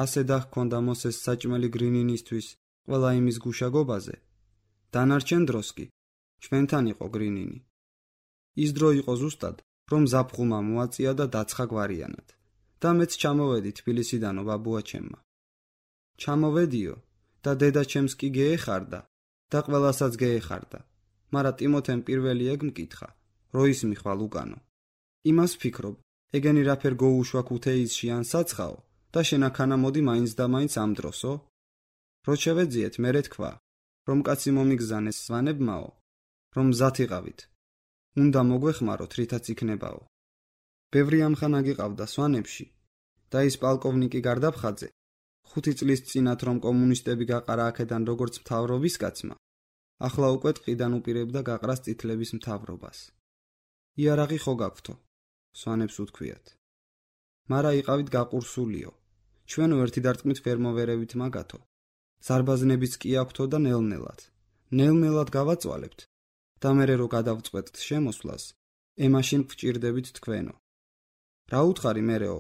ასე დაჰქონდა მოსეს საჭმელი გრინინისთვის ყველა იმის გუშაგობაზე. დანარჩენ დროს კი ჩვენთან იყო გრინინი. ის დრო იყო ზუსტად, რომ ზაფხულმა მოაწია და დაცხა გვარიანად. და მეც ჩამოვედი თბილისიდანო ბაბუაჩემმა. ჩამოვედიო და დედაჩემს კი გეეხარდა და ყველასაც გეეხარდა, მარა ტიმოთემ პირველი ეგ მკითხა, რო ის მიხვალ უკანო. იმას ფიქრობ, ეგენი რაფერ გოუშვა ქუთეისში ან საცხაო და შენაქანა მოდი მაინც და მაინც ამ დროსო? რო შევეძიეთ მერე თქვა, რომ კაცი მომიგზანეს სვანებმაო, რომ მზად იყავით. უნდა მოგვეხმაროთ, რითაც იქნებაო. ბევრი ამხანა გიყავდა სვანებში და ის პალკოვნიკი გარდაფხაძე 5 წლის წინათ რომ კომუნისტები გაყარა აქედან როგორც მთავრობის კაცმა, ახლა უკვე ტყიდან უპირებდა გაყრას წითლების მთავრობას. იარაღი ხო გაქვთო, სვანებს უთქვიათ. მარა იყავით გაყურსულიო, ჩვენო ერთი დარტყმით ფერმოვერევით მაგათო. ზარბაზნებიც კი აქვთო და ნელ-ნელად გავაწვალებთ და მერე რო გადავწყვეტთ შემოსვლას, ემაშინ გვჭირდებით თქვენო. რა უთხარი მერეო?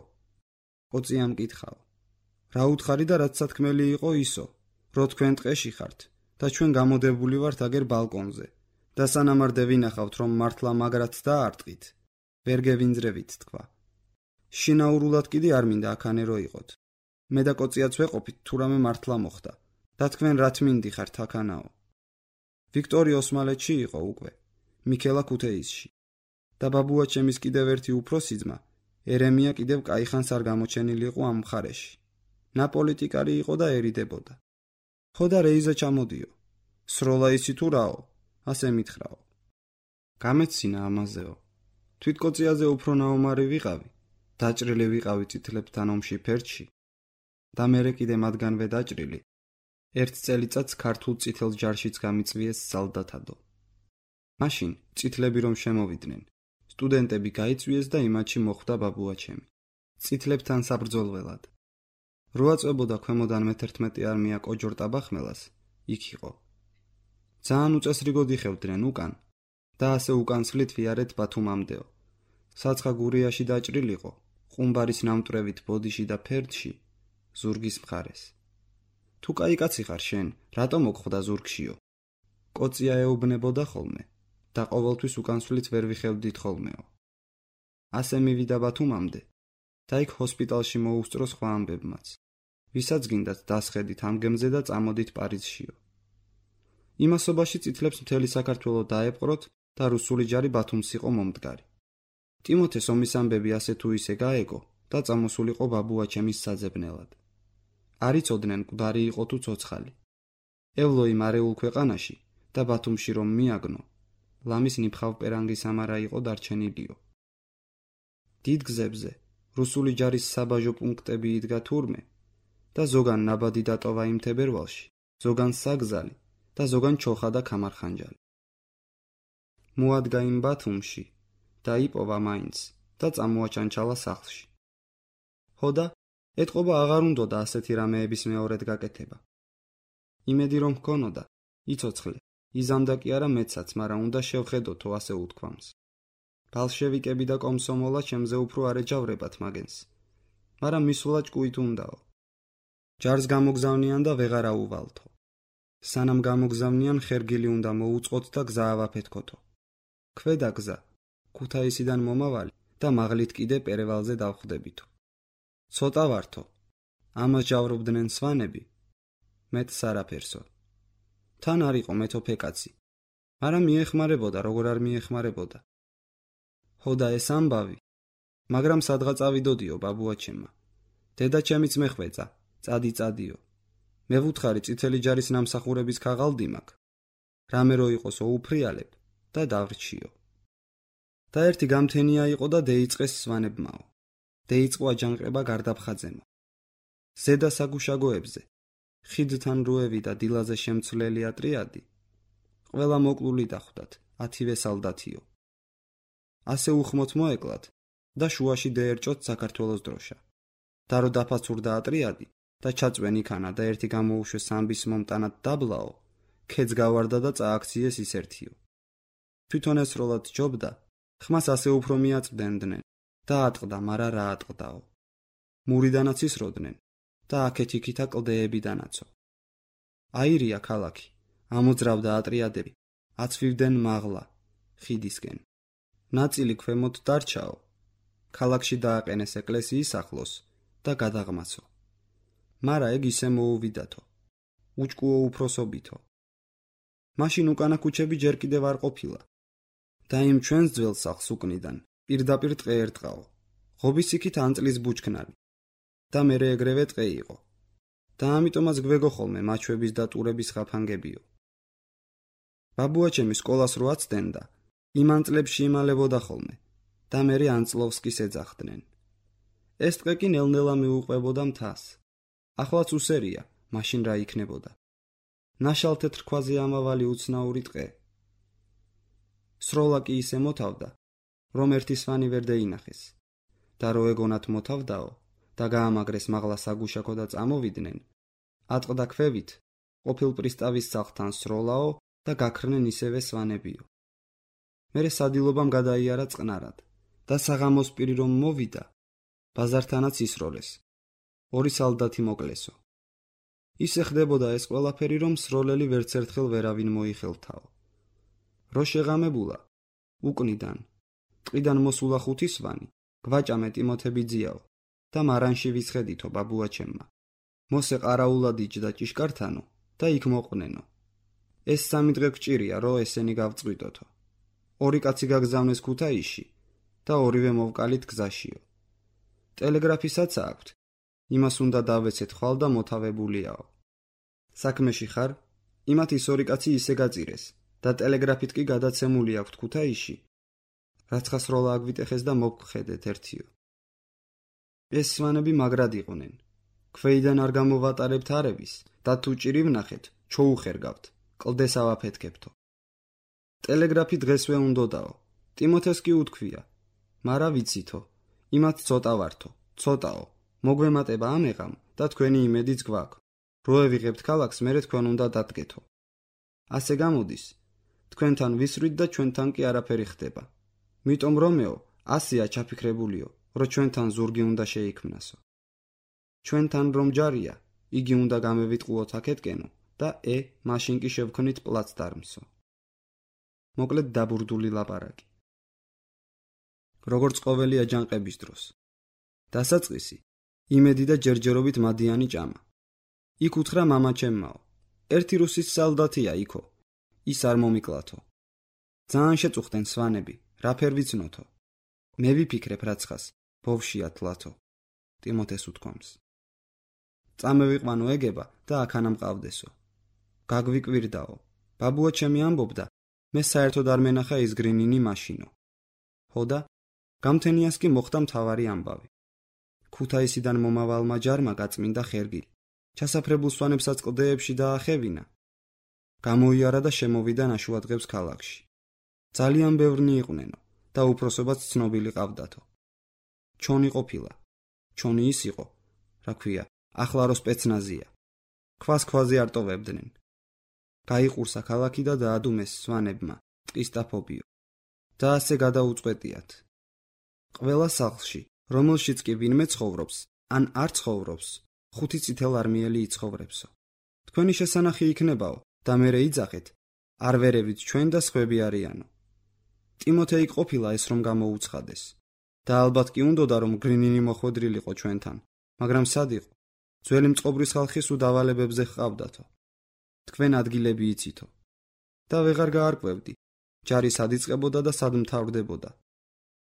ყოწიამ კითხაო. რა უთხარი და რაც სათქმელი იყო ისო, რო თქვენ ტყეში ხართ და ჩვენ გამოდებული ვართ აგერ ბალკონზე და სანამარდე ვინახავთ რომ მართლა მაგრად დაარტყით, ვერ გევინძრევით თქვა. შინაურულად კიდე არ მინდა აქანე რო იყოთ. მე და ყოწიაც ვეყოფით თუ რამე მართლა მოხდა და თქვენ რა თმინდი ხართ აქანაო. ვიქტორი ოსმალეთში იყო უკვე, მიქელა ქუთეისში და ბაბუაჩემის კიდევ ერთი უფროსი ძმა ერემია კიდევ კაიხანს არ გამოჩენილი იყო ამ მხარეში. ნაპოლიტიკარი იყო და ერიდებოდა. ხო და რეიზა ჩამოდიო. სროლა ისი თუ რაო, ასე მითხრაო. გამეცინა ამაზეო. თვითკოწიაზე უფრო ნაომარი ვიყავი, დაჭრილი ვიყავი წითლებთან ომში ფერჩი და მერე კიდე მათგანვე დაჭრილი. ერთ წელიწადს ქართულ წითელ ჯარშიც გამიწვიეს სალდათადო. მაშინ წითლები რომ შემოვიდნენ, სტუდენტები გაიწვიეს და იმათში მოხვდა ბაბუაჩემი. წითლებთან საბრძოლველად. რო აწვებოდა ქვემოდან მე-11 არმია კოჯორტაბახმელას, იქ იყო. ძალიან უწესრიგოდ იხევდნენ უკან და ასე უკანსვლით ვიარეთ ბათუმამდეო. საცხა გურიაში დაჭრილიყო, ყუმბარის ნამტვრევით ბოდიში და ფერდში, ზურგის მხარეს. თუ კაი კაცი ხარ შენ, რატომ მოგხვდა ზურგშიო? კოწია ეუბნებოდა ხოლმე და ყოველთვის უკანსვლით ვერ ვიხევდით ხოლმეო. ასე მივიდა ბათუმამდე და იქ ჰოსპიტალში მოუსწრო სხვა ამბებმაც. ვისაც გინდათ დასხედით ამ გემზე და წამოდით პარიზშიო. იმასობაში წითლებს მთელი საქართველო დაეპყროთ და რუსული ჯარი ბათუმს იყო მომდგარი. ტიმოთეს ომის ამბები ასე თუ ისე გაეგო და წამოსულიყო ბაბუაჩემის საძებნელად. არ იცოდნენ მკვდარი იყო თუ ცოცხალი. ევლოი მარეულ ქვეყანაში და ბათუმში რომ მიაგნო, ლამის ნიფხავ-პერანგის ამარა იყო დარჩენილიო. დიდ გზებზე რუსული ჯარის საბაჟო პუნქტები იდგა თურმე და ზოგან ნაბადი დატოვა იმ თებერვალში, ზოგან საგზალი და ზოგან ჩოხა და ქამარხანჯალი. მოადგა იმ ბათუმში და იპოვა მაინც და წამოაჩანჩალა სახლში. ხო და ეთყობა აღარ უნდოდა ასეთი რამეების მეორედ გაკეთება. იმედი რომ ჰქონოდა, იცოცხლე, იზამდა კი არა მეცაც, მაგრამ უნდა შევხედოთო ასე უთქვამს. ბალშევიკები და კომსომოლა ჩემზე უფრო არ ეჯავრებათ მაგენს, მაგრამ მისვლა ჭკუით უნდაო. ჯარს გამოგზავნიან და ვეღარ აუვალთო. სანამ გამოგზავნიან ხერგილი უნდა მოუწყოთ და გზა ავაფეთქოთო. ქვედა გზა, ქუთაისიდან მომავალი და მაღლით კიდე პერევალზე დავხვდებითო. ცოტა ვართო, ამას ჯავრობდნენ სვანები, მეტ სარაფერსო. თან არ იყო მეთოფე კაცი, მაგრამ მიეხმარებოდა, როგორ არ მიეხმარებოდა. ხო და ეს ამბავი, მაგრამ სადღაც ავიდოდიო ბაბუაჩემმა. დედაჩემიც მეხვეწა, წადიო. მე ვუთხარი წითელი ჯარის ნამსახურების ქაღალდი მაქვს. რამე რო იყოსო უფრიალებ და დავრჩიო. და ერთი გამთენია იყო და დეიწყეს სვანებმაო. დეიწყო აჯანყება გარდაფხაძემო. ზედა საგუშაგოებზე, ხიდთან როევი და დილაზე შემცვლელი ატრიადი, ყველა მოკლული დახვდათ, 10 სალდათიო. ასე უხმოთ მოეკლათ და შუაში დაერჭოთ საქართველოს დროშა. და რო დაფაცურდა ატრიადი და ჩაწვენ იქანა და ერთი გამოუშვეს ამბის მომტანად დაბლაო, ქედს გავარდა და წააქციეს ის ერთიო. თვითონ ესროლად ჯობდა, ხმას ასე უფრო მიაწვდენდნენ და ატყდა, მარა რა ატყდაო. მურიდანაც ისროდნენ, და აქეთ-იქითა კლდეები დანაცო. აირია ქალაქი, ამოძრავდა ატრიადები, აცვივდნენ მაღლა, ხიდისკენ. ნაწილი ქვემოთ დარჩაო, ქალაქში დააყენეს ეკლესიის ახლოს და გადაღმაცო. მარა ეგ ისე მოუვიდათო, უჭკუო უფროსობითო. მაშინ უკანა ქუჩები ჯერ კიდევ არ ყოფილა და იმ ჩვენს ძველ სახლს უკნიდან პირდაპირ ტყე ერტყაო, ღობის იქით ანწლის ბუჩქნარი და მერე ეგრევე ტყე იყო და ამიტომაც გვეგო ხოლმე მაჩვების და ტურების ხაფანგებიო. ბაბუაჩემი სკოლას რო აცდენდა, იმ ანწლებში იმალებოდა ხოლმე და მერე ანწლოვსკის ეძახდნენ. ეს ტყე კი ნელ-ნელა მიუყვებოდა მთას. ახლაც უსერია, მაშინ რა იქნებოდა. ნაშალ თეთრ ქვაზე ამავალი უცნაური ტყე. სროლა კი ისე მოთავდა, რომ ერთი სვანი ვერ დაინახეს და რო ეგონათ მოთავდაო და გაამაგრეს მაღლა საგუშაკო და წამოვიდნენ, ატყდა ქვევით ყოფილ პრისტავის სახლთან სროლაო და გაქრნენ ისევე სვანებიო. მერე სადილობამ გადაიარა წყნარად და საღამოს პირი რომ მოვიდა, ბაზართანაც ისროლეს, ორი სალდათი მოკლესო. ისე ხდებოდა ეს ყველაფერი, რომ სროლელი ვერც ერთხელ ვერავინ მოიხელთაო. რო შეღამებულა, უკნიდან, ტყიდან მოსულა 5 სვანი, გვაჭამე ტიმოთებიძიაო და მარანში ვისხედითო ბაბუაჩემმა. მოსე ყარაულად იჯდა ჭიშკართანო და იქ მოყვნენო. ეს 3 დღე გჭირია, რო ესენი გავწყვიტოთო. 2 კაცი გაგზავნეს ქუთაისში და ორივე მოვკალით გზაშიო. ტელეგრაფისაც აქვთ, იმას უნდა დავეცეთ ხვალ და მოთავებულიაო. საქმეში ხარ? იმათ ის 2 კაცი ისე გაწირეს და ტელეგრაფით კი გადაცემული აქვთ ქუთაისში, რაც ხასროლა აგვიტეხეს და მოგხედეთ ერთიო. ეს სვანები მაგრად იყვნენ. ქვეიდან არ გამოვატარებთ არების და თუ ჭირი ვნახეთ, ჩოუხერგავთ, კლდეს ავაფეთქებთო. ტელეგრაფი დღესვე უნდოდაო. ტიმოთეს კი უთქვია, მარა ვიცითო, იმათ ცოტა ვართო, ცოტაო. მოგვემატება ამეღამ და თქვენი იმედიც გვაქვს. რო ევიღებთ ქალაქს, მერე თქვენ უნდა დადგეთო. ასე გამოდის, თქვენთან ვისვრით და ჩვენთან კი არაფერი ხდება. მიტომ რომეო, ასეა ჩაფიქრებულიო, რო ჩვენთან ზურგი უნდა შეიქმნასო. ჩვენთან რომ ჯარია, იგი უნდა გამევიტყუოთ აქეთკენო და მაშინ კი შევქნით პლაცდარმსო. მოკლედ დაბურდული ლაპარაკი. როგორც ყოველი აჯანყების დროს. დასაწყისი იმედი და ჯერჯერობით მადიანი ჭამა. იქ უთხრა მამაჩემმაო, ერთი რუსის სალდათია იქო, ის არ მომიკლათო. ძალიან შეწუხდნენ სვანები, რა ფერ ვიცნოთო. მე ვიფიქრებ რაცხას, ბოვშია თლათო. ტიმოთეს უთქვამს. წამევიყვანო ეგება და აქანა მყავდესო. გაგვიკვირდაო. ბაბუაჩემი ამბობდა, მე საერთოდ არ მენახა ის გრინინი მაშინო. ჰოდა, გამთენიას კი მოხდა მთავარი ამბავი. ქუთაისიდან მომავალმა ჯარმა გაწმინდა ხერგილი. ჩასაფრებულ სვანებსაც კლდეებში დაახევინა. გამოიარა და შემოვიდა ნაშუადღებს ქალაქში. ძალიან ბევრნი იყვნენო და უფროსობაც ცნობილი ყავდათო. ჩონი ყოფილა. ჩონი ის იყო, რა ქვია, ახლა რო სპეცნაზია. ქვას-ქვაზე არ ტოვებდნენ. გაიყურსა ქალაქი და დაადუმეს სვანებმა, ტყის ტაფობიო. და ასე გადაუწყვეტიათ. ყველა სახლში, რომელშიც კი ვინმე ცხოვრობს, ან არ ცხოვრობს, 5 წითელარმიელი იცხოვრებსო. თქვენი შესანახი იქნებაო და მერე იძახეთ, არ ვერევით ჩვენ და სხვები არიანო. ტიმოთეი ყოფილა ეს რომ გამოუცხადეს. და ალბათ კი უნდოდა რომ გრინინი მოხვედრილიყო ჩვენთან, მაგრამ სად იყო? ძველი მწყობრის ხალხი სულ დავალებებზე ჰყავდათო. თქვენ ადგილები იცითო. და ვეღარ გაარკვევდი, ჯარი სად იწყებოდა და სად მთავრდებოდა.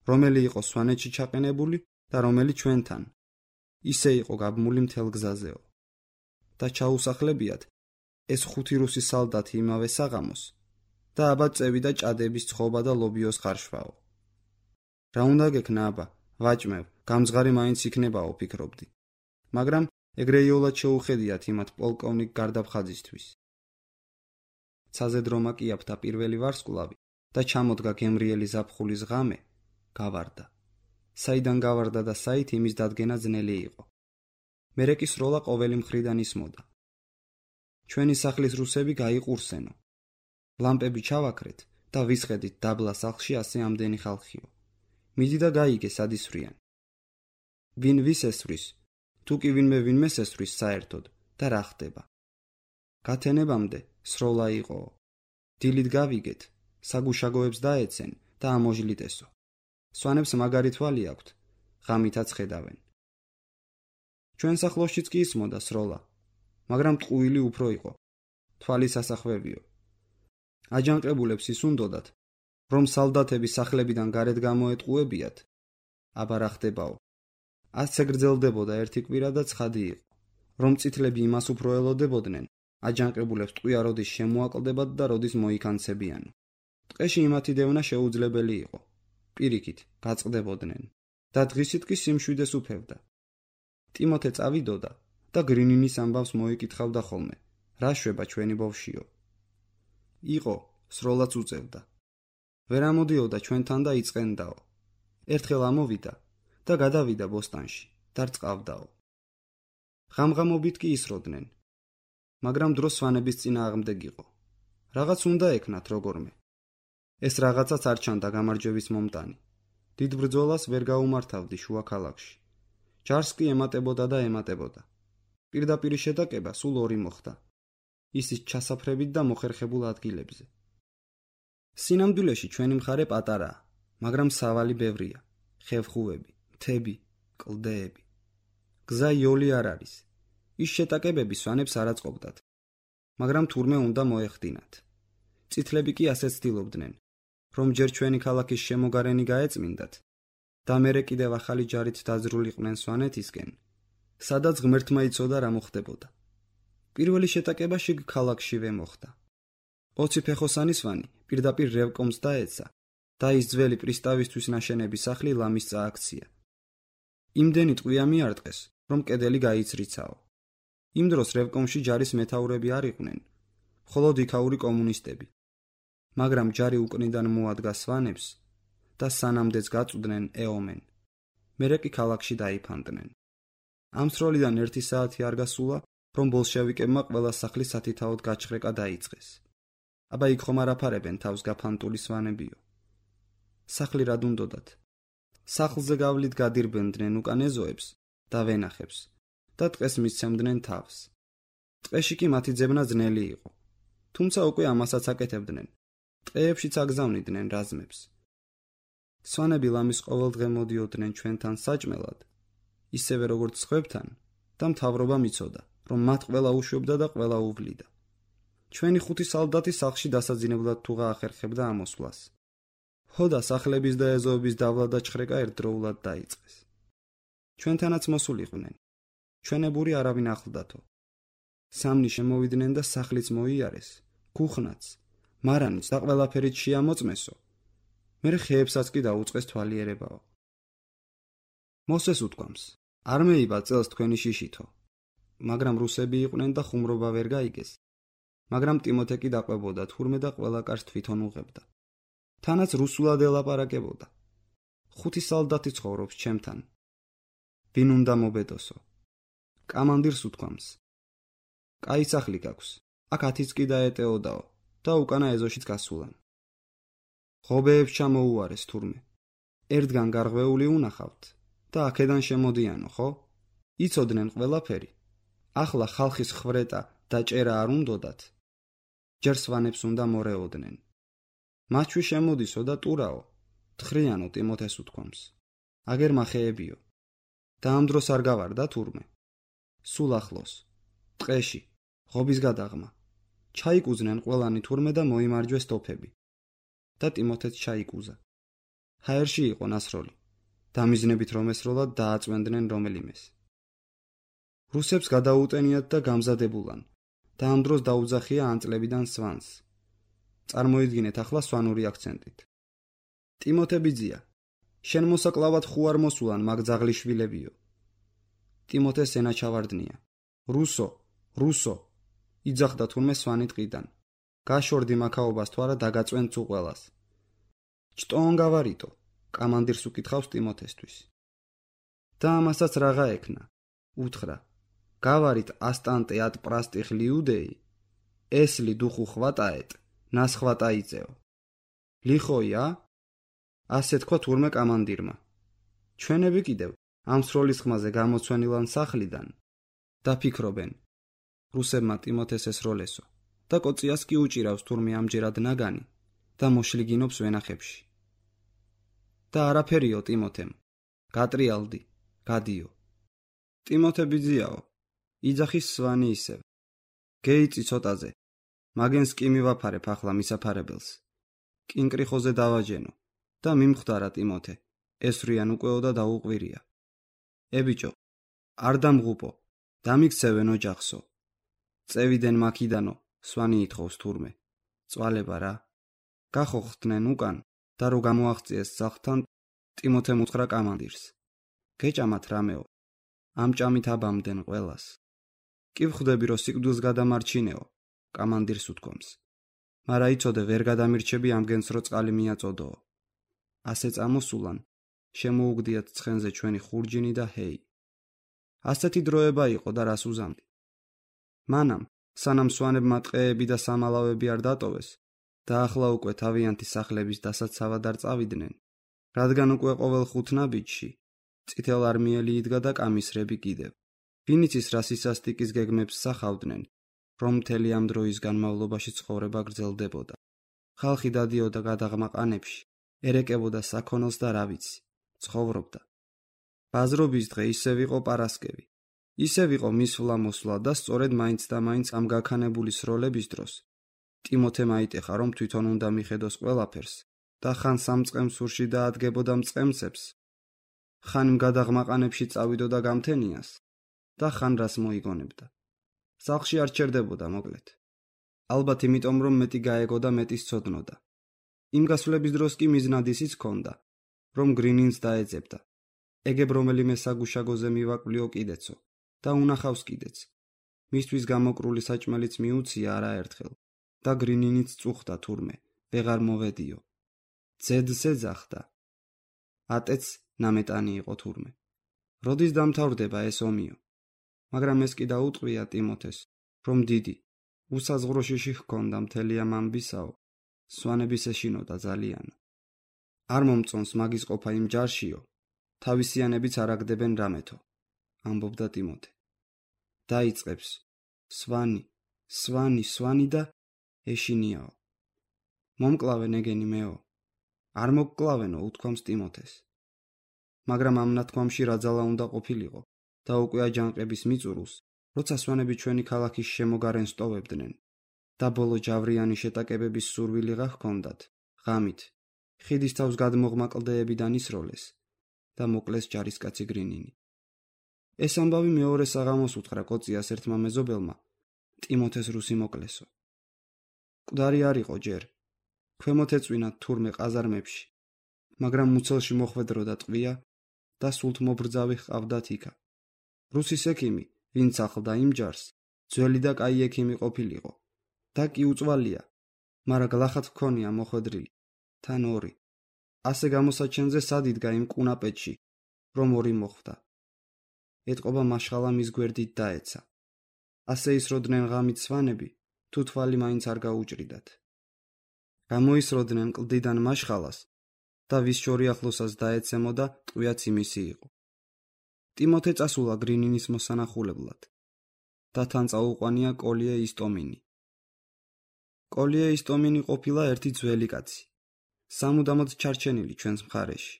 რომელი იყო სვანეთში ჩაყენებული და რომელი ჩვენთან. ისე იყო გაბმული მთელ გზაზეო. და ჩაუსახლებიათ ეს 5 რუსი სალდათი იმავე საღამოს და აბა წევიდა ჭადების ცხობა და ლობიოს ხარშვაო. რა უნდა გექნა აბა, ვაჭმევ, გამძღარი მაინც იქნებაო ფიქრობდი. მაგრამ ეგრეიოლად შეუხედიათ იმათ პოლკოვნიკ გარდაბხაძისთვის. ცაზე დრომა კი აფთა პირველი ვარსკვლავი და ჩამოდგა გემრიელი ზაფხულის ღამე, გავარდა. საიდან გავარდა და საით იმის დადგენა ძნელი იყო. მერე კი სროლა ყოველი მხრიდან ისმოდა. ჩვენი სახლის რუსები გაიყურსენო. ლამპები ჩავაქრეთ და ვისხედით დაბლა სახლში ასე ამდენი ხალხიო. მიდი და გაიგე სად ისვრიან. ვინ ვის ესვრის, თუ კი ვინმე ესვრის საერთოდ და რა ხდება. გათენებამდე სროლა იყო. დილით გავიგეთ, საგუშაგოებს დაეცენ და ამოჟლით ესო. სვანებს მაგარი თვალი აქვთ, ღამითაც ხედავენ. ჩვენ სახლოსშიც კი ისმოდა სროლა, მაგრამ ტყუილი უფრო იყო. თვალი სასახვევიო. აჯანყებულებს ის უნდოდათ, რომ სალდათები სახლებიდან გარეთ გამოეტყუებიათ. აბა რა ხდებაო. ასე გრძელდებოდა ერთი კვირა და ცხადი იყო, რომ წითლები იმას უფრო ელოდებოდნენ, აჯანყებულებს ტყვია როდის შემოაკლდებათ და როდის მოიქანცებიანო. ტყეში იმათი დევნა შეუძლებელი იყო. პირიქით გაწყდებოდნენ და დღისით კი სიმშვიდეს უფევდა. ტიმოთე წავიდოდა და გრინინის ამბავს მოიკითხავდა ხოლმე. რა შვება ჩვენი ბავშვიო? იყო, სროლაც უწევდა. ვერ ამოდიოდა ჩვენთან და იწყენდაო. ერთხელ ამოვიდა და გადავიდა ბოსტანში და რწყავდაო. ღამღამობით კი ისროდნენ. მაგრამ დრო სვანების წინააღმდეგ იყო. რაღაც უნდა ეკნათ როგორმე. ეს რაღაცაც არ ჩანდა გამარჯვების მომტანი. დიდ ბრძოლას ვერ გაუმართავდი შუა ქალაქში. ჯარს კი ემატებოდა და ემატებოდა. პირდაპირ შეტაკება სულ ორი მოხდა. ისიც ჩასაფრებით და მოხერხებულ ადგილებზე. სინამდვილეში ჩვენი მხარე პატარაა, მაგრამ სავალი ბევრია. ხევხუები, მთები, კლდეები. გზა იოლი არ არის. ის შეტაკებები სვანებს არ აწყობდათ. მაგრამ თურმე უნდა მოეხდინათ. წითლები კი ასე ცდილობდნენ, რომ ჯერ ჩვენი ქალაქის შემოგარენი გაეწმინდათ და მერე კიდევ ახალი ჯარით დაძრულიყვნენ სვანეთისკენ, სადაც ღმერთმა იცოდა რა მოხდებოდა. პირველი შეტაკება შიგ ქალაქშივე მოხდა. 20 ფეხოსანი სვანი პირდაპირ რევკომს დაეცა და ის ძველი პრისტავისთვის ნაშენების სახლი ლამის წააქცია. იმდენი ტყვია მიარტყეს, რომ კედელი გაიცრიცაო. იმ დროს რევკომში ჯარის მეთაურები არ იყვნენ, მხოლოდ იქაური კომუნისტები. მაგრამ ჯარი უკნიდან მოადგა სვანებს და სანამდეც გაწვდნენ ეომენ. მერე კი ქალაქში დაიფანტნენ. ამ სროლიდან 1 საათი არ გასულა, რომ ბოლშევიკებმა ყველა სახლი სათითაოდ გაჩხრეკა დაიწყეს. აბა იქ ხომ არ აფარებენ თავს გაფანტული სვანებიო. სახლი რად უნდოდათ. სახლზე გავლით გადირბენდნენ უკან ეზოებს და ვენახებს და ტყეს მისცემდნენ თავს. ტყეში კი მათი ძებნა ძნელი იყო. თუმცა უკვე ამასაც აკეთებდნენ. ტყეებშიც აგზავნიდნენ რაზმებს. სვანები ლამის ყოველ დღე მოდიოდნენ ჩვენთან საჭმელად, ისევე როგორც სხვებთან, და მთავრობამ იცოდა, რომ მათ ყველა უშვებდა და ყველა უვლიდა. ჩვენი 5 სალდათი სახლში დასაძინებლად თუ გაახერხებდა ამოსვლას. ჰოდა სახლების და ეზოების დავლა და ჩხრეკა ერთდროულად დაიწყეს. ჩვენთანაც მოსულიყვნენ. ჩვენებური არავინ ახლდათო. სამნი შემოვიდნენ და სახლიც მოიარეს, ქუხნაც, მარანიც და ყველაფერით შეამოწმესო. მერე ხეებსაც კი დაუწყეს თვალიერებაო. მოსეს უთქვამს, არ მეიბა წელს თქვენი შიშითო. მაგრამ რუსები იყვნენ და ხუმრობა ვერ გაიგეს. მაგრამ ტიმოთე კი დაყვებოდა თურმე და ყველა კარს თვითონ უღებდა. თანაც რუსულად ელაპარაკებოდა. 5 სალდათი ცხოვრობს ჩემთან. ვინ უნდა მობედოსო? კამანდირს უთქვამს. კაი სახლი გაქვს. აქ 10-იც კი დაეტეოდაო და უკანა ეზოშიც გასულან. ღობეებს ჩამოუარეს თურმე. ერთგან გარღვეული უნახავთ და აქედან შემოდიანო, ხო? იცოდნენ ყველაფერი. ახლა ხალხის ხვრეტა და ჭერა არ უნდოდათ. ჯერ სვანებს უნდა მორეოდნენ. მათში შემოდისო და ტურაო. თხრიანო ტიმოთეს უთქვამს. აგერ მახეებიო. და ამ დროს არ გავარდა თურმე. სულ ახლოს. ტყეში. ღობის გადაღმა. ჩაიკუზნენ ყველანი თურმე და მოიმარჯვეს ტოფები. და ტიმოთეც ჩაიკუზა. ჰაერში იყო ნასროლი. დამიზნებით რომ ესროლად დააწვენდნენ რომელიმეს. რუსებს გადაუტენიათ და გამზადებულან. და ამ დროს დაუძახია ანწლებიდან სვანს. წარმოიდგინეთ ახლა სვანური აქცენტით. ტიმოთე ბიძია, შენ მოსაკლავად ხუ არ მოსულან მაგ ძაღლიშვილებიო. ტიმოთეს ენა ჩავარდნია. რუსო, იძახდა თურმე სვანი ტყიდან. გაშორდი მაქაობას თუ არა დაგაწვენ თუ ყველას. ჩტოონ გავარიტო, კამანდირს უკითხავს ტიმოთესთვის. და ამასაც რაღა ექნა. უთხრა, გავარით ასტანტე ად პრასტიხ ლიუდეი, ესლი დუხუ ხვატაეტ, ნას ხვატაიწეო. ლიხოია? ასე თქვა თურმე კამანდირმა. ჩვენები კიდევ ამ სროლის ხმაზე გამოცვენილან სახლიდან დაფიქრობენ რუსებმა ტიმოთეს ესროლესო და კოციას კი უჭირავს თურმე ამჯერად ნაგანი და მოშლიგინობს ვენახებში. და არაფერიო ტიმოთემ, გატრიალდი, გადიო. ტიმოთე ბიძიაო, იძახის სვანი ისევ. გეიწი ცოტაზე, მაგენს კი მივაფარებ ახლა მისაფარებელს. კინკრიხოზე დავაჯენო და მიმხვდარა ტიმოთე, ესვრიან უკვეო და დაუყვირია. ებიჭო, არ დამღუპო, დამიქცევენ ოჯახსო. წევიდენ მაქიდანო, სვანი ითხოვს თურმე. წვალება რა. გახოხდნენ უკან და რო გამოაღწიეს სახლთან, ტიმოთემ უთხრა კამანდირს. გეჭამათ რამეო, ამ ჭამით აბამდნენ ყველას. კი ვხვდები რომ სიკვდილს გადამარჩინეო, კამანდირს უთქვამს. მარა იცოდე ვერ გადამირჩები ამგენს რო წყალი მიაწოდოო. ასე წამოსულან, შემოუგდიათ ცხენზე ჩვენი ხურჯინი და ჰეი. ასეთი დროება იყო და რას უზამდი. მანამ, სანამ სვანებმა ტყეები და სამალავები არ დატოვეს და ახლა უკვე თავიანთი სახლების დასაცავად არ წავიდნენ, რადგან უკვე ყოველ 5 ნაბიჯში წითელ არმიელი იდგა და კამისრები კიდევ. ვინც ის რასისასტიკის გეგმებს სახავდნენ, რომ მთელი ამ დროის განმავლობაში ცხოვრება გრძელდებოდა. ხალხი დადიოდა გადაღმაყანებში, ერეკებოდა საქონელს და რა ვიცი, ცხოვრობდა. ბაზრობის დღე ისევ იყო პარასკევი. ისევ იყო მისვლა-მოსვლა და სწორედ მაინც და მაინც ამ გაქანებული სროლების დროს ტიმოთემ აიტეხა, რომ თვითონ უნდა მიხედოს ყველაფერს და ხან სამწყემსურში დაადგებოდა მწყემსებს, ხან იმ გადაღმაყანებში წავიდოდა გამთენიას და ხან რას მოიგონებდა. სახლში არ ჩერდებოდა მოკლედ. ალბათ იმიტომ, რომ მეტი გაეგო და მეტი სცოდნოდა. იმ გასვლების დროს კი მიზნად ისიც ჰქონდა, რომ გრინინს დაეძებდა. ეგებ რომელიმე საგუშაგოზე მივაკვლიო კიდეცო და უნახავს კიდეც. მისთვის გამოკრული საჭმელიც მიუცია არაერთხელ და გრინინიც წუხდა თურმე, ვეღარ მოვედიო. ძედს ეძახდა. ატეც ნამეტანი იყო თურმე. როდის დამთავრდება ეს ომიო? მაგრამ ეს კი დაუტყვია ტიმოთეს, რომ დიდი, უსაზღვრო შიში ჰქონდა მთელი ამ ამბისაო, სვანების ეშინოდა ძალიან. არ მომწონს მაგის ყოფა იმ ჯარშიო, თავისიანებიც არ აგდებენ რამეთო, ამბობდა ტიმოთე. დაიწყებს, სვანი და ეშინიაო. მომკლავენ ეგენი მეო. არ მოგკლავენო, უთქვამს ტიმოთეს. მაგრამ ამ ნათქვამში რა ძალა უნდა ყოფილიყო და უკვე აჯანყების მიწურულს, როცა სვანები ჩვენი ქალაქის შემოგარენ სტოვებდნენ და ბოლო ჯავრიანი შეტაკებების სურვილიღა ჰქონდათ, ღამით, ხიდის თავს გადმოღმა კლდეებიდან ისროლეს და მოკლეს ჯარისკაცი გრინინი. ეს ამბავი მეორე საღამოს უთხრა კოციას ერთმა მეზობელმა, ტიმოთეს რუსი მოკლესო. მკვდარი არ იყო ჯერ, ქვემოთ ეწვინა თურმე ყაზარმებში, მაგრამ მუცელში მოხვედროდა ტყვია და სულთ მობრძავი ჰყავდათ იქა. რუსის ექიმი, ვინც ახლდა იმ ჯარს, ძველი და კაი ექიმი ყოფილიყო და კი უწვალია, მარა გლახად ჰქონია მოხვედრილი, თან 2. ასე გამოსაჩენზე სად იდგა იმ კუნაპეთში, რომ 2 მოხვდა. ეტყობა მაშხალა მის გვერდით დაეცა. ასე ისროდნენ ღამით სვანები, თუ თვალი მაინც არ გაუჭრიდათ. გამოისროდნენ კლდიდან მაშხალას და ვის შორი ახლოსას დაეცემოდა, ტყვიაც იმისი იყო. ტიმოთე წასულა გრინინის მოსანახულებლად და თან წაუყვანია კოლიე ისტომინი. კოლიე ისტომინი ყოფილა ერთი ძველი კაცი, სამუდამოდ ჩარჩენილი ჩვენს მხარეში,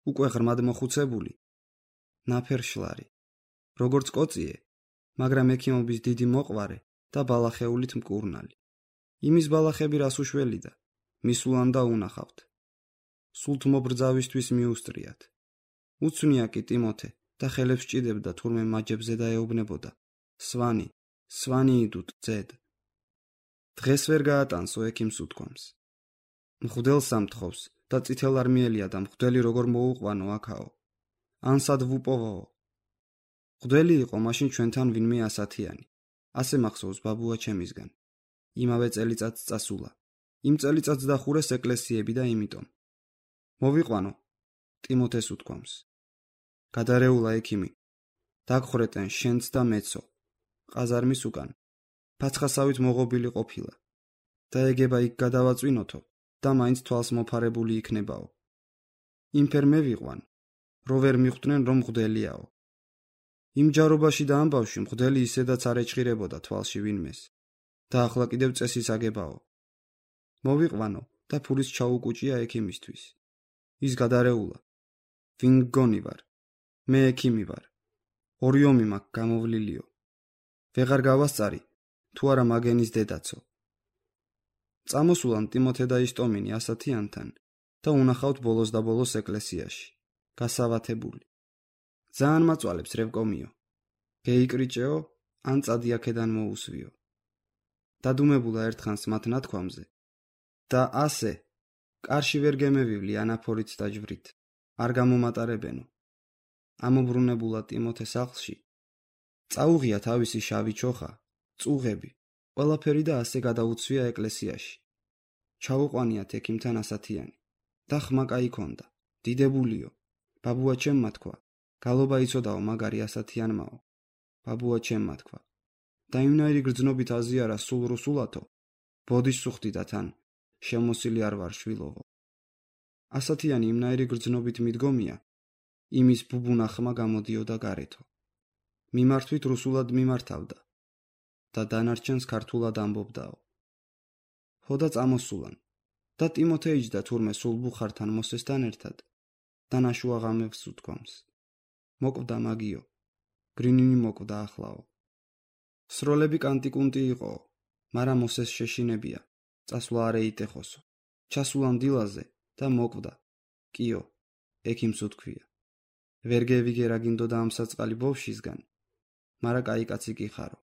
უკვე ღრმად მოხუცებული, ნაფერშლარი, როგორც კოციე, მაგრამ ექიმობის დიდი მოყვარე და ბალახეულით მკურნალი. იმის ბალახები რას უშველიდა, მისულან და უნახავთ. სულთ მობრძავისთვის მიუსტრიათ. უცნია კი ტიმოთე და ხელებს ჭიდებდა თურმე მაჯებზე დაეუბნებოდა. სვანი იდუტ ძედ. დღეს ვერ გაატანსო ექიმს უთქვამს. მღვდელს ამთხოვს და წითელ არმიელია და მღვდელი როგორ მოუყვანო აქაო. ანსად ვუპოვოო. მღვდელი იყო მაშინ ჩვენთან ვინმე ასათიანი. ასე მახსოვს ბაბუა ჩემისგან. იმავე წელიწადს წასულა. იმ წელიწადს დახურეს ეკლესიები და იმიტომ. მოვიყვანო, ტიმოთეს უთქვამს. გადარეულა ექიმი. დაგხრეტენ შენც და მეცო. ყაზარმის უკან. ფაცხასავით მოღობილი ყოფილა. და ეგება იქ გადავაწვინოთო და მაინც თვალს მოფარებული იქნებაო. იმ ფერ მე ვიყვან. რო ვერ მიხვდნენ, რომ მღვდელიაო. იმ ჯარობაში და ამბავში მღვდელი ისედაც არ ეჭხირებოდა თვალში ვინმეს. და ახლა კიდევ წესის აგებაო. მოვიყვანო და ფულის ჩაუკუჭია ექიმისთვის. ის გადარეულა. ვინ გგონი ვარ? მე ექიმი ვარ. ორი ომი მაქვს გამოვლილიო. ვეღარ გავასწარი, თუ არა მაგენის დედაცო. წამოსულან ტიმოთე და ისტომინი ასათიანთან და უნახავთ ბოლოს და ბოლოს ეკლესიაში, გასავათებული. ძალიან მაწვალებს რევკომიო. გეიკრიჭეო, ან წადი აქედან მოუსვიო. დადუმებულა ერთხანს მათ ნათქვამზე და ასე კარში ვერ გემევივლი ანაფორით და ჯვრით, არ გამომატარებენო. ამობრუნებულა ტიმოთე სახლში. წაუღია თავისი შავი ჩოხა, წუღები, ყველაფერი და ასე გადაუცვია ეკლესიაში. ჩაუყვანიათ ექიმთან ასათიანი. და ხმა კაი ქონდა, დიდებულიო. ბაბუა ჩემმა თქვა, გალობა იცოდაო მაგარი ასათიანმაო. ბაბუა ჩემმა თქვა. და იმნაირი გრძნობით აზიარა სულ რუსულათო, ბოდის სუხდი და თან, შემოსილი არ ვარ შვილოვო. ასათიანი იმნაირი გრძნობით მიდგომია, იმის ბუბუნა ხმა გამოდიოდა გარეთო. მიმართვით რუსულად მიმართავდა და დანარჩენს ქართულად ამბობდაო. ხოდა წამოსულან და ტიმოთე იჯდა თურმე სულ ბუხართან მოსესთან ერთად და ნაშუა ღამებს უთქვამს. მოკვდა მაგიო, გრინინი მოკვდა ახლაო. სროლები კანტიკუნტი იყოო, მაგრამ მოსეს შეშინებია, წასვლა არ ეიტეხოსო. ჩასულან დილაზე და მოკვდა. კიო, ექიმს უთქვია. ვერ გევიგე რა გინდოდა ამ საწყალი ბავშვისგან, მარა კაი კაცი კი ხარო.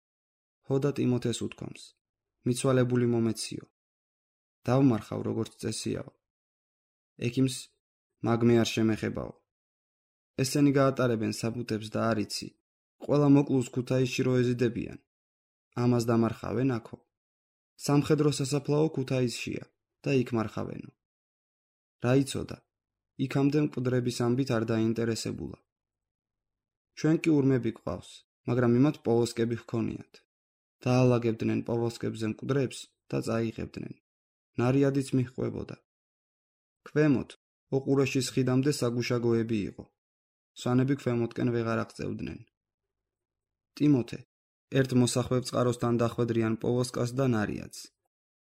ხოდა ტიმოთეს უთქვამს. მიცვალებული მომეციო. დავმარხავ როგორც წესიაო. ექიმს მაგმე არ შემეხებაო. ესენი გაატარებენ საბუთებს და არიცი. ყველა მოკლუს ქუთაისში რო ეზიდებიან. ამას დამარხავენ აქო. სამხედრო სასაფლაო ქუთაისშია და იქ მარხავენო. რა იცოდა? იქამდე მკვდრების ამბით არ დაინტერესებულა. ჩვენ კი ურმები გვყავს, მაგრამ იმათ პოვოსკები ჰქონიათ. დაალაგებდნენ პოვოსკებზე მკვდრებს და წაიღებდნენ. ნარიადიც მიჰყვებოდა. ქვემოთ, ოყურეშის ხიდამდე საგუშაგოები იყო. სვანები ქვემოთკენ ვეღარ აღწევდნენ. ტიმოთე, ერთ მოსახვევ წყაროსთან დახვედრიან პოვოსკას და ნარიადს.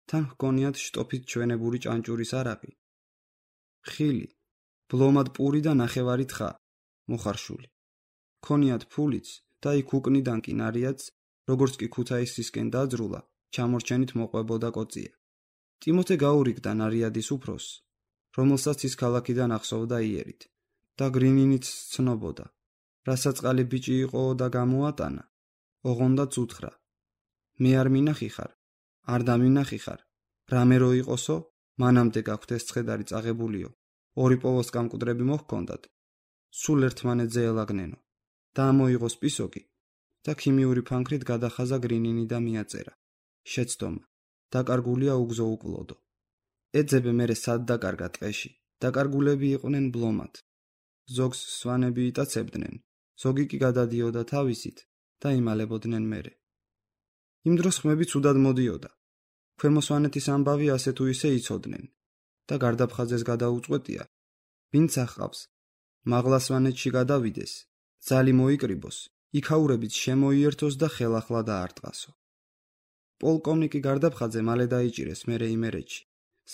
თან ჰქონიათ შტოფით ჩვენებური ჭანჭურის არაყი. ხილი, ბლომად პური და ნახევარი თხა, მოხარშული. ქონიათ ფულიც და იქ უკნიდან კი ნარიადს, როგორც კი ქუთაისისკენ დაძრულა, ჩამორჩენით მოყვებოდა კოწია. ტიმოთე გაურიგდა ნარიადის უფროს, რომელსაც ის ქალაქიდან ახსოვდა იერით და გრინინიც ცნობოდა. რასაწყალი ბიჭი იყო და გამოატანა, ოღონდაც უთხრა. მე არ მინახი ხარ, არ დამინახი ხარ, რამე რო იყოსო, მანამდე გაქვთ ეს ცხედარი წაღებულიო, ორი პოვოსკა მკვდრები მოჰქონდათ, სულ ერთმანეთზე ელაგნენო და ამოიღოს პისოკი და ქიმიური ფანქრით გადახაზა გრინინი და მიაწერა. შეცდომა, დაკარგულია უგზო უკლოდო. ეძებე მერე სად დაკარგა ტყეში, დაკარგულები იყვნენ ბლომად. ზოგს სვანები იტაცებდნენ, ზოგი კი გადადიოდა თავისით და იმალებოდნენ მერე. იმ დროს ხმები ცუდად მოდიოდა. ქვემო სვანეთის ამბავი ასე თუ ისე იცოდნენ და გარდაფხაზეს გადაუწყვეტია. ვინც ახავს, მაღლა სვანეთში გადავიდეს, ძალი მოიკრიბოს, იქაურებით შემოიერთოს და ხელახლა დაარტყასო. პოლკოვნიკი გარდაფხაძე მალე დაიჭირეს მერე იმერეთში,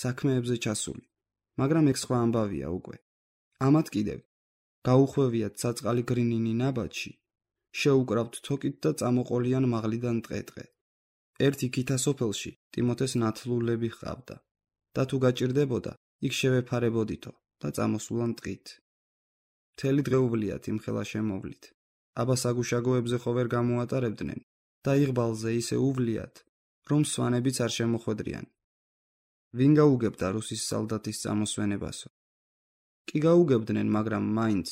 საქმეებზე ჩასული, მაგრამ ეგ სხვა ამბავია უკვე. ამათ კიდევ გაუხვევიათ საწყალი გრინინი ნაბადში, შეუკრავთ თოკით და წამოყოლიან მაღლიდან ტყე-ტყე. ერთ იქითა სოფელში ტიმოთეს ნათლულები ჰყავდა და თუ გაჭირდებოდა, იქ შევეფარებოდითო და წამოსულან ტყით. მთელი დღეუვლიათ იმხელა შემოვლით. აბა საგუშაგოებზე ხო ვერ გამოატარებდნენ და იღბალზე ისე უვლიათ, რომ სვანებიც არ შემოხვედრიან. ვინ გაუგებდა რუსის სალდათის წამოსვენებასო? კი გაუგებდნენ, მაგრამ მაინც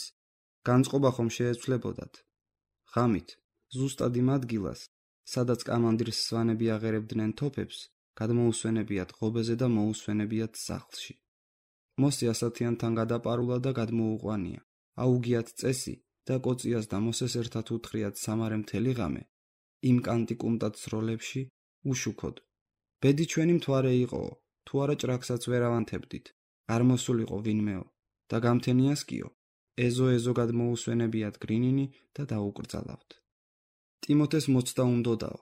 განწყობა ხომ შეეცვლებოდათ. ღამით, ზუსტად იმ ადგილას, სადაც კამანდირს სვანები აღერებდნენ თოფებს, გადმოუსვენებიათ ღობეზე და მოუსვენებიათ სახლში. მოსი ასათიანთან გადაპარულა და გადმოუყვანია. აუგიათ წესი და კოწიას და მოსეს ერთად უთხრიათ სამარე მთელი ღამე. იმ კანტიკუმტად სროლებში უშუქოდ. ბედი ჩვენი მთვარე იყოო, თუ არა ჭრაკსაც ვერ ავანთებდით. არ მოსულიყო ვინმეო და გამთენიას კიო. ეზო-ეზოგად მოусვენებიათ გრინინი და დაუკრძალავთ. ტიმოთეს მოცდა უნდოდაო.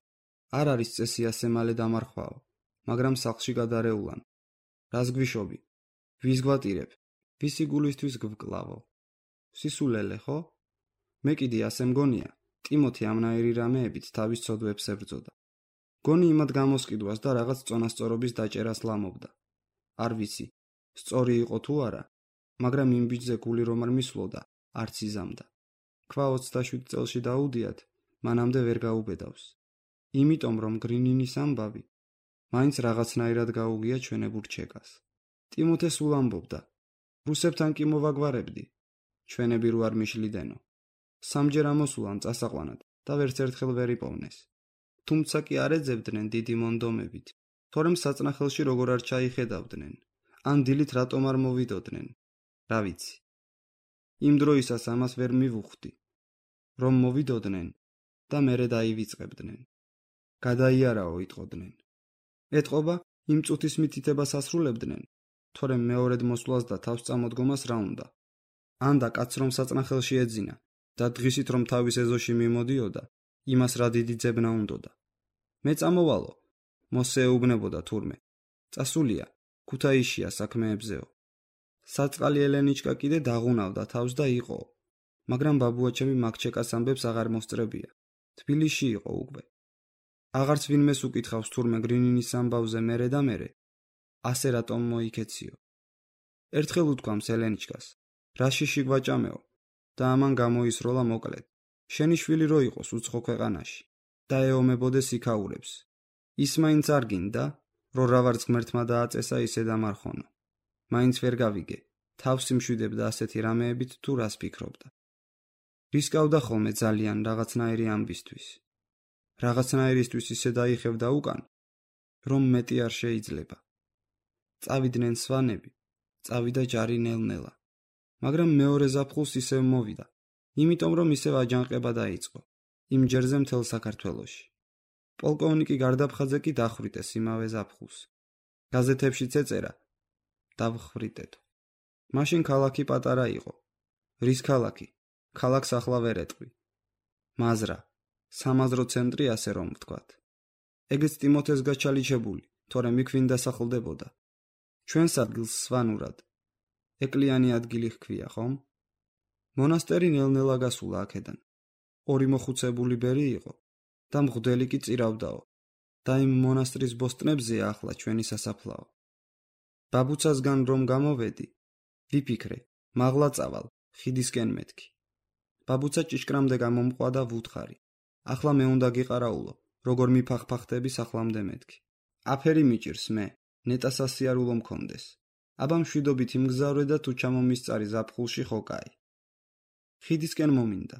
არ არის წესი ასე მალე დამარხვაო, მაგრამ სახლში გადარეულან. რას გვიშობი? ვის გვატირებ? ვისი გულისთვის გვკლავო? სისულელე, ხო? მე კიდე ასე მგონია, ტიმოთე ამნაირი რამეებით თავის ცოდვებს ებრძოდა. გონი იმად გამოსყიდვას და რაღაც წონასწორობის დაჭერას ლამობდა. არ ვიცი, სწორი იყო თუ არა, მაგრამ იმ ბიჭზე გული რომ არ მისვლოდა, არც იზამდა. ქვა 27 წელში დაუდიათ, მანამდე ვერ გაუბედავს. იმიტომ რომ გრინინის ამბავი მაინც რაღაცნაირად გაუგია ჩვენებურ ჩეკას. ტიმოთე სულ ამბობდა, რუსებთან კი მოვაგვარებდი, ჩვენები რო არ მიშლიდენო. სამჯერ ამოსულან წასაყვანად და ვერც ერთხელ ვერ იპოვნეს. თუმცა კი არ ეძებდნენ დიდი მონდომებით, თორემ საწნახელში როგორ არ ჩაიხედავდნენ, ან დილით რატომ არ მოვიდოდნენ, რა ვიცი. იმ დროისას ამას ვერ მივუხდი, რომ მოვიდოდნენ და მერე დაივიწყებდნენ. გადაიარაო იტყოდნენ. ეტყობა იმ წუთის მითითებას ასრულებდნენ, თორემ მეორედ მოსვლას და თავს წამოდგომას რა უნდა. ანდა კაცს რომ საწნახელში ეძინა და დღისით რომ თავის ეზოში მიმოდიოდა, იმას რა დიდი ძებნა უნდოდა. მე წამოვალო, მოსე ეუბნებოდა თურმე. წასულია, ქუთაისშია საქმეებზეო. საწყალი ელენიჩკა კიდე დაღუნავდა თავს და იყო, მაგრამ ბაბუაჩემი მაგჩეკას ამბებს აღარ მოსწრებია. თბილისში იყო უკვე. აღარც ვინმეს უკითხავს თურმე გრინინის ამბავზე მერე და მერე. ასე რატომ მოიქეციო? ერთხელ უთქვამს ელენიჩკას, რაშიში გვაჭამეო და ამან გამოისროლა მოკლედ. შენი შვილი რო იყოს უცხო ქვეყანაში და ეომებოდეს იქაურებს. ის მაინც არ გინდა, რომ რა ვარც ღმერთმა დააწესა ისე დამარხონო. მაინც ვერ გავიგე, თავს იმშვიდებდა ასეთი რამეებით თუ რას ფიქრობდა. რისკავდა ხოლმე ძალიან რაღაცნაირი ამბისთვის. რაღაცნაირისთვის ისე დაიხევდა უკან, რომ მეტი არ შეიძლება. წავიდნენ სვანები, წავიდა ჯარი ნელ-ნელა. მაგრამ მეორე ზაფხულს ისევ მოვიდა, იმიტომ რომ ისევ აჯანყება დაიწყო, იმ ჯერზე მთელ საქართველოში. პოლკოვნიკი გარდაფხაძე კი დახვრიტეს იმავე ზაფხულს. გაზეთებშიც ეწერა, დავხვრიტეთო. მაშინ ქალაქი პატარა იყო. რის ქალაქი? ქალაქს ახლა ვერ ეტყვი. მაზრა, სამაზრო ცენტრი ასე რომ ვთქვათ. ეგეც ტიმოთეს გაჩალიჩებული, თორემ იქ ვინ დასახლდებოდა. ჩვენს ადგილს სვანურად. ეკლიანი ადგილი ჰქვია, ხომ? მონასტერი ნელ-ნელა გასულა აქედან. ორი მოხუცებული ბერი იყო და მღვდელი კი წირავდაო და იმ მონასტრის ბოსტნებზეა ახლა ჩვენი სასაფლაო. ბაბუცასგან რომ გამოვედი, ვიფიქრე, მაღლა წავალ, ხიდისკენ მეთქი. ბაბუცა ჭიშკრამდე გამომყვა და ვუთხარი. ახლა მე უნდა გიყარაულო, როგორ მიფახფახდები სახლამდე მეთქი. აფერი მიჭირს მე, ნეტას ასიარულო მქონდეს. აბა მშვიდობით იმგზავრე და თუ ჩამომისწარი ზაფხულში ხო კაი. ხიდისკენ მომინდა.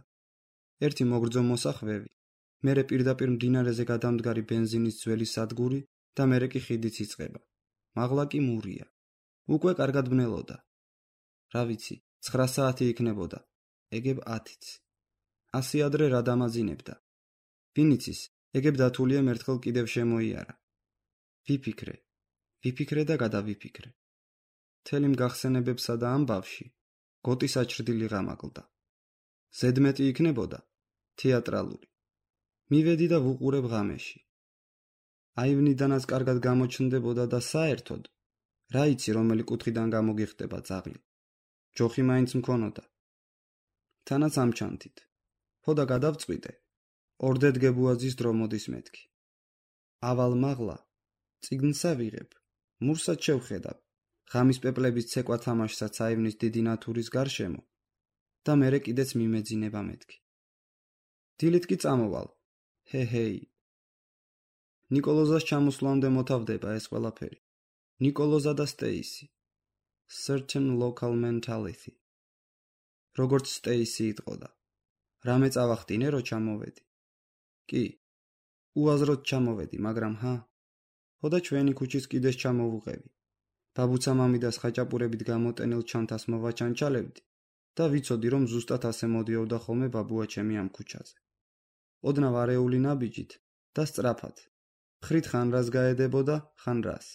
ერთი მოგრძო მოსახვევი, მერე პირდაპირ მდინარეზე გადამდგარი ბენზინის ძველი სადგური და მერე კი ხიდიც იწყება. მაღლა კი მურია. უკვე კარგად ბნელოდა. რა ვიცი, 9 საათი იქნებოდა, ეგებ 10-იც. ასე ადრე რა დამაძინებდა. ვინ იცის, ეგებ დათულიემ ერთხელ კიდევ შემოიარა. ვიფიქრე და გადავიფიქრე. მთელი მგახსენებებსა და ამბავში გოტი საჭრდილი ღამაკლდა. ზედმეტი იქნებოდა თეატრალური. მივედი და ვუყურებ ღამეში. აივნიდანაც კარგად გამოჩნდებოდა და საერთოდ რა იცი რომელი კუთხიდან გამოგიხდება ძაღლი. ჯოხი მაინც მქონოდა. თანაც ამჩანთით. ხო და გადავწყვიტე. ორდედ გებუაძის დრო მოდის მეთქი. ავალ მაღლა, წიგნსა ვიღებ, მურსაც შევხედავ, ღამის პეპლების ცეკვა თამაშსაც აივნის დიდი ნათურის გარშემო და მერე კიდეც მიმეძინება მეთქი. დილით კი წამოვალ. ჰეჰეი. ნიკოლოზას ჩამოსვლამდე მოთავდება ეს ყველაფერი. ნიკოლოზა და სტეისი. Certain local mentality. როგორც სტეისი იტყოდა. რამე წავახდინე რო ჩამოვედი. კი. უაზროდ ჩამოვედი, მაგრამ ხო და ჩვენი ქუჩის კიდეს ჩამოვუყევი. ბაბუცა მამიდას ხაჭაპურებით გამოტენილ ჩანთას მოვაჩანჩალებდი და ვიცოდი რომ ზუსტად ასე მოდიოდა ხოლმე ბაბუაჩემი ამ ქუჩაზე. ოდნავ არეული ნაბიჯით და სწრაფად. ხრით ხან რას გაედებოდა, ხან რას.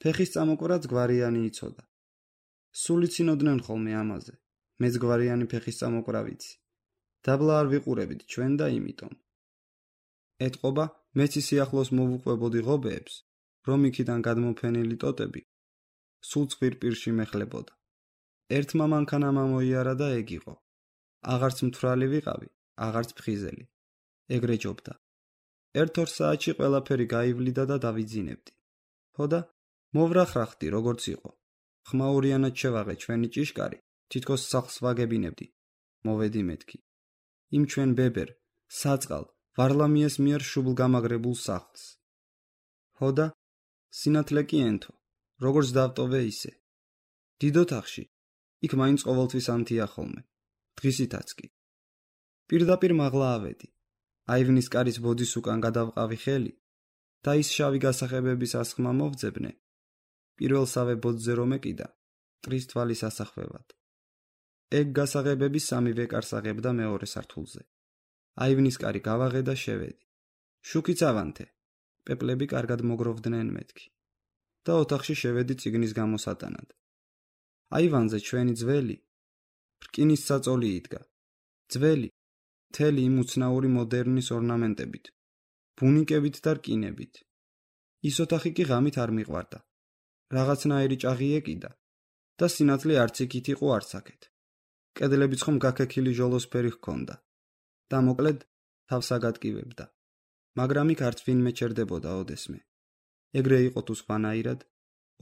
ფეხის წამოკვრაც გვარიანი იცოდა. სულ იცინოდნენ ხოლმე ამაზე, მეძგვარიანი ფეხის წამოკვრავიცი. დაბლა არ ვიყურებით ჩვენ და იმიტომ. ეტყობა მეც სიახლოს მოვუყვებოდი ღობეებს, რომ იქიდან გადმოფენილი ტოტები სულ ცხვირპირში მეხლებოდა. ერთმა მანქანამ ამოიარა და ეგ იყო. აღარც მთვრალი ვიყავი, აღარც ფხიზელი. ეგრე ჯობდა. 1-2 საათში ყველაფერი გაივლიდა და დავიძინებდი. ხოდა მოვრახრახდი როგორც იყო. ხმაურიანად შევაღე ჩვენი ჭიშკარი, თითქოს სახლს ვაგებინებდი. მოვედი მეთქი. იმ ჩვენ ბებერ, საწყალ, ვარლამიეს მიერ შუბლგამაგრებულ სახლს. ხოდა სინათლე კი ენთო, როგორც დავტოვე ისე. დიდ ოთახში, იქ მაინც ყოველთვის ანთია ხოლმე, დღისითაც კი. პირდაპირ მაღლა ავედი. აივნის კარის ბოძის უკან გადავყავი ხელი და ის შავი გასახებების ასხმა მოვძებნე. პირველსავე ბოძზე რომ ეკიდა, მტრის თვალის ასახვევად. ეგ გასაღებები სამივე კარს აღებდა მეორე სართულზე. აივნის კარი გავაღე და შევედი. შუქიც ავანთე, პეპლები კარგად მოგროვდნენ მეთქი. და ოთახში შევედი წიგნის გამოსატანად. აივანზე ჩვენი ძველი, რკინის საწოლი იდგა. ძველი, მთელი იმ უცნაური მოდერნის ორნამენტებით, ბუნიკებით და რკინებით. ის ოთახი კი ღამით არ მიყვარდა. რაღაცნაირი ჭაღი ეკიდა და სინათლე არც იქით იყო არც აქეთ. კედლებიც ხომ გაქექილი ჟოლოსფერი ჰქონდა და მოკლედ თავს აგატკივებდა. მაგრამ იქ არც ვინმე ჩერდებოდა ოდესმე. ეგრე იყო თუ სხვანაირად,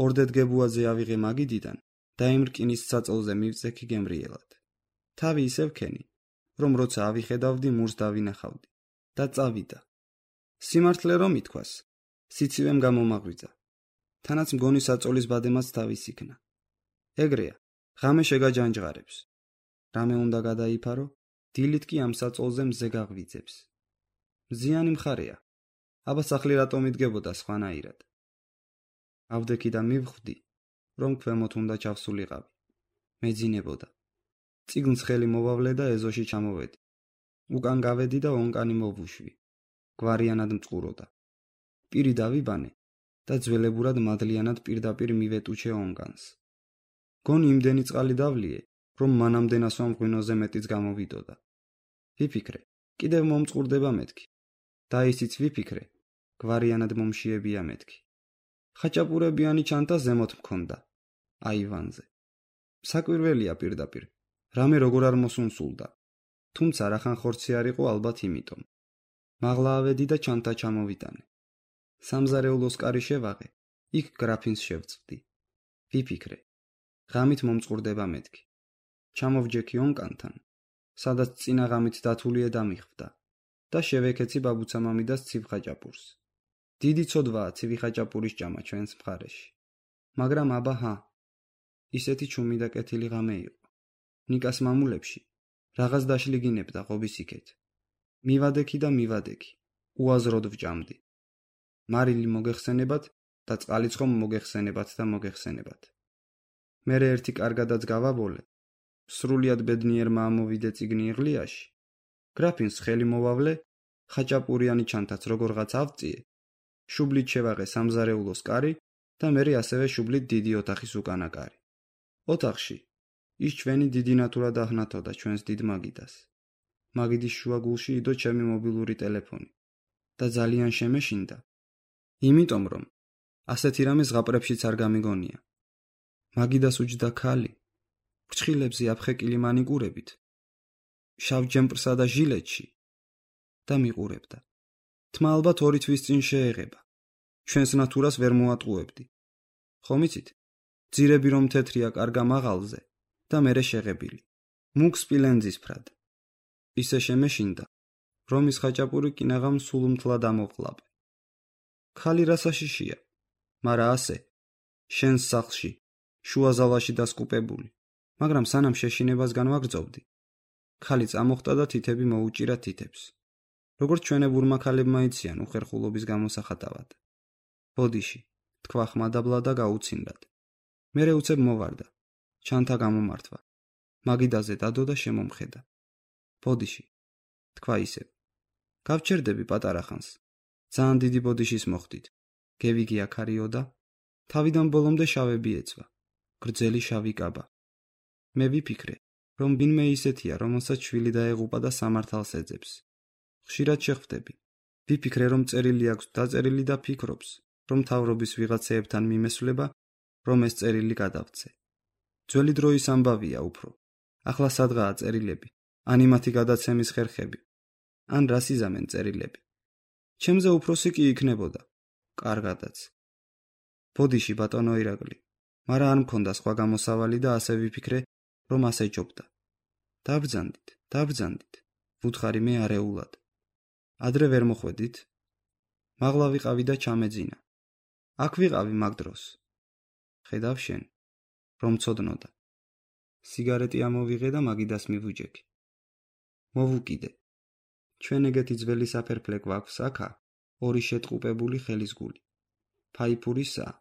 ორდედგებუაძე ავიღე მაგიდიდან და იმ რკინის საწოლზე მივწექი გემრიელად. თავი ისევ ქენი, რომ როცა ავიხედავდი მურს დავინახავდი და წავიდა. სიმართლე რომ ითქვას, სიცივემ გამომაღვიძა. თანაც მგონი საწოლის ბადემაც თავის იქნა. ეგრეა, ღამე შეგაჯანჯღარებს. რამე უნდა გადაიფარო, დილით კი ამ საწოლზე მზე გაღვიძებს. მზიანი მხარეა. აბა სახლი რატომ იდგებოდა სხვანაირად. ავდექი და მივხვდი, რომ ქვემოთ უნდა ჩავსულიყავი. მეძინებოდა. წიგნს ხელი მოვავლე და ეზოში ჩამოვედი. უკან გავედი და ონკანი მოვუშვი. გვარიანად მწყუროდა. პირი დავიბანე და ძველებურად მადლიანად პირდაპირ მივეტუჩე ონკანს. გონი იმდენი წყალი დავლიე, რომ მანამდე ნასვამ ღვინოზე მეტიც გამოვიდოდა. ვიფიქრე, კიდევ მომწყურდება მეთქი. და ისიც ვიფიქრე, გვარიანად მომშიებია მეთქი. ხაჭაპურებიანი ჩანთა ზემოთ მქონდა, აივანზე. საკვირველია პირდაპირ, რამე როგორ არ მოსუნსულდა. თუმცა რახან ხორცი არ იყო ალბათ იმიტომ. მაღლა ავედი და ჩანთა ჩამოვიტანე. სამზარეულოს კარი შევაღე, იქ გრაფინს შევწვდი. ვიფიქრე, ღამით მომწყურდება მეთქი. ჩამოვჯექი ონკანთან, სადაც წინა ღამით დათულია დამიხვდა და შევეკეცი ბაბუცამამიდას ცივხაჭაპურს. დიდი ცოდვაა ცივი ჭამა ჩვენს მხარეში. მაგრამ აბა ისეთი ჩუმი და კეთილი ღამე იყო. ნიკას მამულებში რაღაც დაშლიგინებდა ღობის იქეთ. მივადექი და მივადექი, უაზროდ ვჭამდი. მარილი მოგეხსენებათ და წყალიც ხომ მოგეხსენებათ და მოგეხსენებათ. მერე ერთი კარგადაც გავაბოლე. სრულიად ბედნიერმა ამოვიდე წიგნი იღლიაში. გრაფინს ხელი მოვავლე, ხაჭაპურიანი ჩანთაც როგორღაც ავწიე. შუბლით შევაღე სამზარეულოს კარი და მერე ასევე შუბლით დიდი ოთახის უკანა კარი. ოთახში ის ჩვენი დიდი ნატურა დაჰნათოდა ჩვენს დიდ მაგიდას. მაგიდის შუაგულში იდო ჩემი მობილური ტელეფონი და ძალიან შემეშინდა. იმიტომ რომ ასეთი რამე ზღაპრებშიც არ გამიგონია. მაგიდას უჯდა ქალი, ფრჩხილებზე აფხეკილი მანიკურებით, შავ ჯემპრსა და ჟილეტში და მიყურებდა. თმა ალბათ 2 თვის წინ შეეღება. ჩვენს ნატურას ვერ მოატყუებდი. ხომ იცით? ძირები რომ თეთრია კარგა მაღალზე და მერე შეღებილი. მუქ სპილენძისფრად. ისე შემეშინდა, რომ ის ხაჭაპური კინაღამ სულ მთლად ამოვყლაპე. ქალი რასაშიშია, მარა ასე, შენს სახლში, შუაზალაში დასკუპებული, მაგრამ სანამ შეშინებასგან ვაგრძობდი. ქალი წამოხტა და თითები მოუჭირა თითებს. როგორც ჩვენებურმა ქალებმა იციან უხერხულობის გამოსახატავად. ბოდიში, თქვა ხმადაბლა და გაუცინრად. მერე უცებ მოვარდა, ჩანთა გამომართვა. მაგიდაზე დადო და შემომხედა. ბოდიში, თქვა ისევ. გავჩერდები პატარა ხანს. ძალიან დიდი ბოდიშის მოხდით. გევიგი აქარიო და თავიდან ბოლომდე შავები ეცვა. გრძელი შავი კაბა. მე ვიფიქრე, რომ ვინმე ისეთია, რომელსაც შვილი დაეღუპა და სამართალს ეძებს. ხშირად შეხვდები. ვიფიქრე, რომ წერილი აქვს დაწერილი და ფიქრობს, რომ მთავრობის ვიღაცეებთან მიმესვლება, რომ ეს წერილი გადავცე. ძველი დროის ამბავია უფრო. ახლა სადღაა წერილები, ან იმათი გადაცემის ხერხები, ან რას იზამენ წერილები. ჩემზე უფროსი კი იქნებოდა. კარგადაც. ბოდიში ბატონო ირაკლი, მაგრამ არ მქონდა სხვა გამოსავალი და ასე ვიფიქრე, რომ ასე ჯობდა. დაბრძანდით, ვუთხარი მე არეულად. ადრე ვერ მოხვედით? მაღლა ვიყავი და ჩამეძინა. აქ ვიყავი მაგ დროს. ხედავ შენ, რომ ცოდნოდა. სიგარეტი ამოვიღე და მაგიდას მივუჯექი. მოვუკიდე. ჩვენ ეგეთი ძველი საფერფლე გვაქვს აქა, ორი შეტყუპებული ხელის გული. ფაიფურისაა,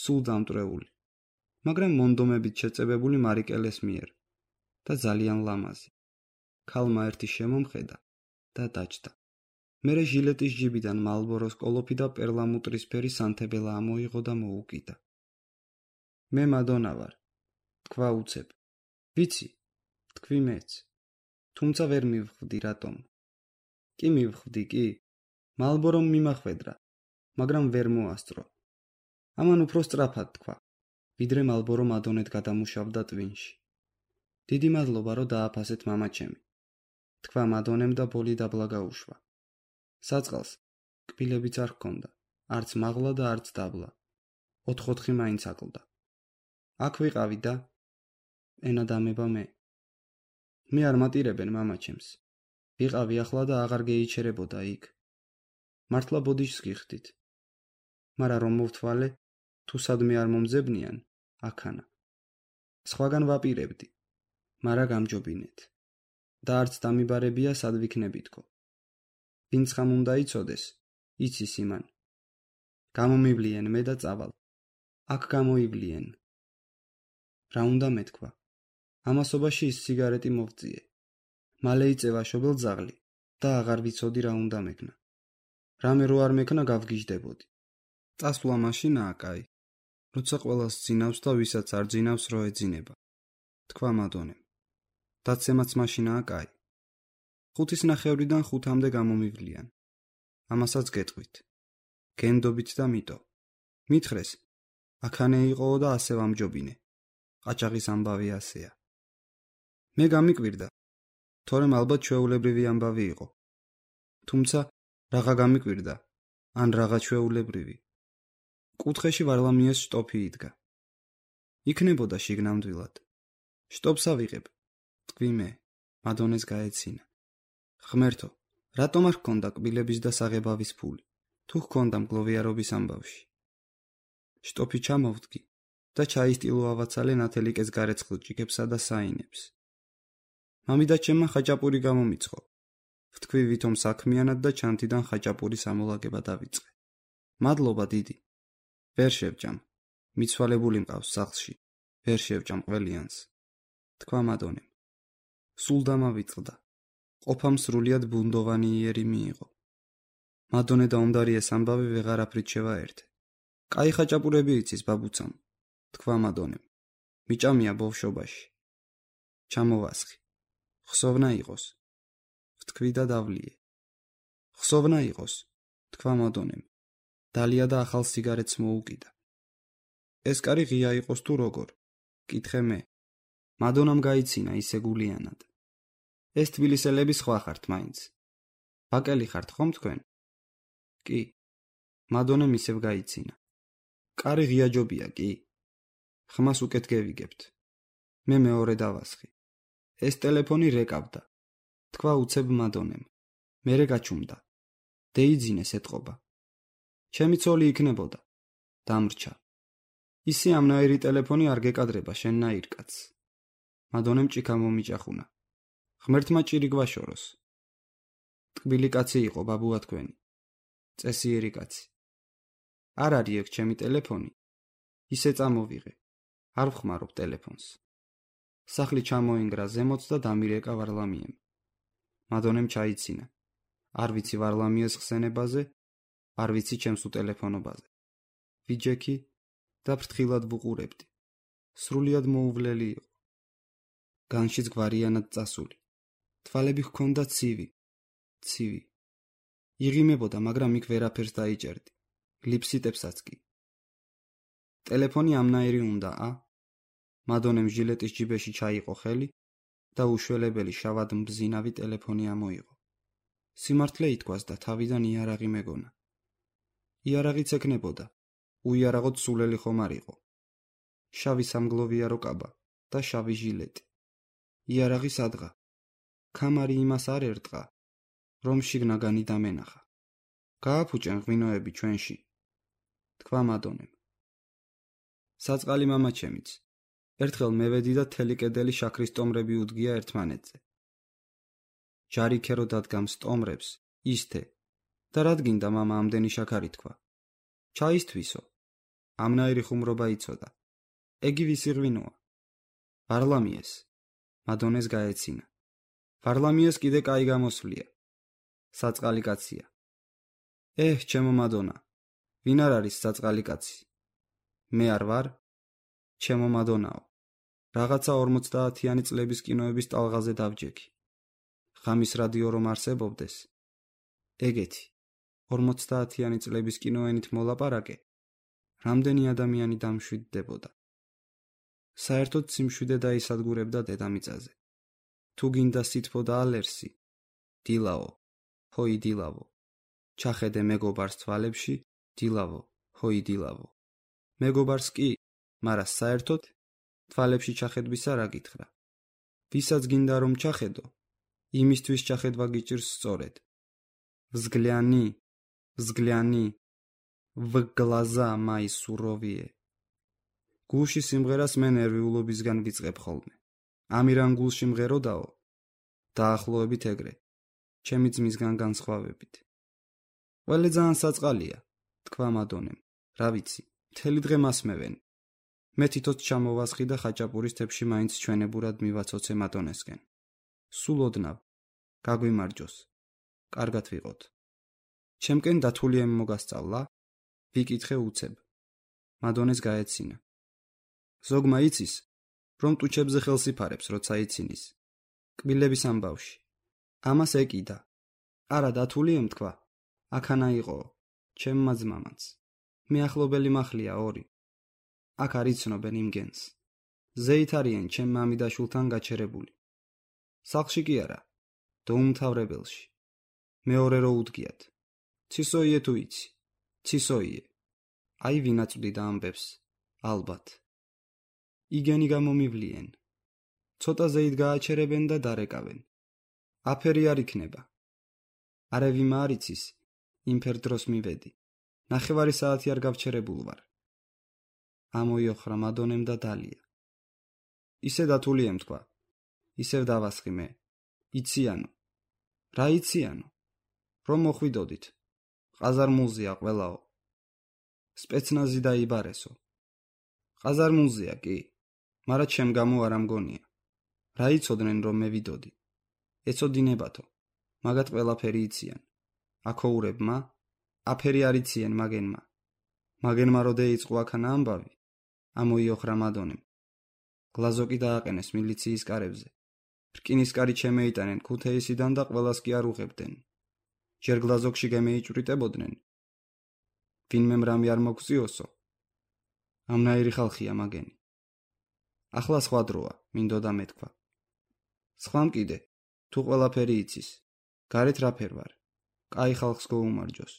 სულ დამტვრეული, მაგრამ მონდომებით შეწებებული მარიკელეს მიერ და ძალიან ლამაზი. ქალმა ერთი შემომხედა და დაჯდა. მერე ჟილეტის ჯიბიდან მალბოროს კოლოფი და პერლამუტრისფერი სანთებელა ამოიღო და მოუკიდა. მე მადონა ვარ, თქვა უცებ. ვიცი, თქვი მეც. თუმცა ვერ მივხვდი რატომ. კი მივხვდი კი. მალბორომ მიმახვედრა, მაგრამ ვერ მოასწრო. ამან უფრო სწრაფად თქვა, ვიდრე მალბორო მადონეთ გადამუშავდა ტვინში. დიდი მადლობა, რომ დააფასეთ მამაჩემი. თქვა მადონემ და ბოლი დაბლა გაუშვა. საწყალს კბილებიც არ ჰქონდა, არც მაღლა და არც დაბლა. 4-4 მაინც აკლდა. აქ ვიყავი და ენა დამება მე. მე არ მატირებენ მამაჩემს. ვიყავი ახლა და აღარ გეიჩერებოდა იქ. მართლა ბოდიშს გიხდით. მაგრამ რომ მოვთვალე, თუ სადმე არ მომძებნიან, აქანა. სხვაგან ვაპირებდი, მაგრამ გამჯობინეთ. და არც დამიბარებია სად ვიქნებითქო. ვინც ხამ უნდა იცოდეს, იცის იმან. გამომივლიენ მე და წავალ. აქ გამოივლიენ. რა უნდა მეთქვა? ამასობაში ის სიგარეტი მოვწიე. მალე იწევა შობელ ძაღლი და აღარ ვიცოდი რა უნდა მეკნა. რამე რო არ მეკნა გავგიჟდებოდი. წასვლა მაშინაა კაი. როცა ყველას ძინავს და ვისაც არ ძინავს რო ეძინება. თქვა მადონემ. დაცემაც მაშინაა კაი. 5:30-დან 5-მდე გამომივლიან. ამასაც გეტყვით. გენდობით და მიტო. მითხრეს, აქანე იყოო და ასე ვამჯობინე. ყაჭაღის ამბავი ასეა. მე გამიკვირდა, თორემ ალბათ ჩვეულებრივი ამბავი იყო. თუმცა რაღა გამიკვირდა, ან რაღა ჩვეულებრივი. კუთხეში ვარლამიეს შტოფი იდგა. იქნებოდა შიგნამდვილად. შტობს ავიღებ. თქვი მე, მადონეს გაეცინა. ღმერთო, რატომ არ ჰქონდა კბილების და საღებავის ფული, თუ ჰქონდა მგლოვიარობის ამბავში. შტოფი ჩამოვდგი და ჩაისტილო ავაცალე ნათელიკეს გარეცხილ-ჭიქებსა და საინებს. მამიდაჩემმა ხაჭაპური გამომიცხო. ვთქვი ვითომ საქმიანად და ჩანთიდან ხაჭაპურის ამოლაგება დავიწყე. მადლობა დიდი. ვერ შევჭამ. მიცვალებული მყავს სახლში. ვერ შევჭამ ყველიანს. თქვა მადონემ. სულ დამავიწყდა. ყოფამ სრულიად ბუნდოვანი იერი მიიღო. მადონე და ომდარიეს ამბავი ვეღარაფრით შევაერთე. კაი ხაჭაპურები იცის ბაბუცამ. თქვა მადონემ. მიჭამია ბავშვობაში. ჩამოვასხი. ხსოვნა იყოს. ვთქვი და დავლიე. ხსოვნა იყოს. თქვა მადონემ. დალია და ახალ სიგარეტს მოუკიდა. ეს კარი ღია იყოს თუ როგორ? კითხე მე. მადონამ გაიცინა ისე გულიანად. ეს თბილისელები სხვა ხართ მაინც. ბაკელი ხართ ხომ თქვენ? კი. მადონემ ისევ გაიცინა. კარი ღია ჯობია კი? ხმას უკეთ გევიგებთ. მე მეორე დავასხი. ეს ტელეფონი რეკავდა. თქვა უცებ მადონემ. მერე გაჩუმდა. დეიძინეს ეთყობა. ჩემი ცოლი იქნებოდა. დამრჩა. ისი ამნაირი ტელეფონი არ გეკადრება შენნაირ კაცს. მადონემ ჭიქა მომიჭახუნა. ღმერთმა ჭირი გვაშოროს. ტკბილი კაცი იყო ბაბუა თქვენი. წესიერი კაცი. არ არის ეგ ჩემი ტელეფონი. ისე წამოვიღე. არ ვხმარობ ტელეფონს. სახლი ჩამოინგრა ზემოთ და დამირეკა ვარლამიემ. მადონემ ჩაიცინა. არ ვიცი ვარლამიეს ხსენებაზე, არ ვიცი ჩემს უტელეფონობაზე. ვიჯექი და ფრთხილად ვუყურებდი. სრულიად მოუვლელი იყო. განშიც გვარიანად წასული. თვალები ჰქონდა ცივი. იღიმებოდა, მაგრამ იქ ვერაფერს დაიჭერდი. ლიფსიტებსაც კი. ტელეფონი ამნაირი უნდა, მადონემ ჟილეტის ჯიბეში ჩაიყო ხელი და უშველებელი შავად მბზინავი ტელეფონი ამოიღო. სიმართლე ითქვას და თავიდან იარაღი მეგონა. იარაღიც ეკნებოდა, უიარაღოდ სულელი ხომ არ იყო. შავი სამგლოვიარო კაბა და შავი ჟილეტი. იარაღი სადღა. ქამარი იმას არ ერტყა, რომ შიგნაგანი დამენახა. გააფუჭენ ღვინოები ჩვენში, თქვა მადონემ. საწყალი მამაჩემიც. ერთხელ მევედი და თელი კედელი შაქრის ტომრები უდგია ერთმანეთზე. ჯარიქერო დადგამს ტომრებს, ისთე. და რად გინდა მამა ამდენი შაქარი თქვა. ჩაისთვისო. ამნაირი ხუმრობა იცოდა. ეგი ვისი ღვინოა? ვარლამიეს. მადონეს გაეცინა. ვარლამიეს კიდე კაი გამოსვლია. საწყალი კაცია. ჩემო მადონა, ვინ არ არის საწყალი კაცი? მე არ ვარ? ჩემო მადონაო, რაღაცა 50-იანი წლების კინოების ტალღაზე დავჯექი. ღამის რადიო რომ არსებობდეს, ეგეთი 50-იანი წლების კინოენით მოლაპარაკე, რამდენი ადამიანი დამშვიდდებოდა. საერთოდ სიმშვიდე დაისადგურებდა დედამიწაზე. თუ გინდა სითბო და ალერსი, დილაო, ჰოი დილავო. ჩახედე მეგობარს თვალებში, დილავო, ჰოი დილავო. მეგობარს კი, მარა საერთოდ თვალებში ჩახედვისა რა გითხრა. ვისაც გინდა რომ ჩახედო, იმისთვის ჩახედვა გიჭირს სწორედ. взгляни, в глаза мои суровые. გულში სიმღერას მე ნერვიულობისგან ვიწყებ ხოლმე. ამირან გულში მღეროდაო, დაახლოებით ეგრე, ჩემი ძმისგან განსხვავებით. ყველე ძალიან საწყალია, თქვა მადონემ. რა ვიცი, მთელი დღე მასმევენ. მე თითოც ჩამოვასხი და ხაჭაპურის თებში მაინც ჩვენებურად მივაცოცე მადონესკენ. სულ ოდნავ, გაგვიმარჯოს, კარგად ვიყოთ. ჩემკენ დათული მოგასწავლა? ვიკითხე უცებ. მადონეს გაეცინა. ზოგმა იცის, რომ ტუჩებზე ხელს იფარებს, როცა იცინის. კბილების ამბავში. ამას ეკიდა. არა დათული ემთქვა. აქანა იყო, ჩემმა ძმამაც. მე ახლობელი მახლია 2. აქ არ იცნობენ იმგენს. ზეით არიან ჩემ მამიდაშულთან გაჩერებული. სახლში კი არა, დაუმთავრებელში. მეორე რო უდგიათ. ცისოიე თუ იცი, ცისოიე. აი ვინაწვდი და ამბებს, ალბათ. იგენი გამომივლიან. ცოტა ზეით გააჩერებენ და დარეკავენ. აფერი არ იქნება. არევიმა არ იცის, იმფერ დროს მივედი. 9 საათი არ გავჩერებულ ვარ. ამოიოხრა მადონემ და დალია. ისე დათული ემთქვა. ისევ დავასხი მე. იციანო. რა იციანო? რომ მოხვიდოდით. ყაზარმულზია ყველაო. სპეცნაზი დაიბარესო. ყაზარმულზია კი, მარა ჩემ გამო არ ამგონია. რა იცოდნენ რომ მე ვიდოდი? ეცოდინებათო. მაგათ ყველაფერი იციან. აქოურებმა, აფერი არ იციან მაგენმა. მაგენმა რო დაიწყო აქანა ამბავი, ამოიოხრა მადონემ. გლაზოკი დააყენეს მილიციის კარებზე. რკინის კარი შემეიტანენ ქუთეისიდან და ყველას კი არ უღებდნენ. ჯერ გლაზოკში გემეიჭვრიტებოდნენ. ვინმემ რამე არ მოგწიოსო. ამნაირი ხალხია მაგენი. ახლა სხვა დროა, მინდოდა მეთქვა. სხვამ კიდე, თუ ყველაფერი იცის, გარეთ რაფერ ვარ. კაი ხალხს გოუმარჯოს,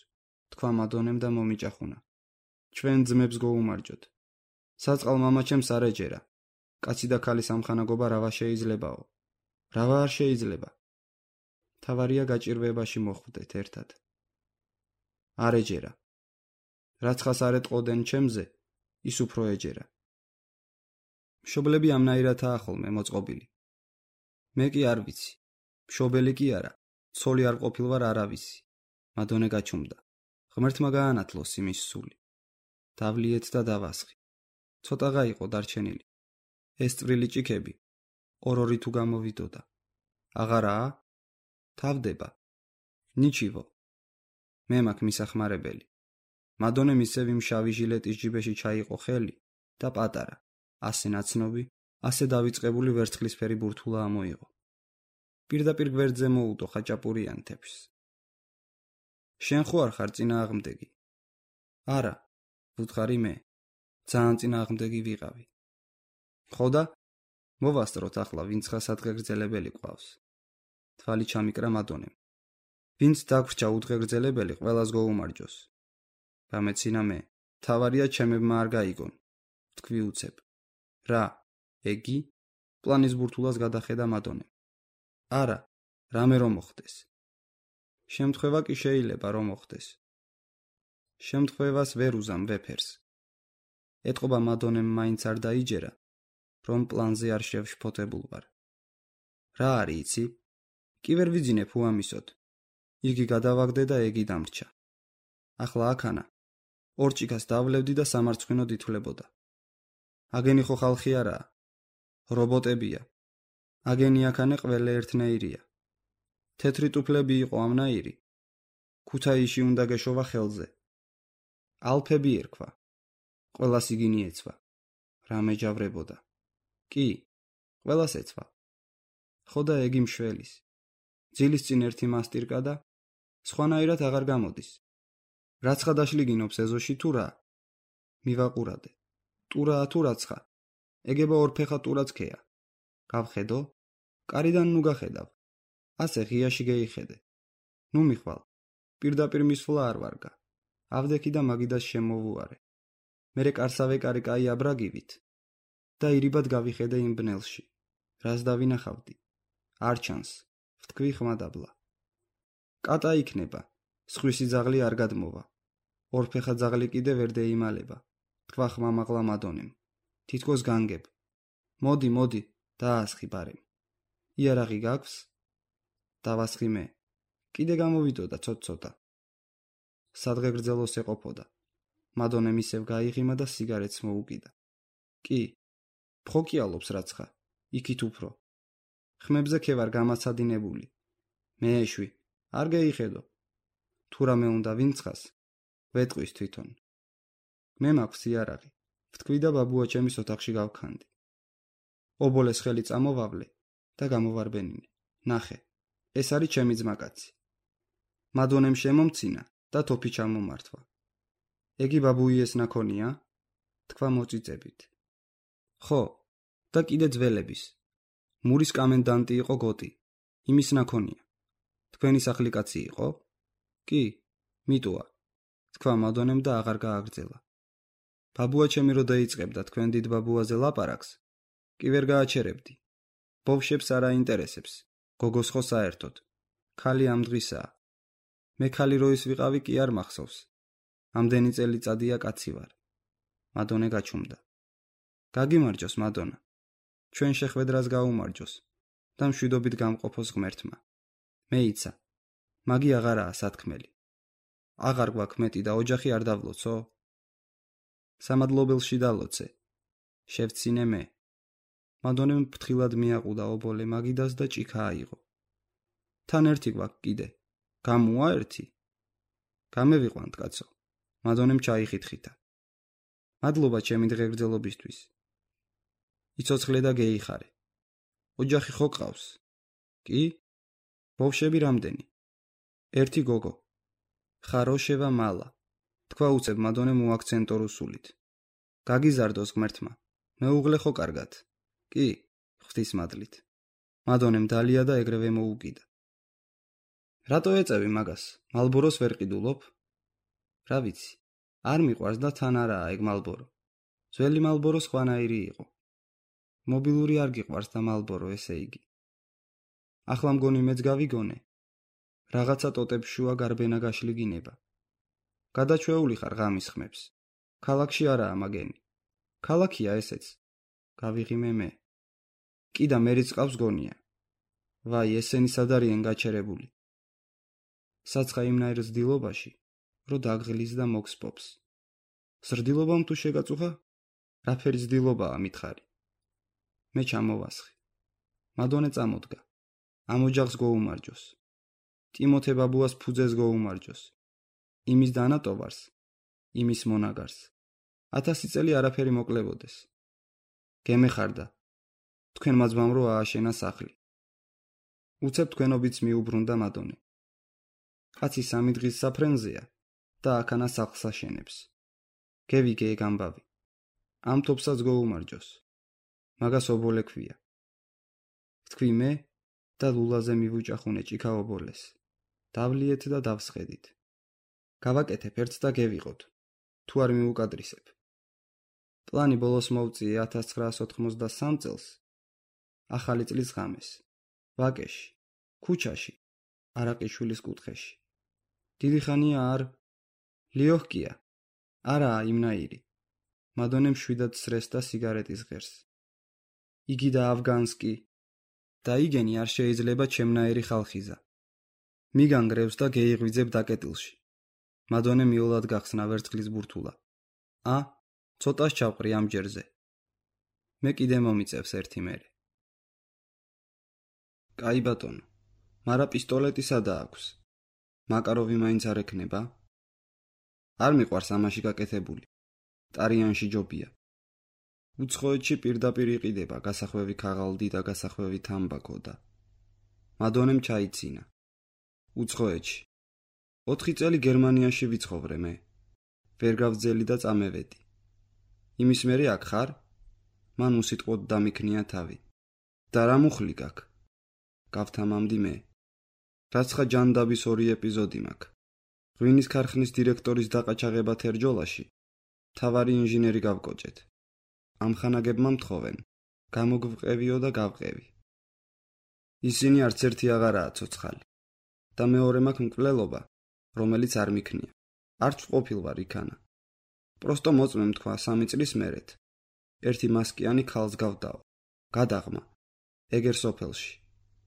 თქვა მადონემ და მომიჭახუნა. ჩვენ ძმებს გოუმარჯოთ. საწყალ მამაჩემს არ ეჯერა. კაცი და ქალის ამხანაგობა რავა შეიძლებაო. რავა არ შეიძლება. თავარია გაჭირვებაში მოხვდეთ ერთად. არ ეჯერა. რაც ხას არ ეტყოდენ ჩემზე, ის უფრო ეჯერა. მშობლები ამნაირადაა ხოლმე მოწყობილი. მე კი არ ვიცი. მშობელი კი არა, ცოლი არ ყოფილვარ არავისი. მადონე გაჩუმდა. ღმერთმა გაანათლოს იმის სული. დავლიეთ და დავასხი. ცოტაღა იყო დარჩენილი. ეს წვრილი ჭიქები, ორ-ორი თუ გამოვიდოდა. აღარაა? თავდება. ნიჩივო. მე მაქვს მისახმარებელი. მადონემ ისევ იმ შავი ჟილეტის ჯიბეში ჩაიყო ხელი და პატარა, ასე ნაცნობი, ასე დავიწყებული ვერცხლისფერი ბურთულა ამოიღო. პირდაპირ გვერდზე მოუდო ხაჭაპურიან თეფშს. შენ ხო არ ხარ წინააღმდეგი? არა, ვუთხარი მე. ძალიან წინააღმდეგი ვიყავი. ხო და მოვასწროთ ახლა ვინც ხა სადღეგრძელებელი ყავს. თვალი ჩამიკრა მადონემ. ვინც დაგვრჩა უდგეგრძელებელი ყველას გოუმარჯოს. გამეცინა მე. თავარია ჩემებმა არ გაიგონ. თქვი უცებ. რა, ეგი? პლანის ბურთულას გადახედა მადონემ. არა, რამე რომ მოხდეს. შემთხვევა კი შეიძლება რომ მოხდეს. შემთხვევას ვერ უზამ ვეფერს. ეტყობა მადონემ მაინც არ დაიჯერა, რომ პლანზე არ შევშფოთებულ ვარ. რა არის იცი? კი ვერ ვიძინებ უამისოდ. იგი გადავაგდე და ეგი დამრჩა. ახლა აქანა. ორჭიქას დავლევდი და სამარცხვინოდ ითვლებოდა. აგენი ხო ხალხი არაა. რობოტებია. აგენი აქანე ყველა ერთნაირია. თეთრი ტუფლები იყო ამნაირი. ქუთაისში უნდა გეშოვა ხელზე. ალფები ერქვა. ყველას იგინი ეცვა. რამე ჯავრებოდა. კი, ყველას ეცვა. ხო და ეგი მშველის. ძილის წინ ერთი მასტირკა და სხვანაირად აღარ გამოდის. რაცხა დაშლიგინობს ეზოში თუ რა? მივაყურადე. ტურაა თუ რაცხა? ეგება ორფეხა ტურაცქეა. გავხედო? კარიდან ნუ გახედავ. ასე ღიაში გეიხედე. ნუ მიხვალ. პირდაპირ მისვლა არ ვარგა. ავდექი და მაგიდას შემოვუარე. მერე კარსავე კარი კაი აბრაგივით. და ირიბად გავიხედე იმ ბნელში. რას დავინახავდი? არ ჩანს. ვთქვი ხმადაბლა. კატა იქნება. სხვისი ძაღლი არ გადმოვა. ორფეხა ძაღლი კიდე ვერ დაიმალება. თქვა ხმამაღლა მადონემ. თითქოს განგებ. მოდი, დაასხი ბარემ. იარაღი გაქვს? დავასხი მე. კიდე გამოვიდოდა ცოტ-ცოტა. სადღეგრძელოს ეყოფოდა. მადონემ ისევ გაიღიმა და სიგარეტს მოუკიდა. კი, ფხოკიალობს რაცხა. იქით უფრო. ხმებზე ქევარ გამაცადინებული. მეეშვი, არ გეიხედო. თუ რამე უნდა ვინცხას, ვეტყვის თვითონ. მე მაქვს იარაღი. ვთქვი და ბაბუა ჩემის ოთახში გავქანდი. ობოლეს ხელი წამოვავლე და გამოვარბენინე. ნახე, ეს არის ჩემი ძმაკაცი. მადონემ შემომცინა და თოფი ჩამომართვა. ეგი ბაბუიეს ნაქონია? თქვა მოწიწებით. ხო, და კიდე ძველების. მურის კამენდანტი იყო გოტი. იმის ნაქონია. თქვენი სახლი კაცი იყო? კი, მიტოა. თქვა მადონემ და აღარ გააგრძელა. ბაბუა ჩემი რო დაიწყებდა თქვენ დიდ ბაბუაზე ლაპარაკს, კი ვერ გააჩერებდი. ბავშვებს არ აინტერესებს. გოგოს ხო საერთოდ. ქალი ამ დღისაა. მე ქალი როის ვიყავი კი არ მახსოვს. ამდენი წელიწადია კაცი ვარ. მადონე გაჩუმდა. გაგიმარჯოს მადონა. ჩვენ შეხვედრას გაუმარჯოს და მშვიდობით გამყოფოს ღმერთმა. მეიცა. მაგი აღარაა სათქმელი. აღარ გვაქვს მეტი და ოჯახი არ დავლოცო? სამადლობელში დალოცე. შევცინე მე. მადონემ ფრთხილად მიაყუდა ობოლე მაგიდას და ჭიქა აიღო. თან ერთი გვაქვს კიდე. გამოა ერთი? გამევიყვანთ კაცო. მადონემ ჩაიხითხითა. მადლობა ჩემი დღეგრძელობისთვის. იცოცხლე და გეიხარე. ოჯახი ხო ყავს? კი? ბავშვები რამდენი? ერთი გოგო. ხაროშევა მალა. თქვა უცებ მადონემ უაქცენტო რუსულით. გაგიზარდოს ღმერთმა. მეუღლე ხო კარგად? კი, ღვთისმადლით. მადონემ დალია და ეგრევე მოუკიდა. რატო ეწევი მაგას? მალბოროს ვერ ყიდულობ? რა ვიცი, არ მიყვარს და თან არაა ეგ მალბორო. ძველი მალბორო სხვანაირი იყო. მობილური არ გიყვარს და მალბორო ესე იგი. ახლა მგონი მეც გავიგონე. რაღაცა ტოტებს შუა გარბენა გაშლიგინება. გადაჩვეული ხარ ღამის ხმებს. ქალაქში არაა მაგენი. ქალაქია ესეც. გავიღიმე მე. კი და მერიც ყავს გონია. ვაი, ესენი სად არიან გაჩერებული. საცხა იმნაირ ზრდილობაში, რო დაგღლის და მოგსპობს. ზრდილობამ თუ შეგაწუხა? რაფერი ზრდილობაა მითხარი? მე ჩამოვასხი. მადონე წამოდგა. ამ ოჯახს გოუმარჯოს. ტიმოთე ბაბუას ფუძეს გოუმარჯოს. იმის დანატოვარს, იმის მონაგარს. 1000 წელი არაფერი მოკლებოდეს. გემეხარდა. თქვენმა ძმამ რო ააშენა სახლი. უცებ თქვენობიც მიუბრუნდა მადონე. კაცი 3 დღის საფრენზეა და აქანა სახლს აშენებს. გევიგე ეგ ამბავი. ამ თოფსაც გოუმარჯოს. მაგას ობოლე ქვია. თქვი მე და ლულაზე მივუჭახუნე ჭიქა ობოლეს. დავლიეთ და დავსხედით. გავაკეთებ ერთს და გევიღოთ. თუ არ მიუკადრისებ. პლანი ბოლოს მოვწიე 1993 წელს. ახალი წლის ღამეს. ვაკეში, ქუჩაში, არაყიშვილის კუთხეში. დიდი ხანია არ ლიოჰკია. არაა იმნაირი. მადონემ შვიდად სრესდა სიგარეტის ღერს. იგი და ავგანსკი და იგენი არ შეიძლება ჩემნაირი ხალხიზა. მიგანგრევს და გეიღვიძებ დაკეტილში. მადონე მიოლად გახსნა ვერცხლის ბურთულა. ცოტას ჩავყრი ამ ჯერზე. მე კიდე მომიწევს ერთი მერე. კაი ბატონო, მარა პისტოლეტი სადა აქვს? მაკაროვი მაინც არ ექნება? არ მიყვარს ამაში გაკეთებული. ტარიანში ჯობია. უცხოეთში პირდაპირ იყიდება გასახვევი ქაღალდი და გასახვევი თამბაქო და მადონემ ჩაიცინა. უცხოეთში. 4 წელი გერმანიაში ვიცხოვრე მე. ვერ გავძელი და წამევედი. იმის მერე აქ ხარ? მან უსიტყვოდ დამიქნია თავი. და რა მუხლი გაქვს? გავთამამდი მე. რაც ხა ჯანდაბის 2 ეპიზოდი მაქვს. ღვინის ქარხნის დირექტორის დაყაჩაღება თერჯოლაში. თავარი ინჟინერი გავკოჭეთ. ამხანაგებმა მთხოვენ. გამოგვყევიო და გავყევი. ისინი არც ერთი აღარაა ცოცხალი. და მეორე მაქვს მკვლელობა, რომელიც არ მიქნია. არც ყოფილ ვარ იქანა. პროსტო მოწმემ თქვა 3 წლის მერეთ. ერთი მასკიანი ქალს გავდაო. გადაღმა. ეგერ სოფელში.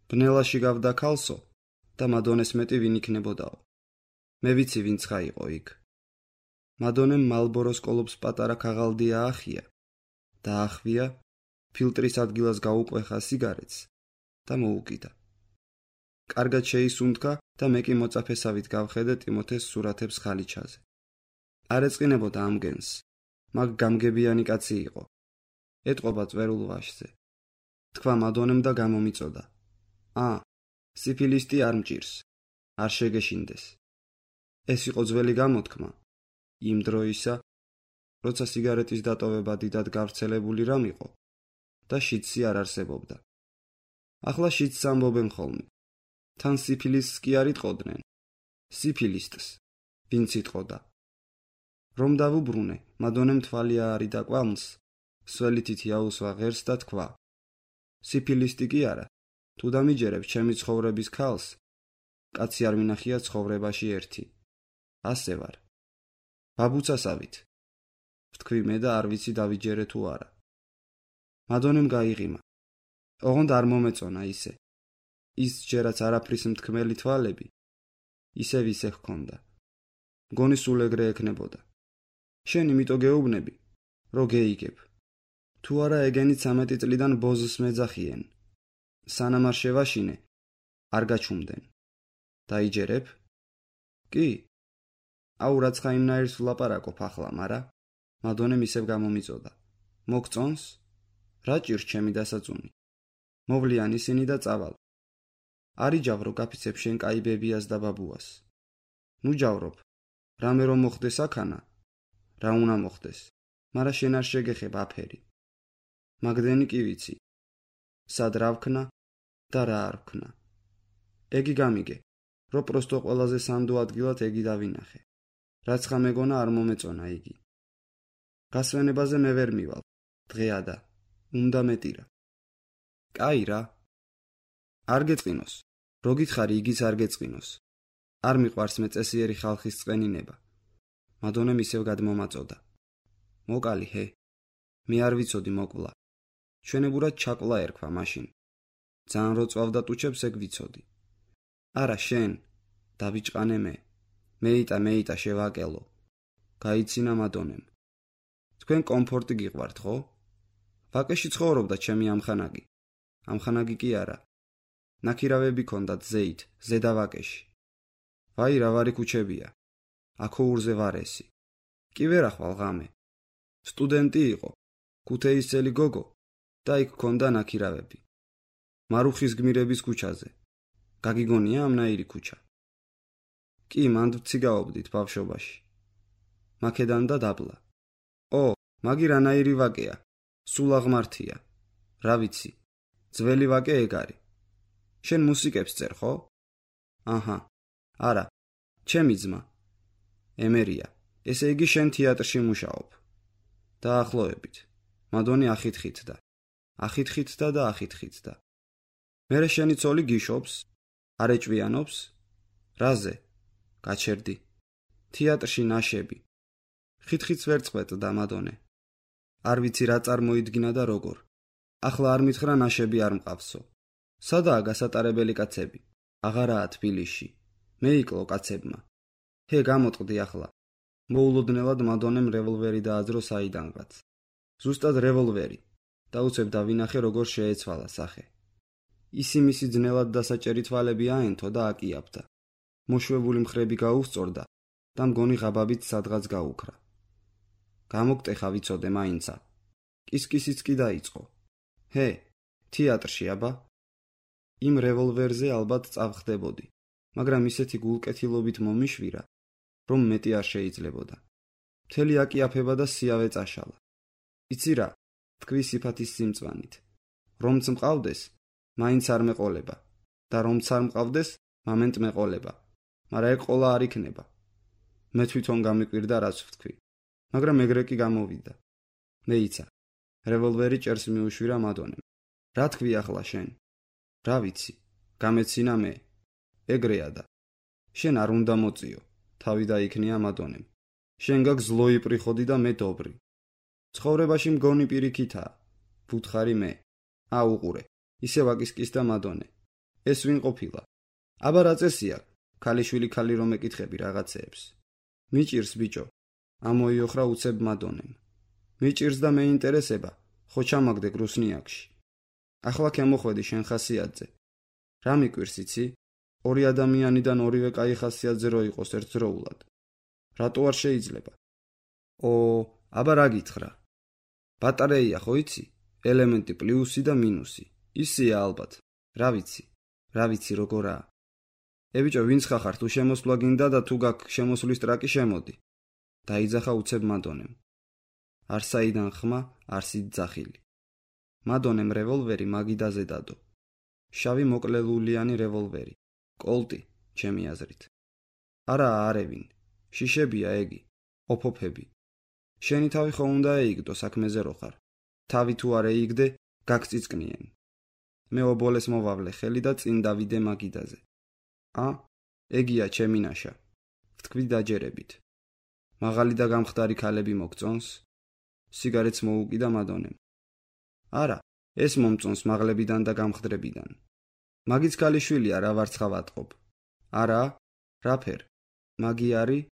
ბნელაში გავდა ქალსო და მადონეს მეტი ვინ იქნებოდაო. მე ვიცი ვინც ხა იყო იქ. მადონემ მალბოროს კოლობს პატარა ქაღალდი აახია. დაახვია, ფილტრის ადგილას გაუყვეხა სიგარეტს და მოუკიდა. კარგად შეისუნთქა და მე კი მოწაფესავით გავხედე ტიმოთეს სურათებს ხალიჩაზე. არ ეწყინებოდა ამ გენს, მაგ გამგებიანი კაცი იყო. ეტყობა წვერულ ვაშზე. თქვა მადონემ და გამომიწოდა. სიფილისტი არ მჭირს, არ შეგეშინდეს. ეს იყო ძველი გამოთქმა, იმ დროისა, როცა სიგარეტის დატოვება დიდად გავრცელებული რამ იყო და შიდსი არ არსებობდა. ახლა შიდს ამბობენ ხოლმე. თან სიფილისტს კი არ იტყოდნენ. სიფილისტს, ვინც იტყოდა. რომ დავუბრუნე, მადონემ თვალი აარი და კვამლს, სველითით იაუსვა ღერს და თქვა. სიფილისტი კი არა, თუ დამიჯერებ ჩემი ცხოვრების ქალს, კაცი არ მინახია ცხოვრებაში ერთი. ასე ვარ. ბაბუცასავით. ვთქვი მე და არ ვიცი დავიჯერე თუ არა. მადონემ გაიღიმა. ოღონდ არ მომეწონა ისე. ის ჯერაც არაფრის მთქმელი თვალები, ისევ ისე ჰქონდა. მგონი სულ ეგრე ექნებოდა. შენ იმიტო გეუბნები, რო გეიგებ. თუ არა ეგენი 13 წლიდან ბოზს მეძახიენ. სანამ არ შევაშინე, არ გაჩუმდნენ. დაიჯერებ? კი. აუ რაც ხა იმნაირს ვლაპარაკობ ახლა, მარა მადონემ ისევ გამომიწოდა. მოგწონს? რა ჭირს ჩემი დასაწუნი? მოვლიან ისინი და წავალ. არ იჯავრო გაფიცებ შენ კაი ბებიას და ბაბუას. ნუ ჯავრობ. რამე რომ მოხდეს აქანა? რა უნდა მოხდეს? მარა შენ არ შეგეხებ აფერი. მაგდენი კი ვიცი. სად რა ვქნა და რა არ ვქნა. ეგი გამიგე, რო პროსტო ყველაზე სანდო ადგილად ეგი დავინახე. რაც ხა მეგონა არ მომეწონა იგი. გასვენებაზე მე ვერ მივალ. დღეა და უნდა მეტირა. კაი რა. არ გეწყინოს. რო გითხარი იგიც არ გეწყინოს. არ მიყვარს მე წესიერი ხალხის წყენინება. მადონემ ისევ გადმომაწოდა. მოკალი ჰე. მე არ ვიცოდი მოკლა. ჩვენებურად ჩაკლა ერქვა მაშინ. ძალიან რო წვავდა ტუჩებს ეგ ვიცოდი. არა შენ, დავიჭყანე მე. მეიტა შევაკელო. გაიცინა მადონემ. თქვენ კომფორტი გიყვართ, ხო? ვაკეში ცხოვრობდა ჩემი ამხანაგი. ამხანაგი კი არა. ნაქირავები ქონდათ ზეით, ზედა ვაკეში. ვაი რა ვარი ქუჩებია. აქოურზე ვარესი. კი ვერ ახვალ ღამე. სტუდენტი იყო. ქუთეისელი გოგო. და იქ ჰქონდა ნაქირავები. მარუხის გმირების ქუჩაზე. გაგიგონია ამნაირი ქუჩა? კი, მანდ ვციგაობდით ბავშვობაში. მაქედან და დაბლა. მაგი რანაირი ვაკეა? სულ აღმართია. რა ვიცი, ძველი ვაკე ეგ არის. შენ მუსიკებს წერ, ხო? აჰა, არა, ჩემი ძმა. ემერია, ესე იგი შენ თეატრში მუშაობ. დაახლოებით. მადონი ახითხითდა. ახითხითდა და ახითხითდა. მერე შენი ცოლი გიშობს? არ ეჭვიანობს? რაზე? გაჩერდი. თეატრში ნაშები. ხითხიც ვერ წყვეტდა მადონე. არ ვიცი რა წარმოიდგინა და როგორ. ახლა არ მითხრა ნაშები არ მყავსო. სადაა გასატარებელი კაცები? აღარაა თბილისში. მეიკლო კაცებმა. ჰე, გამოტყდი ახლა. მოულოდნელად მადონემ რევოლვერი დააძრო საიდანღაც. ზუსტად რევოლვერი. დაუცებ დავინახე როგორ შეეცვალა სახე. ისი-მისი ძნელად დასაჭერი თვალები აენთო და აკიაფდა. მოშვებული მხრები გაუსწორდა და მგონი ღაბაბით სადღაც გაუქრა. გამოგტეხა ვიცოდე მაინცა. კისკისიც კი დაიწყო. ჰე, თეატრში აბა? იმ რევოლვერზე ალბათ წავხდებოდი, მაგრამ ისეთი გულკეთილობით მომიშვირა, რომ მეტი არ შეიძლებოდა. მთელი აკიაფება და სიავე წაშალა. იცი რა, თქვი სიფათის სიმწვანით. რომც მყავდეს, მაინც არ მეყოლება და რომც არ მყავდეს, მამენტ მეყოლება. მაგრამ ეგ ყოლა არ იქნება. მე თვითონ გამიკვირდა რაც ვთქვი. მაგრამ ეგრე კი გამოვიდა. მეიცა. რევოლვერი ჭერს მიუშვირა მადონემ. რა თქვი ახლა შენ? რა ვიცი, გამეცინა მე. ეგრეა და. შენ არ უნდა მოწიო. თავი დაიქნია მადონემ. შენ გაქვს ზლოი პრიხოდი და მე დობრი. ცხოვრებაში მგონი პირიქითაა. ვუთხარი მე. უყურე. ისე ვაკისკისდა მადონე. ეს ვინ ყოფილა? აბა რა წესია? ქალიშვილი ქალი რომ ეკითხები რაღაცეებს. მიჭირს ბიჭო. ამოიოხრა უცებ მადონემ. მიჭირს და მეინტერესება, ხო ჩამაგდე გრუსნიაკში. ახლა ქემოხვედი შენ ხასიათზე. რა მიკვირს იცი? ორი ადამიანიდან ორივე კაი ხასიათზე რო იყოს ერთდროულად. რატო არ შეიძლება? აბა რა გითხრა? ბატარეია ხო იცი? ელემენტი პლუსი და მინუსი. ისია ალბათ. რა ვიცი როგორაა. ბიჭო, ვინც ხარ თუ შემოსვლა გინდა და თუ გაქვს შემოსვლის ტრაკი შემოდი. დაიძახა უცებ მადონემ. არსაიდან ხმა, არსით ძახილი. მადონემ რევოლვერი მაგიდაზე დადო. შავი მოკლელულიანი რევოლვერი. კოლტი, ჩემი აზრით. არაა არევინ. შიშებია ეგი. ოფოფები. შენი თავი ხო უნდა ეიგდო საქმეზე რო ხარ. თავი თუ არ ეიგდე, გაგწიწკნიენ. მე ობოლეს მოვავლე ხელი და წინ დავიდე მაგიდაზე. ეგია ჩემი ნაშა. ვთქვი დაჯერებით. მაღალი და გამხდარი ქალები მოგწონს? სიგარეტს მოუკიდა მადონემ. არა, ეს მომწონს მაღლებიდან და გამხდრებიდან. მაგიც ქალიშვილია რა ვარცხავ ატყობ. არა? რა ფერ? მაგი არის?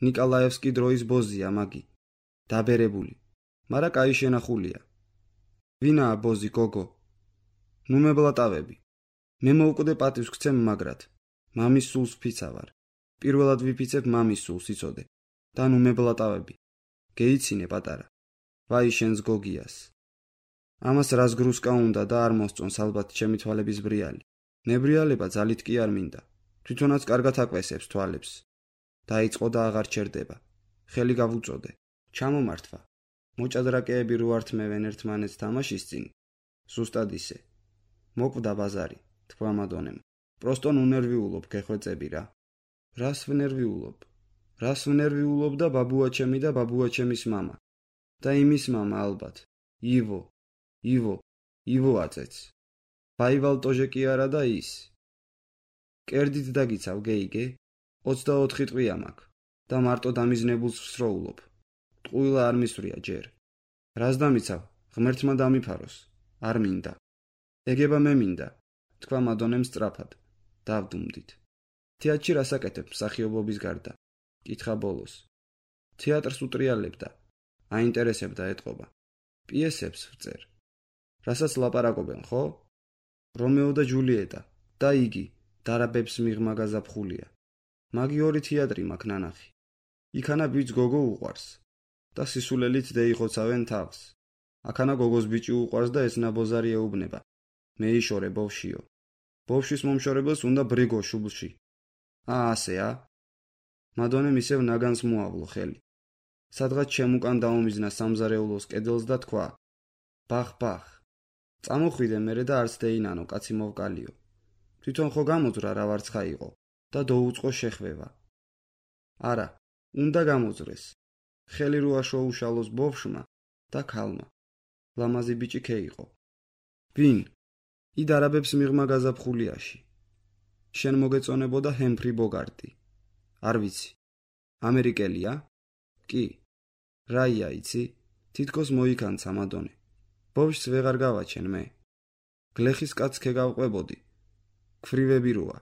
ნიკოლაევსკი დროის ბოზია მაგი. დაბერებული. მარა კაი შენახულია. ვინაა ბოზი გოგო? ნუ მებლატავები. მე მოვკვდე პატივს გცემ მაგრად. მამის სულს ვფიცავარ. პირველად ვიფიცებ მამის სულს იცოდე. და ნუ მებლატავები. გეიცინე პატარა. ვაი შენს გოგიას. ამას რას გრუსკა უნდა და არ მოსწონს ალბათ ჩემი თვალების ბრიალი. ნებრიალება ძალით კი არ მინდა. თვითონაც კარგად აკვესებს თვალებს. დაიწყო და აღარ ჩერდება. ხელი გავუწოდე. ჩამომართვა. მოჭადრაკეები რო ართმევენ ერთმანეთს თამაშის წინ. ზუსტად ისე. მოკვდა ბაზარი, თქვა მადონემ. პროსტო უნერვიულობ გეხვეწები რა. რას ვნერვიულობ და ბაბუაჩემი და ბაბუაჩემის მამა. და იმის მამა ალბათ. ივო აწეც. ვაივალ ტოჟე კი არა და ის. კერდით დაგიცავ გეიგე? 24 ტყვია მაქვს და მარტო დამიზნებულს ვსროულობ. ტყუილა არ მისვრია ჯერ. რას დამიცავ? ღმერთმა დამიფაროს. არ მინდა. ეგება მე მინდა, თქვა მადონემ სწრაფად. დავდუმდით. თეატრში რასაკეთებ მსახიობობის გარდა? კითხა ბოლოს. თეატრს უტრიალებდა. აინტერესებდა ეტყობა. პიესებს ვწერ. რასაც ლაპარაკობენ, ხო? რომეო და ჯულიეტა და იგი დარაბებს მიღმა გაზაფხულია. მაგი ორი თეატრი მაქვს ნანახი. იქანა ბიჭ გოგო უყვარს და სისულელით დეიხოცავენ თავს. აქანა გოგოს ბიჭი უყვარს და ეს ნაბოზარი ეუბნება. მეიშორე ბავშვიო. ბავშვის მომშორებელს უნდა ბრიგო შუბლში. ასე. მადონემ ისევ ნაგანს მოავლო ხელი. სადღაც შემუკან დაუმიზნა სამზარეულოს კედელს და თქვა: ბახ. წამოხვიდე მერე და არც დეინანო, კაცი მოვკალიო. თვითონ ხო გამოძრა რა ვარცხა იყო და დაუწყო შეხვევა. არა, უნდა გამოძრეს. ხელი რო აშოუშალოს ბავშვმა და ქალმა. ლამაზი ბიჭი ქე იყო. ვინ? იდ არაბებს მიღმა გაზაფხულიაში. შენ მოგეწონებოდა ჰემფრი ბოგარტი. არ ვიცი. ამერიკელია? კი. რაია იცი? თითქოს მოიქანცა მადონე. ბავშვს ვეღარ გავაჩენ მე. გლეხის კაცს ქეგავყვებოდი. ქვრივები როა,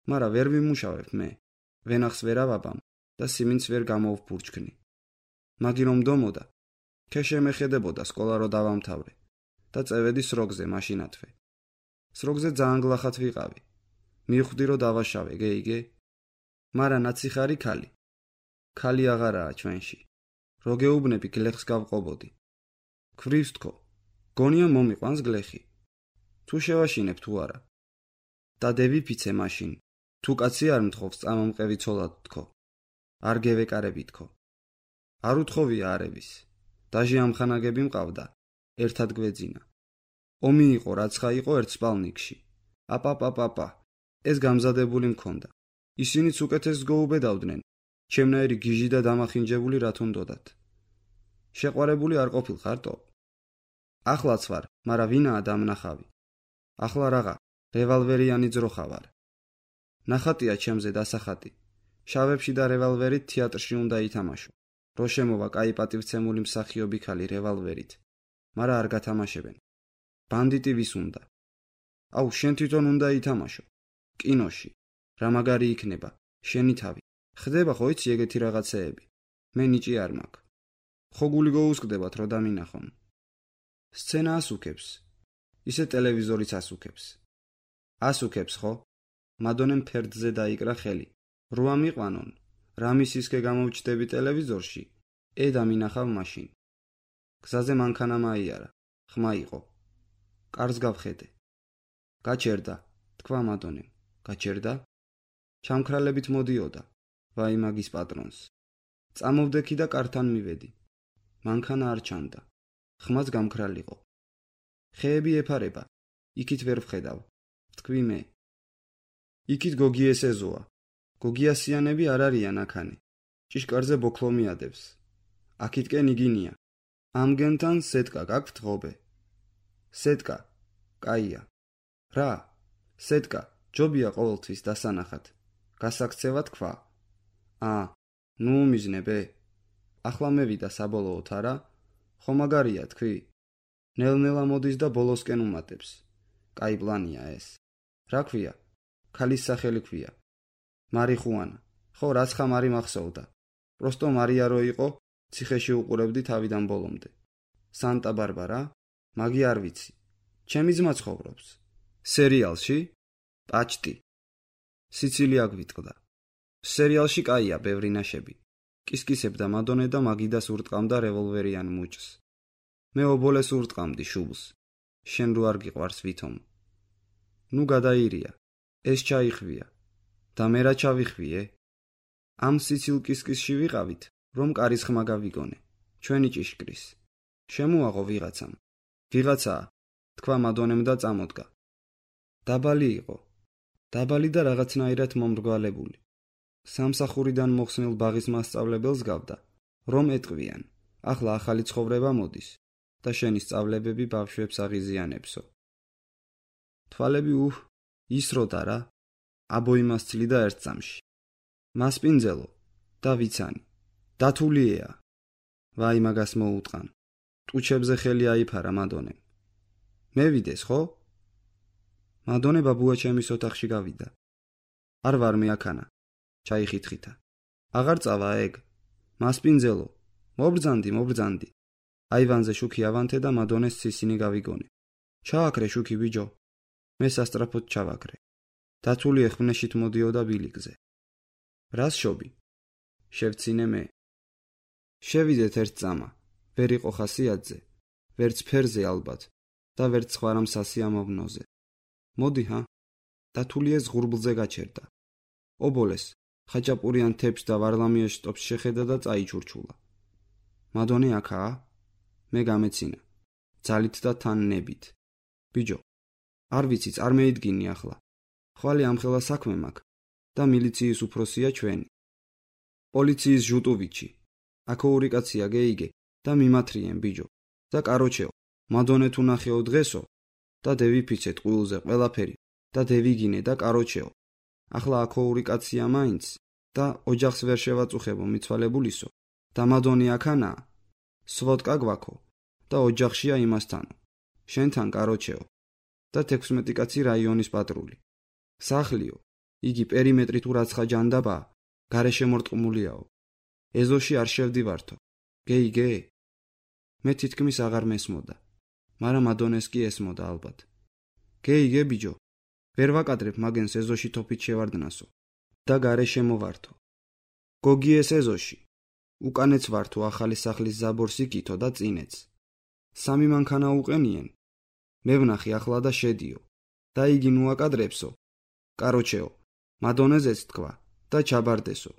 მარა ვერ ვიმუშავებ მე. ვენახს ვერ ავაბამ და სიმინც ვერ გამოვფურჩქნი. მაგი რომ დომოდა, ქე შემეხედებოდა სკოლა რო დავამთავრე და წევედი სროგზე მაშინათვე. სროგზე ძალიან გლახად ვიყავი. მივხვდი რო დავაშავე, გეიგე? მარა ნაციხარი ქალი. ქალი აღარაა ჩვენში. რო გეუბნები გლეხს გავყობოდი. ქვრივს თქო, გონია მომიყვანს გლეხი. თუ შევაშინებ თუ არა. და დევიფიცე მაშინ, თუ კაცი არ მთხოვს წამომყევი ცოლად თქო. არ გევეკარები თქო. არ უთხოვია არების. დაჟე ამხანაგები მყავდა, ერთად გვეძინა. ომი იყო, რაცხა იყო ერთ სპალნიკში. აპა, ეს გამზადებული მქონდა. ისინიც უკეთეს გოუბედავდნენ, ჩემნაირი გიჟი და დამახინჯებული რა თუნდოდათ. შეყვარებული არ ყოფილხარტო? ახლაც ვარ, მარა ვინაა დამნახავი. ახლა რაღა, რევალვერიანი ძროხა ვარ. ნახატია ჩემზე დასახატი. შავებში და რევალვერით თეატრში უნდა ითამაშო. რო შემოვა კაი პატივცემული მსახიობი ქალი რევალვერით. მარა არ გათამაშებენ. ბანდიტი ვის უნდა? აუ, შენ თვითონ უნდა ითამაშო. კინოში. რა მაგარი იქნება, შენი თავი. ხდება ხო იცი ეგეთი რაღაცეები? მე ნიჭი არ მაქვს. ხო გული გოუსკდებათ რო დამინახონ. სცენა ასუქებს. ისე ტელევიზორიც ასუქებს. ასუქებს ხო? მადონემ ფერდზე დაიკრა ხელი. რო ამიყვანონ, რამისისკე გამოვჩდები ტელევიზორში, დამინახავ მაშინ. გზაზე მანქანა მაიარა, ხმა იყო. კარს გავხედე. გაჩერდა, თქვა მადონემ. გაჩერდა? ჩამქრალებით მოდიოდა, ვაი მაგის პატრონს. წამოვდექი და კართან მივედი. მანქანა არ ჩანდა. ხმაც გამქრალიყო. ხეები ეფარება, იქით ვერ ვხედავ. თქვი მე. იქით გოგი ესეზოა. გოგიასიანები არ არიან აქანი. ჭიშკარზე ბოქლო მიადებს. აქითკენ იგინია. ამგენთან სეტკა გაქვთ ღობე. სეტკა, კაია. რა? სეტკა, ჯობია ყოველთვის დასანახად. გასაქცევა თქვა. ნუ უმიზნებე. ახლა მევიდა საბოლოოდ არა? ხო მაგარია თქვი? ნელ-ნელა მოდის და ბოლოსკენ უმატებს. კაი პლანია ეს. რა ქვია? ქალის სახელი ქვია. მარიხუანა. ხო, რაცხა მარი მახსოვდა. პროსტო მარია რო იყო, ციხეში უყურებდი თავიდან ბოლომდე. სანტა ბარბარა? მაგი არ ვიცი. ჩემი ძმა ცხოვრობს. სერიალში? პაჭტი. სიცილია გვიტყდა. სერიალში კაია ბევრი ნაშები. კისკისებდა მადონე და მაგიდას ურტყამდა რევოლვერიან მუჭს. მე ობოლეს ურტყამდი შუბლს. შენ რო არ გიყვარს ვითომ. ნუ გადაირია. ეს ჩაიხვია. და მე რა ჩავიხვიე? ამ სიცილ კისკისში ვიყავით, რომ კარის ხმა გავიგონე. ჩვენი ჭიშკრის. შემოაღო ვიღაცამ. ვიღაცაა, თქვა მადონემ და წამოდგა. დაბალი იყო. დაბალი და რაღაცნაირად მომრგვალებული. სამსახურიდან მოხსნილ ბაღის მასწავლებელს გავდა, რომ ეტყვიან. ახლა ახალი ცხოვრება მოდის და შენი სწავლებები ბავშვებს აღიზიანებსო. თვალები ისროდა რა. აბოიმასცილი და ერთ წამში. მასპინძელო და ვიცანი. დათულიეა. ვაი მაგას მოუტყან. ტუჩებზე ხელი აიფარა მადონემ. მევიდეს ხო? მადონე ბაბუა ჩემის ოთახში გავიდა. არ ვარ მე აქანა. ჩაიხითხითა. აღარ წავა ეგ. მასპინძელო. მობრძანდი. აივანზე შუქი ავანთე და მადონეს ცისინი გავიგონე. ჩააქრე შუქი ბიჯო. მე სასტრაფოდ ჩავაქრე. დათული ეხვნეშით მოდიოდა ბილიკზე. რას შობი? შევცინე მე. შევიდეთ ერთ წამა. ვერ იყო ხასიათზე. ვერც ფერზე ალბათ და ვერც სხვა რამ სასიამოვნოზე. მოდი, დათულიეს ღურბლზე გაჩერდა. ობოლეს ხაჭაპურიან თეფს და ვარლამიას შტობს შეხედა და წაიჩურჩულა. მადონე აქაა? მე გამეცინა. ძალით და თან ნებით. ბიჯო, არ ვიცი, წარმოიდგინი ახლა. ხვალე ამხელა საქმე მაქვს და მილიციის უფროსია ჩვენი. პოლიციის ჟუტოვიჩი. აქ ორი კაცია გეიგე და მიმათრიენ ბიჯო. და კაროჩეო, მადონე თუ ნახეო დღესო და დევიფიცეთ ყვილზე ყველაფერი და დევიგინე და კაროჩეო. ახლა აქ ორი კაცია მაინც და ოჯახს ვერ შევაწუხებო მიცვალებულისო და მადონე აქანაა. სვოდკა გვაქო და ოჯახშია იმასთანო. შენთან კაროჩეო და 16 კაცი რაიონის პატრული. სახლიო, იგი პერიმეტრი თუ რაცხა ჯანდაბაა, გარეშე მორტყმულიაო. ეზოში არ შევდივართო. გეიგე? მე თითქმის აღარ მესმოდა, მაგრამ მადონეს კი ესმოდა ალბათ. გეიგე ბიჯო, ვერ ვაკადრებ მაგენს ეზოში თოფით შევარდნასო და გარეშე მოვართო. გოგიეს ეზოში. უკანეც ვართო ახალი სახლის ზაბორს იკითო და წინეც. 3 მანქანა უყენიენ. მე ვნახე ახლა და შედიო და იგი ნუაკადრებსო. კაროჩეო, მადონეზეც თქვა და ჩაბარდესო.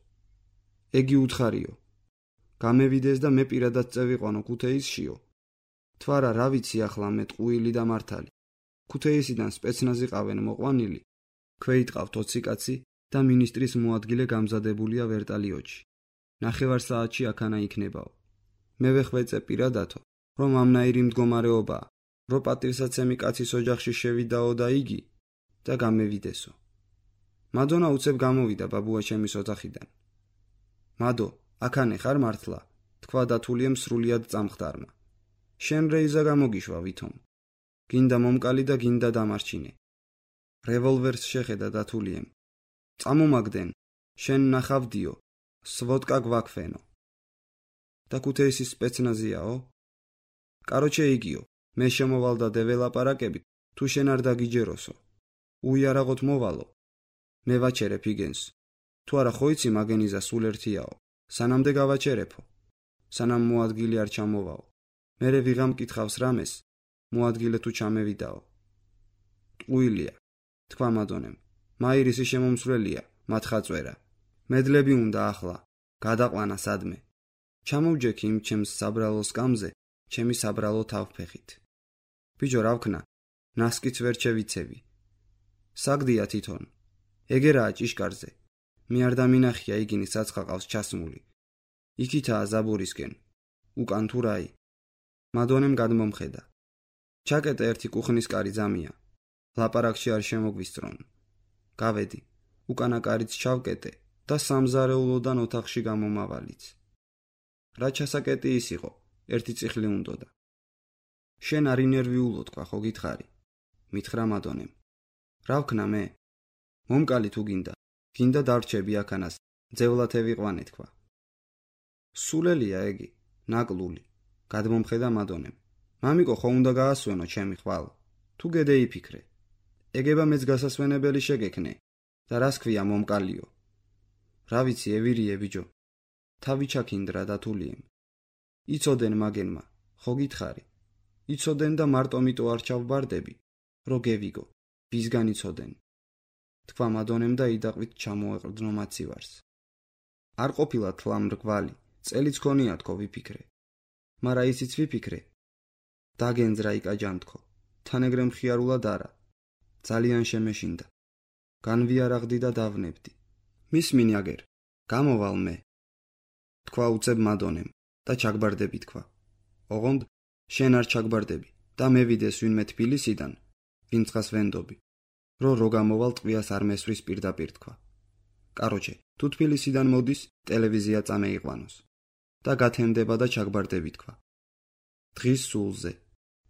ეგი უთხარიო. გამევიდეს და მე პირადად წევიყვანო ქუთეისშიო. თვარა რა ვიცი ახლა მე ტყუილი და მართალი. ქუთეისიდან სპეცნაზი ყავენ მოყვანილი. ქვეითყავთ 20 კაცი და მინისტრის მოადგილე გამზადებულია ვერტალიოტში. 9 საათში აქანა იქნებაო. მე ვეხვეწე პირადათო, რომ ამნაირი მდგომარეობაა, რომ პატივსაცემი კაცის ოჯახში შევიდაო და იგი და გამევიდესო. მადონა უცებ გამოვიდა ბაბუა ჩემის ოთახიდან. მადო, აქანე ხარ მართლა? თქვა დათულიემ სრულიად წამხდარმა. შენ რეიზა გამოგიშვა ვითომ. გინდა მომკალი და გინდა დამარჩინე. რევოლვერს შეხედა დათულიემ. წამომაგდენ, შენ ნახავდიო, სვოდკა გვაქვენო. და ქუთეისის სპეცნაზიაო? კაროჩე იგიო, მე შემოვალ და დეველაპარაკებით, თუ შენ არ დაგიჯეროსო. უიარაღოთ მოვალო. მე ვაჩერებ იგენს. თუ არა ხო იცი მაგენიზა სულ ერთიაო. სანამდე გავაჩერებო. სანამ მოადგილე არ ჩამოვაო. მერე ვიღამ კითხავს რამეს, მოადგილე თუ ჩამევიდაო. ტყუილია, თქვა მადონემ. მაირისი შემომსვლელია, მათხაწვერა. მედლები უნდა ახლა, გადაყვანა სადმე. ჩამოვჯექი იმ ჩემს საბრალო სკამზე, ჩემი საბრალო თავფეხით. ბიჯო რა ვქნა, ნასკიც ვერ შევიცევი. საგდია თვითონ. ეგერაა ჭიშკარზე. მე არ დამინახია იგინი საცხა ყავს ჩასმული. იქითაა ზაბურისკენ. უკან თუ რაი. მადონემ გადმომხედა. ჩაკეტე ერთი კუხნის კარი ძამია. ლაპარაკში არ შემოგვისწრონ. გავედი. უკანა კარიც ჩავკეტე და სამზარეულოდან ოთახში გამომავალიც. რა ჩასაკეტი ის იყო, ერთი წიხლი უნდოდა. შენ არ ინერვიულო თქვა ხო გითხარი? მითხრა მადონემ. რა ვქნა მე? მომკალი თუ გინდა დარჩები აქანას, ძევლად ევიყვანე თქვა. სულელია ეგი, ნაკლული, გადმომხედა მადონემ. მამიკო ხო უნდა გაასვენო ჩემი ხვალ, თუ გედეიფიქრე. ეგება მეც გასასვენებელი შეგექნე და რას ქვია მომკალიო. რა ვიცი ევირიე ბიჯო. თავი ჩაქინდრა დათულიემ. იცოდენ მაგენმა, ხო გითხარი? იცოდენ და მარტო მიტო არ ჩავბარდები, რო გევიგო, ვისგან იცოდენ. თქვა მადონემ და იდაყვით ჩამოეყრდნო მაცივარს. არ ყოფილა თლა მრგვალი, წელიც ქონია თქო ვიფიქრე. მარა ისიც ვიფიქრე. დაგენძრა იკაჯამთქო, თან ეგრე მხიარულად არა. ძალიან შემეშინდა. განვიარაღდი და დავნებდი. მისმინი აგერ, გამოვალ მე. თქვა უცებ მადონემ და ჩაგბარდები თქვა. ოღონდ შენ არ ჩაგბარდები და მევიდეს ვინმე თბილისიდან, ვინცხას ვენდობი. რო გამოვალ ტყვიას არ მესვრის პირდაპირ თქვა. კაროჩე, თუ თბილისიდან მოდის, ტელევიზია წამეიყვანოს და გათენდება და ჩაგბარდები თქვა. დღის სულზე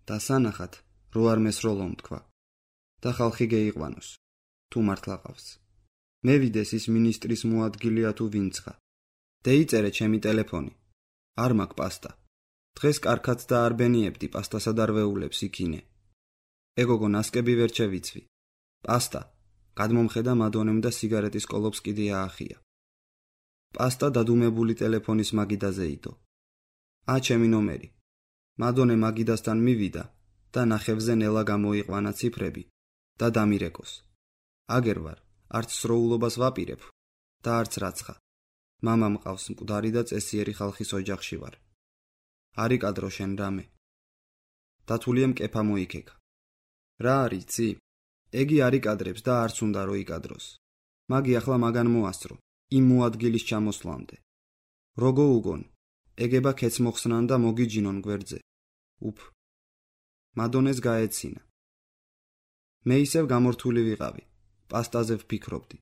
და სანახად რო არ მესროლომ თქვა და ხალხი გეიყვანოს, თუ მართლა ყავს. მევიდეს ის მინისტრის მოადგილეა თუ ვინცხა. დეიწერე ჩემი ტელეფონი. არ მაქვს პასტა. დღეს კარქაც და არ ბენიებდი პასტასა და რვეულებს იქინე. ეგოგო ნასკები ვერ შევიცვი. პასტა, გადმომხედა მადონემ და სიგარეტის კოლოფს კიდე აახია. პასტა დადუმებული ტელეფონის მაგიდაზე იდო. ჩემი ნომერი. მადონე მაგიდასთან მივიდა და ნახევზე ნელა გამოიყვანა ციფრები და დამირეკოს. აგერ ვარ, არც სროულობას ვაპირებ და არც რაცხა. მამა მყავს მკვდარი და წესიერი ხალხის ოჯახში ვარ. არ იკადრო შენ რამე. დათულიემ კეფა მოიქეკა. რა არის ცი? ეგი არ იკადრებს და არც უნდა რო იკადროს. მაგი ახლა მაგან მოასწრო, იმ მოადგილის ჩამოსვლამდე. როგორ უგონ? ეგება ქეც მოხსნან და მოგიჯინონ გვერდზე. უფ. მადონეს გაეცინა. მე ისევ გამორთული ვიყავი, პასტაზე ვფიქრობდი.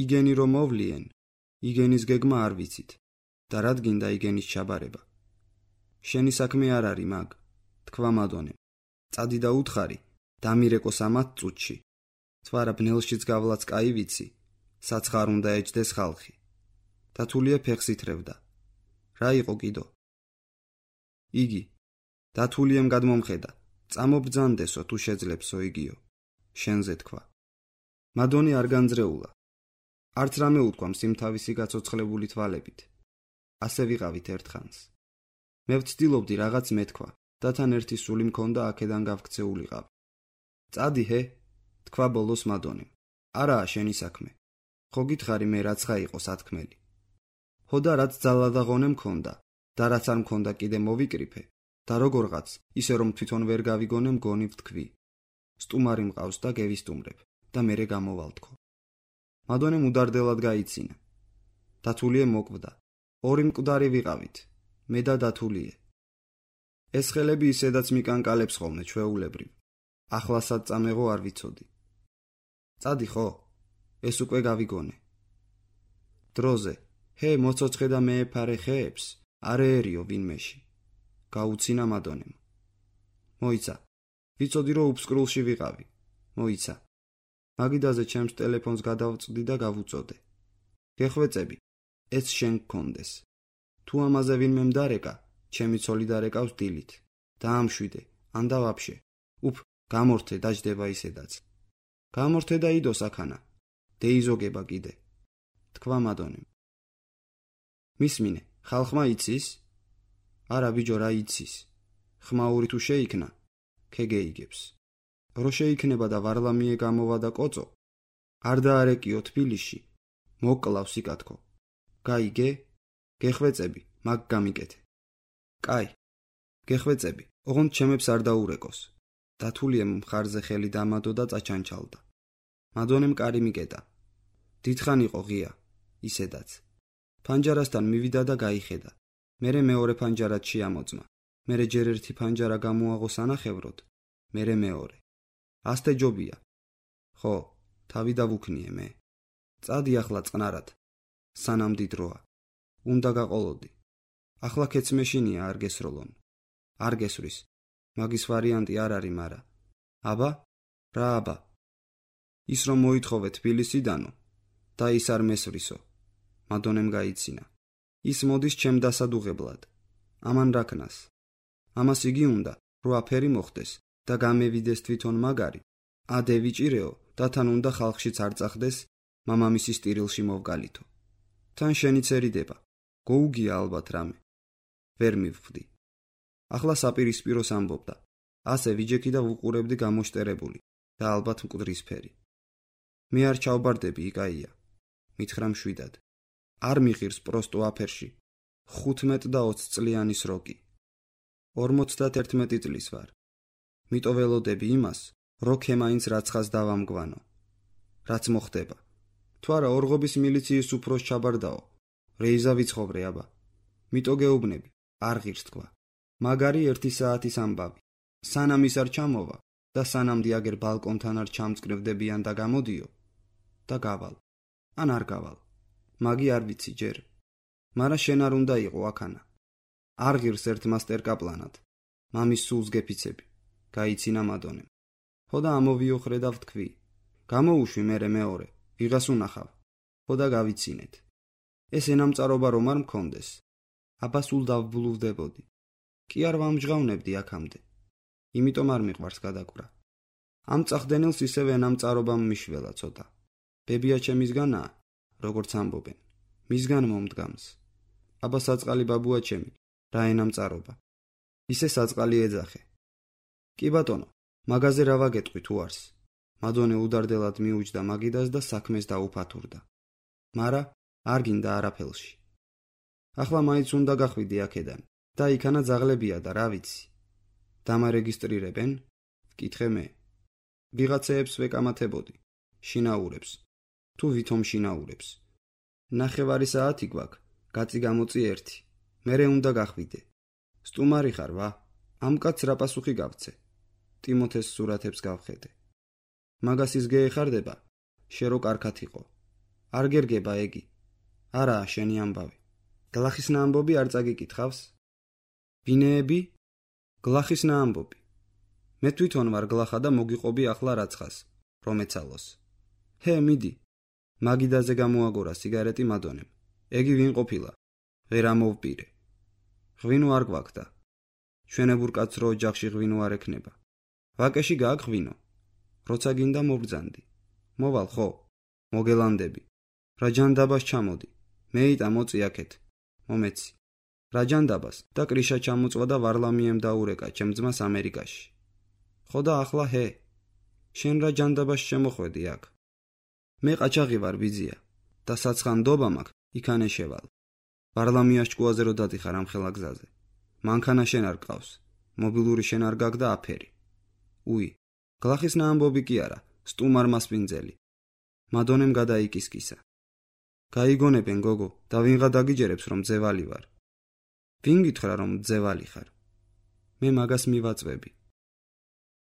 იგენი რომ მოვლიენ, იგენის გეგმა არ ვიცით და რადგინდა იგენის ჩაბარება. შენი საქმე არ არის მაგ, თქვა მადონემ. წადი და უთხარი, დამირეკოს ამათ წუთში. თვარა ბნელშიც გავლაც კაი ვიცი, საცხარ უნდა ეჯდეს ხალხი. დათულია ფეხს ითრევდა. რა იყო კიდო? იგი. დათულიემ გადმომხედა. წამობძანდესო თუ შეძლებსო იგიო. შენზე თქვა. მადონი არ განძრეულა. არც რამე უთქვამს იმ თავისი გაცოცხლებული თვალებით. ასე ვიყავით ერთხანს. მე ვცდილობდი რაღაც მეთქვა და თან ერთი სული მქონდა აქედან გავქცეულიყავ. წადი ჰე, თქვა ბოლოს მადონიმ. არაა შენი საქმე. ხო გითხარი მე რაცხა იყო სათქმელი. ხო და რაც ძალადაღონე მქონდა და რაც არ მქონდა კიდე მოვიკრიფე და როგორღაც ისე რომ თვითონ ვერ გავიგონე მგონი ვთქვი. სტუმარი მყავს და გევისტუმრებ და მერე გამოვალთქო. მადონემ უდარდელად გაიცინა. დათულიე მოკვდა. ორი მკვდარი ვიყავით, მე და დათულიე. ეს ხელები ისედაც მიკანკალებს ხოლმე ჩვეულებრივ. ახლასაც წამეღო არ ვიცოდი. წადი ხო? ეს უკვე გავიგონე. დროზე, ჰე მოცოცხე და მეეფარე ხეებს, არ ეერიო ვინმეში. გაუცინა მადონემ. მოიცა. ვიცოდი რომ უფსკრულში ვიყავი. მოიცა. მაგიდაზე ჩემს ტელეფონს გადავწვდი და გავუწოდე. გეხვეწები, ეს შენ გქონდეს. თუ ამაზე ვინმე მდარეკა, ჩემი ცოლი დარეკავს დილით. დაამშვიდე, ან და ვაფშე. უფ, გამორთე დაждდება ისედაც. გამორთე და იდო საქანა. დეიზოგება კიდე. თქვა მადონემ. მისმინე, ხალხმა იცის? არა ბიჯო რა იცის. ხმაური თუ შეიქნა, ქეგეიგებს. რო შეიქნება და ვარლამიე გამოვა და კოწო, არ დაარეკიო თბილისში, მოკლავს იკათქო. გაიგე? გეხვეწები, მაგ გამიკეთე. კაი, გეხვეწები, ოღონდ ჩემებს არ დაურეკოს. დათულიემ მხარზე ხელი დამადო და წაჩანჩალდა. მადონემ კარი მიკეტა. დიდხან იყო ღია, ისედაც. ფანჯარასთან მივიდა და გაიხედა. მერე მეორე ფანჯარად შეამოწმა. მერე ჯერ ერთი ფანჯარა გამოაღო სანახევროდ, მერე მეორე. ასტე ჯობია. ხო, თავი დავუქნიე მე. წადი ახლა წყნარად. სანამ დიდროა. უნდა გაყოლოდი. ახლა ქეც მეშინია არ გესროლონ. არ გესვრის. მაგის ვარიანტი არ არის მარა. აბა? რა აბა? ის რომ მოითხოვე თბილისიდანო და ის არ მესვრისო. მადონემ გაიცინა. ის მოდის ჩემ დასადუღებლად. ამან რაკნას. ამას იგი უნდა, რო აფერი მოხდეს და გამევიდეს თვითონ მაგარი. ადე ვიჭირეო და თან უნდა ხალხშიც არ წახდეს, მამამისის ტირილში მოვგალითო. თან შენიც ერიდება. გოუგია ალბათ რამე. ვერ მივხვდი. ახლა საპირისპიროს ამბობდა. ასე ვიჯექი და ვუყურებდი გამოშტერებული და ალბათ მკვდრისფერი. მე არ ჩავბარდები იკაია. მითხრა მშვიდად. არ მიღირს პროსტო აფერში. 15 და 20 წლიანი სროკი. 51 წლის ვარ. მიტო ველოდები იმას, რო ქემაინც რაცხას დავამგვანო. რაც მოხდება. თუ არა ორღობის მილიციის უფროს ჩაბარდაო. რეიზა ვიცხოვრე აბა. მიტო გეუბნები, არ ღირს თქვა. მაგარი 1 საათის ამბავი. სანამ ის არ ჩამოვა და სანამ დიაგერ ბალკონთან არ ჩამწკრივდებიან და გამოდიო და გავალ. ან არ გავალ. მაგი არ ვიცი ჯერ. მარა შენ არ უნდა იყო აქანა. არ ღირს ერთ მასტერკაპლანად. მამის სულს გეფიცები. გაიცინა მადონემ. ხო და ამოვიოხრე და ვთქვი. გამოუშვი მერე მეორე. ვიღას უნახავ. ხო და გავიცინეთ. ეს ენამწარობა რომ არ მქონდეს. აბა სულ დავბლუვდებოდი. კი არ ვამჟღავნებდი აქამდე. იმიტომ არ მიყვარს გადაკვრა. ამ წახდენილს ისევ ენამწარობამ მიშველა ცოტა. ბებია ჩემისგანაა, როგორც ამბობენ. მისგან მომდგამს. აბა საწყალი ბაბუა ჩემი, რა ენამწარობა. ისე საწყალი ეძახე. კი ბატონო, მაგაზე რა ვაგეტყვი თუ არს? მადონე უდარდელად მიუჯდა მაგიდას და საქმეს დაუფათურდა. მარა არ გინდა არაფელში. ახლა მაინც უნდა გახვიდე აქედან და იქანა ძაღლებია და რა ვიცი. დამარეგისტრირებენ? ვკითხე მე. ვიღაცეებს ვეკამათებოდი. შინაურებს. თუ ვითომ შინაურებს. ნახევარი საათი გვაქვს, გაწი გამოწი 1. მერე უნდა გახვიდე. სტუმარი ხარ ვა? ამ კაცს რა პასუხი გავცე? ტიმოთეს სურათებს გავხედე. მაგას ის გეეხარდება? შერო კარგად იყო. არ გერგება ეგი. არაა შენი ამბავი. გლახისნა ამბობი არ წაგიკითხავს? ბინეები? გლახისნა ამბობი. მე თვითონ ვარ გლახა და მოგიყვები ახლა რაცხას, რომ ეცალოს. ჰე, მიდი. მაგიდაზე გამოაგორა სიგარეტი მადონემ. ეგი ვინ ყოფილა? ვერ ამოვპირე. ღვინო არ გვაქვს. ჩვენებურ კაცს რო ოჯახში ღვინო არ ექნება. ვაკეში გააქვს ღვინო. როცა გინდა მობრძანდი. მოვალ ხო? მოგელანდები. რა ჯანდაბას ჩამოდი. მეიტა მოწი აქეთ. მომეცი. რა ჯანდაბას და კრიშა ჩამოწვა და ვარლამიემ დაურეკა ჩემ ძმას ამერიკაში. ხო და ახლა ჰე. შენ რა ჯანდაბას შემოხვედი აქ? მე ყაჩაღი ვარ ბიძია და საცხანდობა მაქვს იქანე შევალ. ვარლამიას ჭკუაზე რო დადიხარ ამ ხელა გზაზე. მანქანა შენ არ გყავს. მობილური შენ არ გაქვს და აფერი. უი, გლახისნა ამბობი კი არა, სტუმარ მასპინძელი. მადონემ გადაიკისკისა. გაიგონებენ გოგო და ვინღა დაგიჯერებს რომ ძევალი ვარ. ვინ გითხრა რომ ძევალი ხარ? მე მაგას მივაწვევი.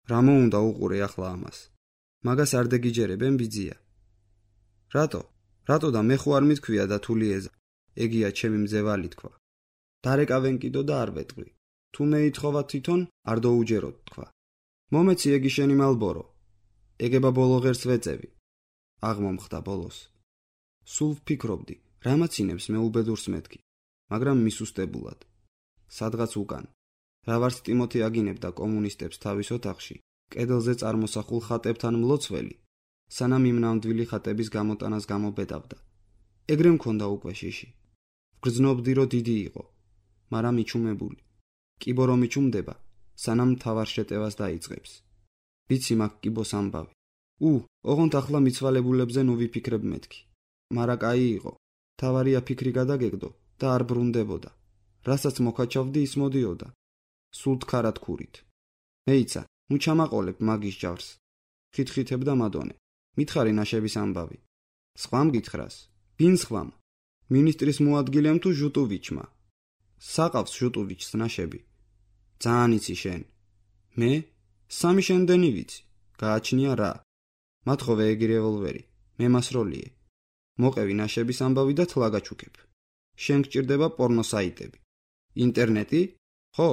რა მოუნდა უყურე ახლა ამას? მაგას არ დაგიჯერებენ ბიძია. რატო და მე ხო არ მithქვია და თულიეზა. ეგია ჩემი მძევალი თქვა. დარეკავენ კიდო და არ ვეტყვი. თუ მე ითხოვა თვითონ არ დაუჯეროთ თქვა. მომეცი ეგი შენი მალბორო. ეგება ბოლო ღერს ვეწევი. აღმომხდა ბოლოს. სულ ვფიქრობდი, რამაცინებს მე უბედურს მეთქი, მაგრამ მისუსტებულად. სადღაც უკან. რა ვარც ტიმოთე აგინებდა კომუნისტებს თავის ოთახში, კედელზე წარმოსახულ ხატებთან მლოცველი, სანამ იმ ნამდვილი ხატების გამოტანას გამობედავდა. ეგრე მქონდა უკვე შიში. ვგრძნობდი რომ დიდი იყო, მაგრამ მიჩუმებული. კიბო რომ მიჩუმდება, სანამ თავარ შეტევას დაიწყებს. ვიცი მაგ კიბოს ამბავი. ოღონდ ახლა მიცვალებულებზე ნუ ვიფიქრებ მეთქი. მარა კაი იყო. თავარია ფიქრი გადაგეგდო და არ ბრუნდებოდა. რასაც მოკაჩავდი ის მოდიოდა. სულ თხარად ქურით. მეიცა, ნუ ჩამაყოლებ მაგის ჯავს. ხითხითებდა მადონე. მითხარი ნაშების ამბავი. სხვამ გითხრას. ვინ სხვამ? მინისტრის მოადგილემ თუ ჟუტოვიჩმა? საყავს ჟუტოვიჩს ნაშები. ძალიან იცი შენ. მე? 3 შენდენი ვიცი. გააჩნია რა? მათხოვე ეგი რევოლვერი. მე მასროლიე. მოყევი ნაშების ამბავი და თლა გაჩუქებ. შენ გჭირდება პორნო საიტები. ინტერნეტი? ხო,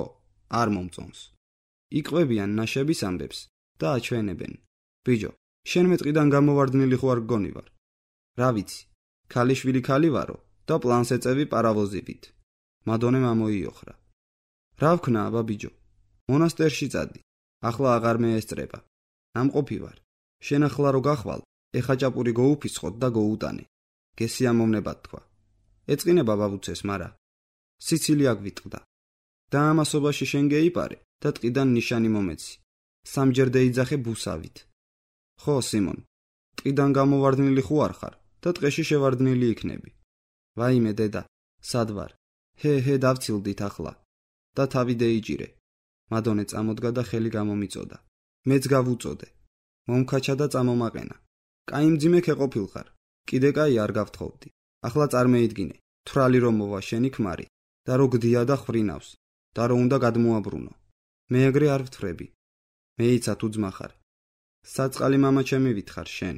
არ მომწონს. იყვებიან ნაშების ამბებს და აჩვენებენ. ბიჯო, შენ მეტყიდან გამოვარდნილი ხო არ გგონი ვარ? რა ვიცი, ქალიშვილი ქალი ვარო და პლანს ეწევი პარავოზივით. მადონემ ამოიოხრა. რა ვქნა აბა ბიჯო? მონასტერში წადი. ახლა აღარ მეესწრება. ნამყოფი ვარ. შენ ახლა რო გახვალ, ეხაჭაპური გოუფისხოთ და გოუტანე. გესიამოვნებად თქვა. ეწყინება ბაბუცეს, მარა სიცილი აგვიტყდა. და ამასობაში შენ გეიპარე და ტყიდან ნიშანი მომეცი. 3ჯერ დაიძახე ბუსავით. ხო, სიმონ, ტყიდან გამოვარდნილი ხო არ ხარ და ტყეში შევარდნილი იქნები. ვაიმე დედა, სად ვარ? ჰე, დავცილდით ახლა. და თავი დაიჭირე. მადონე წამოდგა და ხელი გამომიწოდა. მეც გავუწოდე. მომქაჩა და წამომაყენა. კაი მძიმე ქეყოფილხარ. კიდე კაი არ გავთხოვდი. ახლა წარმოიდგინე, თვრალი რომ მოვა შენი ქმარი და რო გდია და ხრინავს და რო უნდა გადმოაბრუნო. მე ეგრე არ ვთხრები. მეიცა თუ ძმა ხარ. საწყალი მამა ჩემი ვითხარ შენ.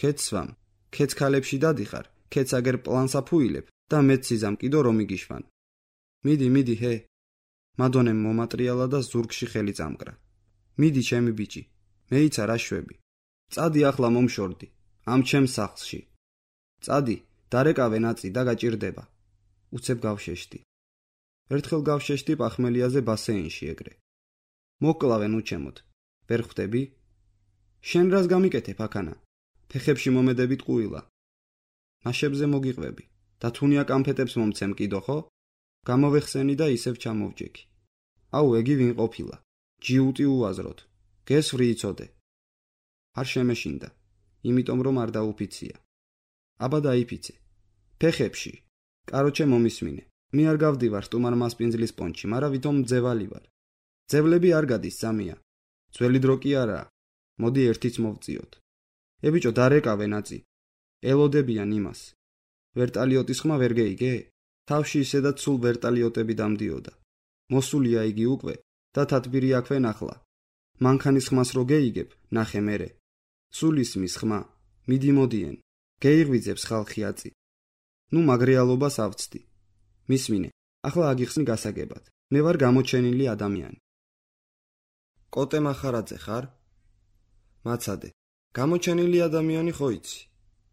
ქეცვამ, ქეცქალებში დადიხარ, ქეცაგერ პლანს აფუილებ და მეც სიზამ კიდო რომ იგიშვან. მიდი, ჰე. მადონემ მომატრიალა და ზურგში ხელი წამკრა. მიდი ჩემი ბიჭი. მეიცა რა შვები. წადი ახლა მომშორდი. ამ ჩემს სახლში. წადი, დარეკავე ნაწი და გაჭირდება. უცებ გავშეშდი. ერთხელ გავშეშდი პახმელიაზე ბასეინში ეგრე. მოკლავენ უჩემოთ. ვერ ხვდები? შენ რას გამიკეთებ აქანა? ფეხებში მომედებით ყუილა. ნაშებზე მოგიყვები და თუნია კამფეტებს მომცემ კიდო ხო? გამოვეხსენი და ისევ ჩამოვჯექი. აუ ეგი ვინ ყოფილა? ჯიუტი უაზროთ. გესვრი იცოდე. არ შემეშინდა, იმიტომ რომ არ დაუფიცია. აბა დაიფიცე. ფეხებში. კაროჩე მომისმინე. მე არ გავდივარ სტუმარ მასპინძლის პონჩი, მაგრამ ვითომ მძევალი ვარ. ძევლები არ გადის სამია. ძველი დრო კი არაა. მოდი ერთიც მოვწიოთ. ებიჭო დარეკავე ნაცი. ელოდებიან იმას. ვერტალიოტის ხმა ვერ გეიგე? თავში ისედაც სულ ვერტალიოტები დამდიოდა. მოსულია იგი უკვე და თათბირი აქვე ნახლა. მანქანის ხმას რო გეიგებ, ნახე მერე. სულ ისმის ხმა. მიდი მოდიენ. გეიღვიძებს ხალხი აწი. ნუ მაგრეალობას ავწდი. მისმინე, ახლა აგიხსნი გასაგებად. მე ვარ გამოჩენილი ადამიანი. კოტე მახარაძე ხარ? მაცადე. გამოჩენილი ადამიანი ხო იცი?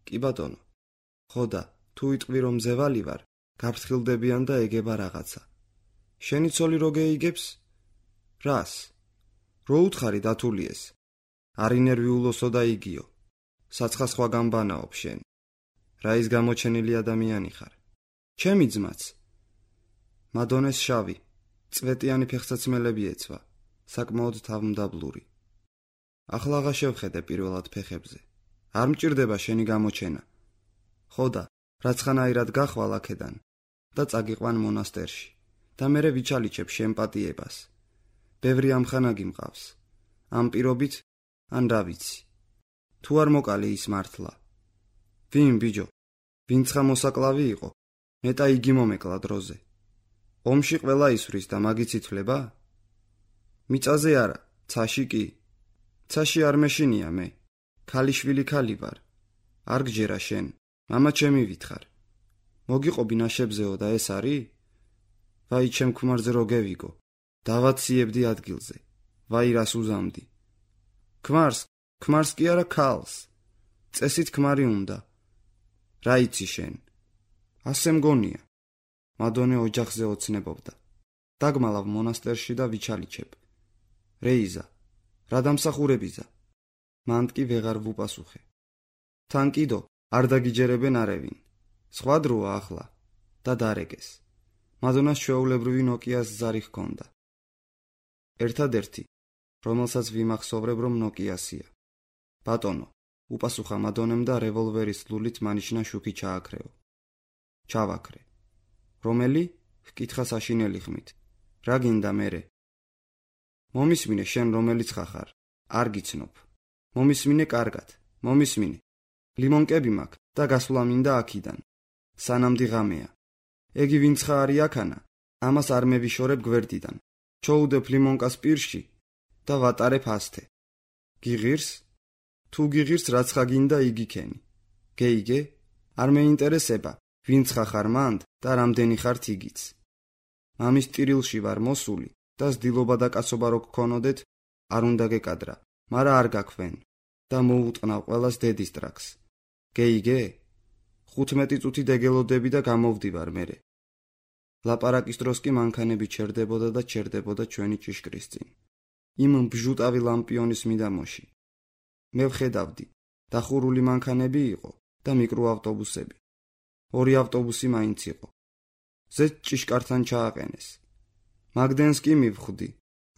კი ბატონო. ხოდა, თუ იტყვი რომ მძევალი ვარ, გაფრთხილდებიან და ეგება რაღაცა. შენი ცოლი რო გეიგებს? რას? რო უთხარი დათულიეს. არინერვიულოსო და იგიო. საცხა გამბანაობ შენ. რა ის გამოჩენილი ადამიანი ხარ? ჩემი ძმაც. მადონეს შავი, წვეტიანი ფეხსაცმელები ეცვა, საკმაოდ თავმდაბლური. ახლა აღარ შევხედე პირველად ფეხებზე. არ მჭირდება შენი გამოჩენა. ხოდა, რაცხანაირად გახვალ აქედან და წაგიყვან მონასტერში და მერე ვიჩალიჩებ შენ პატიებას. ბევრი ამხანაგი მყავს. ამ პირობით ან რა ვიცი. თუ არ მოკალი ის მართლა. ვინ ბიჯო? ვინცხა მოსაკლავი იყო? მეტა იგი მომეკლა დროზე. ომში ყველა ისვრის და მაგიც ითვლება? მიწაზე არა, ცაში კი. ცაში არ მეშინია მე. ქალიშვილი ქალი ვარ. არ გჯერა შენ, მამა ჩემი ვითხარ. მოგიყობი ნაშებზეო და ეს არის? ვაი ჩემ ქმარზე რო გევიგო. დავაციებდი ადგილზე. ვაი რას უზამდი. ქმარს კი არა ქალს. წესით ქმარი უნდა. რა იცი შენ? ასე მგონია. მადონე ოჯახზე ოცნებობდა. დაგმალავ მონასტერში და ვიჩალიჩებ. რეიზა, რა დამსახურებიზა? მანდ კი ვეღარ ვუპასუხე. თან კიდო არ დაგიჯერებენ არევინ. სხვა დროა ახლა და დარეგეს. მადონას ჩვეულებრივი ნოკიას ზარი ჰქონდა. ერთადერთი, რომელსაც ვიმახსოვრებ რომ ნოკიასია. ბატონო, უპასუხა მადონემ და რევოლვერის ლულით მანიშნა შუქი ჩააქრეო. ჩავაქრე. რომელი? ჰკითხა საშინელი ხმით. რა გინდა მერე? მომისმინე შენ რომელიც ხარ. არ გიცნობ. მომისმინე კარგად. მომისმინე. ლიმონკები მაქვს და გასვლა მინდა აქიდან. სანამ დიღამეა. ეგი ვინცხა არის აქანა? ამას არ მევიშორებ გვერდიდან. ჩოუდებ ლიმონკას პირში და ვატარებ ასთე. გიღირს? თუ გიღირს რაცხა გინდა იგი ქენი. გეიგე? არ მეინტერესება ვინცხა ხარ მანდ და რამდენი ხართ იგიც. მამის ტირილში ვარ მოსული და ზდილობა და კაცობა რო გქონოდეთ, არ უნდა გეკადრა, მაგრამ არ გაქვენ და მოუტყნავ ყველას დედის ტრაქს. გეიგე? 15 წუთი დეგელოდები და გამოვდივარ მერე. ლაპარაკის დროს კი მანქანები ჩერდებოდა და ჩერდებოდა ჩვენი ჭიშკრის წინ. იმ ბჟუტავი ლამპიონის მიდამოში. მე ვხედავდი, დახურული მანქანები იყო და მიკროავტობუსები. 2 ავტობუსი მაინც იყო. ზედ ჭიშკართან ჩააყენეს. მაგდენს კი მივხვდი,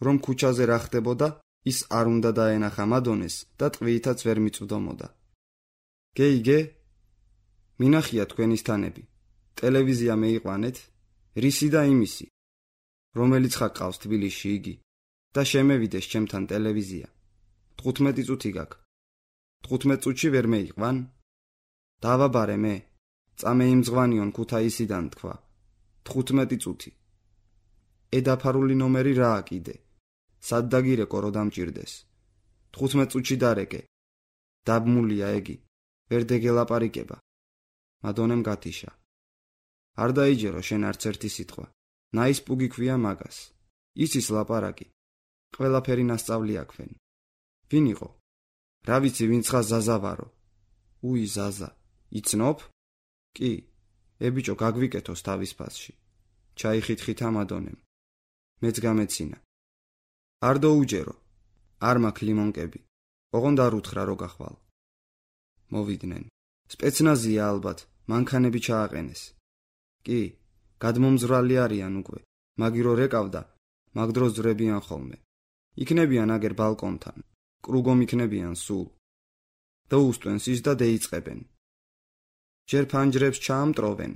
რომ ქუჩაზე რა ხდებოდა, ის არ უნდა დაენახა მადონეს და ტყვითაც ვერ მიწვდომოდა. გეიგე? მინახია თქვენი სტანები. ტელევიზია მეიყვანეთ, რისი და იმისი. რომელიც ხაყავს თბილისში იგი და შემევიდეს ჩემთან ტელევიზია. 15 წუთი გაქვს. 15 წუთში ვერ მეიყვან? დავაბარე მე. წამე იმძღვანიონ ქუთაისიდან თქვა. 15 წუთი. ედაფარული ნომერი რაა კიდე? სად დაგირეკო რო დამჭირდეს? 15 წუთში დარეკე. დაბმულია ეგი. ვერ დეგელაპარიკება. მადონემ გათიშა. არ დაიჯერო შენ არც ერთი სიტყვა. ნაისპუგი ქვია მაგას. იცის ლაპარაკი. ყველაფერი ნასწავლი აქვენ. ვინ იყო? რა ვიცი ვინცხა ზაზა ვარო. უი ზაზა. იცნობ? კი. ებიჭო გაგვიკეთოს თავის ფასში. ჩაიხითხითა მადონემ. მეც გამეცინა. არ დაუჯერო. არ მაქვს ლიმონკები. ოღონდ არ უთხრა რო გახვალ. მოვიდნენ. სპეცნაზია ალბათ, მანქანები ჩააყენეს. კი, გადმომზრალი არიან უკვე. მაგირო რეკავდა, მაგ დროს ძვრებიან ხოლმე. იქნებიან აგერ ბალკონთან, კრუგომ იქნებიან სულ. დაუსტვენ ის და დაიწყებენ. ჯერ ფანჯრებს ჩაამტროვენ,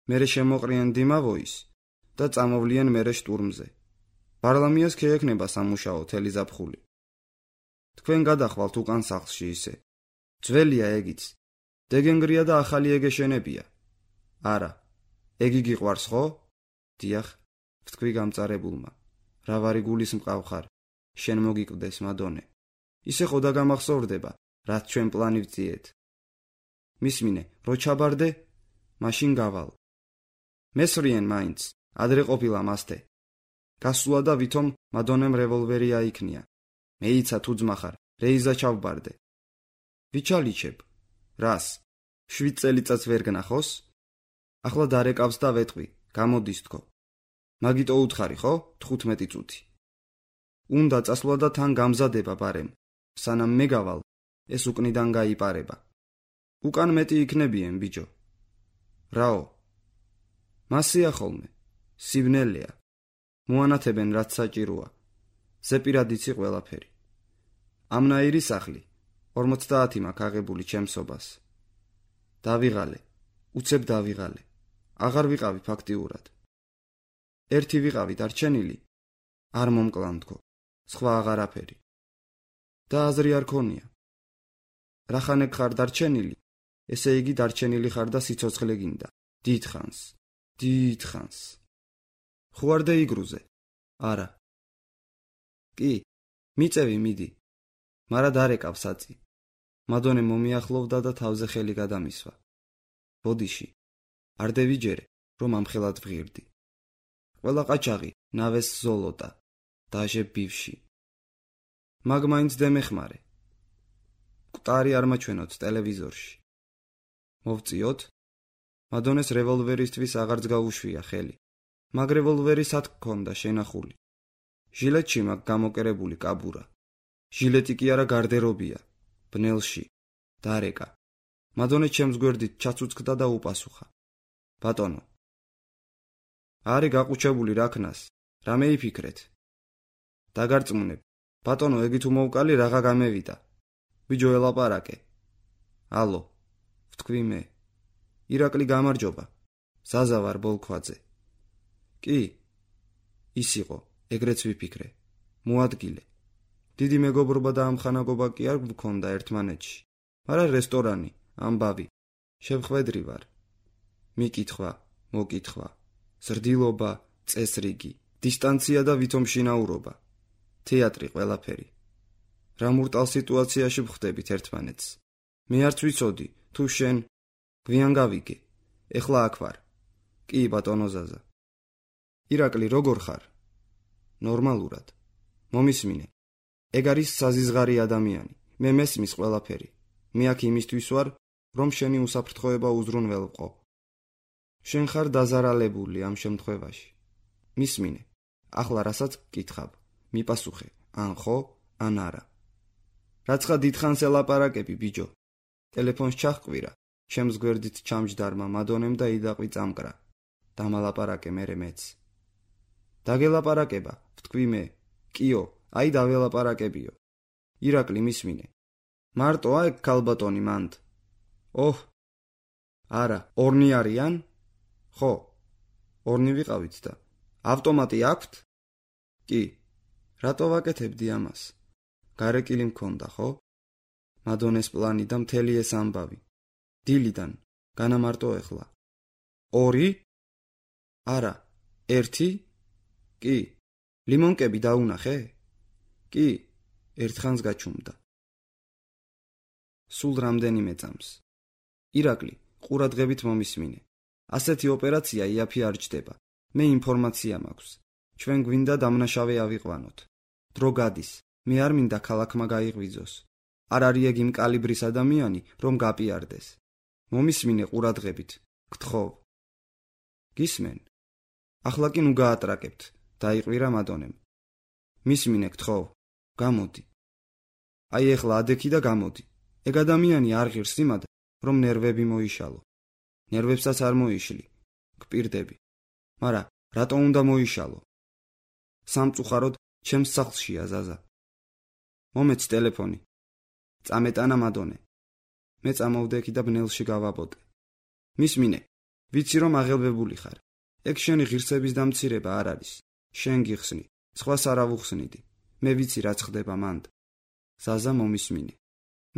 მერე შემოყრიან დიმავოის და წამოვლიან მერე შტურმზე. პარლამიას შეექნება სამუშაო თელი ზაფხული. თქვენ გადახვალთ უკან სახლში ისე. ძველია ეგიც. დეგენგრია და ახალი ეგეშენებია. არა. ეგი გიყვარს ხო? დიახ, ვთქვი გამწარებულმა. რა ვარი გულის მყავხარ, შენ მოგიკვდეს მადონე. ისე ხო დაგამახსოვრდება, რაც ჩვენ პლანი ვწიეთ. მისმინე, რო ჩაბარდე, მაშინ გავალ. მესვრიენ მაინც, ადრე ყოფილა მასტე. გასულა და ვითომ მადონემ რევოლვერი აიქნია. მეიცა თუ ძმახარ, რეიზა ჩავბარდე. ვიჩალიჩებ. რას? 7 წელიწადს ვერ გნახოს? ახლა დარეკავს და ვეტყვი, გამოდის თქო. მაგიტო უთხარი ხო? 15 წუთი. უნდა წასვლა და თან გამზადება ბარემ. სანამ მე გავალ, ეს უკნიდან გაიპარება. უკან მეტი იქნებიან ბიჭო. რაო? მასია ხოლმე. სიბნელეა. მოანათებენ რაც საჭიროა. ზეპირად იცი ყველაფერი. ამნაირი სახლი. 50 მაქვს აღებული ჩემსობას. დავიღალე. უცებ დავიღალე. აღარ ვიყავი ფაქტიურად. ერთი ვიყავი დარჩენილი. არ მომკლანდქო. სხვა აღარაფერი. და აზრი არ ქონია. რახანეკ ხარ დარჩენილი, ესე იგი დარჩენილი ხარ და სიცოცხლე გინდა. დიდხანს. დიდხანს. ხوارდე იგრუზე? არა. კი, მიწევი მიდი. მარა დარეკავ საწი. მადონე მომიახლოვდა და თავზე ხელი გადამისვა. ბოდიში. არ დევიჯერე, რომ ამხელად ვღირდი. ყველა ყაჩაღი ნავეს ზოლოტა. დაჟე ბივში. მაგ მაინც დემეხმარე. კვტარი არ მაჩვენოთ ტელევიზორში. მოვწიოთ? მადონეს რევოლვერისთვის აღარც გაუშვია ხელი. მაგ რევოლვერი სად გქონდა შენახული? ჟილეტში მაგ გამოკერებული კაბურა. ჟილეტი კი არა გარდერობია. ბნელში. დარეკა. მადონე ჩემს გვერდით ჩაცუცქდა და უპასუხა. ბატონო. არი გაყუჩებული რაქნას. რამე იფიქრეთ? დაგარწმუნებ. ბატონო, ეგი თუ მოვკალი რაღა გამევიდა. ბიჯო ელაპარაკე. ალო. ვთქვი მე. ირაკლი გამარჯობა. ზაზა ვარ ბოლქვაძე. კი. ის იყო, ეგრეც ვიფიქრე. მოადგილე. დიდი მეგობრობა და ამხანაგობა კი არ გქონდა ერთმანეთში. მაგრამ რესტორანი, ამბავი. შევხვედრი ვარ. მიკითხვა, მოკითხვა. ზრდილობა, წესრიგი, დისტანცია და ვითომ შინაურობა. თეატრი ყველაფერი. რა მურტალ სიტუაციაში ვხვდებით ერთმანეთს. მე არც ვიცოდი, თუ შენ გვიან გავიგე. ეხლა აქ ვარ. კი, ბატონო ზაზა. ირაკლი, როგორ ხარ? ნორმალურად. მომისმინე. ეგ არის საზიზღარი ადამიანი. მე მესმის ყველაფერი. მე აქ იმისთვის ვარ, რომ შენი უსაფრთხოება უზრუნველყო. შენ ხარ დაზარალებული ამ შემთხვევაში. მისმინე. ახლა რასაც გკითხავ, მიპასუხე, ან ხო, ან არა. რაცხა დიდხანს ელაპარაკები, ბიჯო. ტელეფონს ჩახყვირა, ჩემს გვერდით ჩამჯდარმა მადონემ და იდაყვი წამკრა. დამალაპარაკე მერე მეც. დაგელაპარაკება, ვთქვი მე. კიო, აი დაველაპარაკებიო. ირაკლი, მისმინე. მარტო აიქ ქალბატონი მანდ. ოჰ. არა, ორნი არიან? ხო. ორნი ვიყავით და ავტომატი აქვთ? კი. რატო ვაკეთებდი ამას? გარეკილი მქონდა, ხო? მადონეს პლანი და მთელი ეს ამბავი. დილიდან, განამარტო ეხლა. 2? არა, 1? კი. ლიმონკები დაუნახე? კი, ერთხანს გაჩუმდა. სულ რამდენიმე წამს. ირაკლი, ყურადღებით მომისმინე. ასეთი ოპერაცია იაფი არ ჯდება. მე ინფორმაცია მაქვს. ჩვენ გვინდა დამნაშავე ავიყვანოთ. დრო გადის. მე არ მინდა ქალაქმა გაიღვიძოს. არ არის ეგ იმ კალიბრის ადამიანი, რომ გაპიარდეს. მომისმინე ყურადღებით. გთხოვ. გისმენ? ახლა კი ნუ გაატრაკებთ. დაიყვირა მადონემ. მისმინე, გთხოვ. გამოდი. აი ეხლა ადექი და გამოდი. ეგ ადამიანი არ ღირს იმად, რომ ნერვები მოიშალო. ნერვებსაც არ მოიშლი. გპირდები. მარა, რატო უნდა მოიშალო? სამწუხაროდ ჩემს სახლშია ზაზა. მომეც ტელეფონი. წამეტანა მადონე. მე წამოვდექი და ბნელში გავაბოდე. მისმინე, ვიცი რომ აღელვებული ხარ. ეგ შენი ღირსების დამცირება არ არის. შენ გიხსნი, სხვას არ ავუხსნიდი. მე ვიცი რაც ხდება მანდ. ზაზა მომისმინე.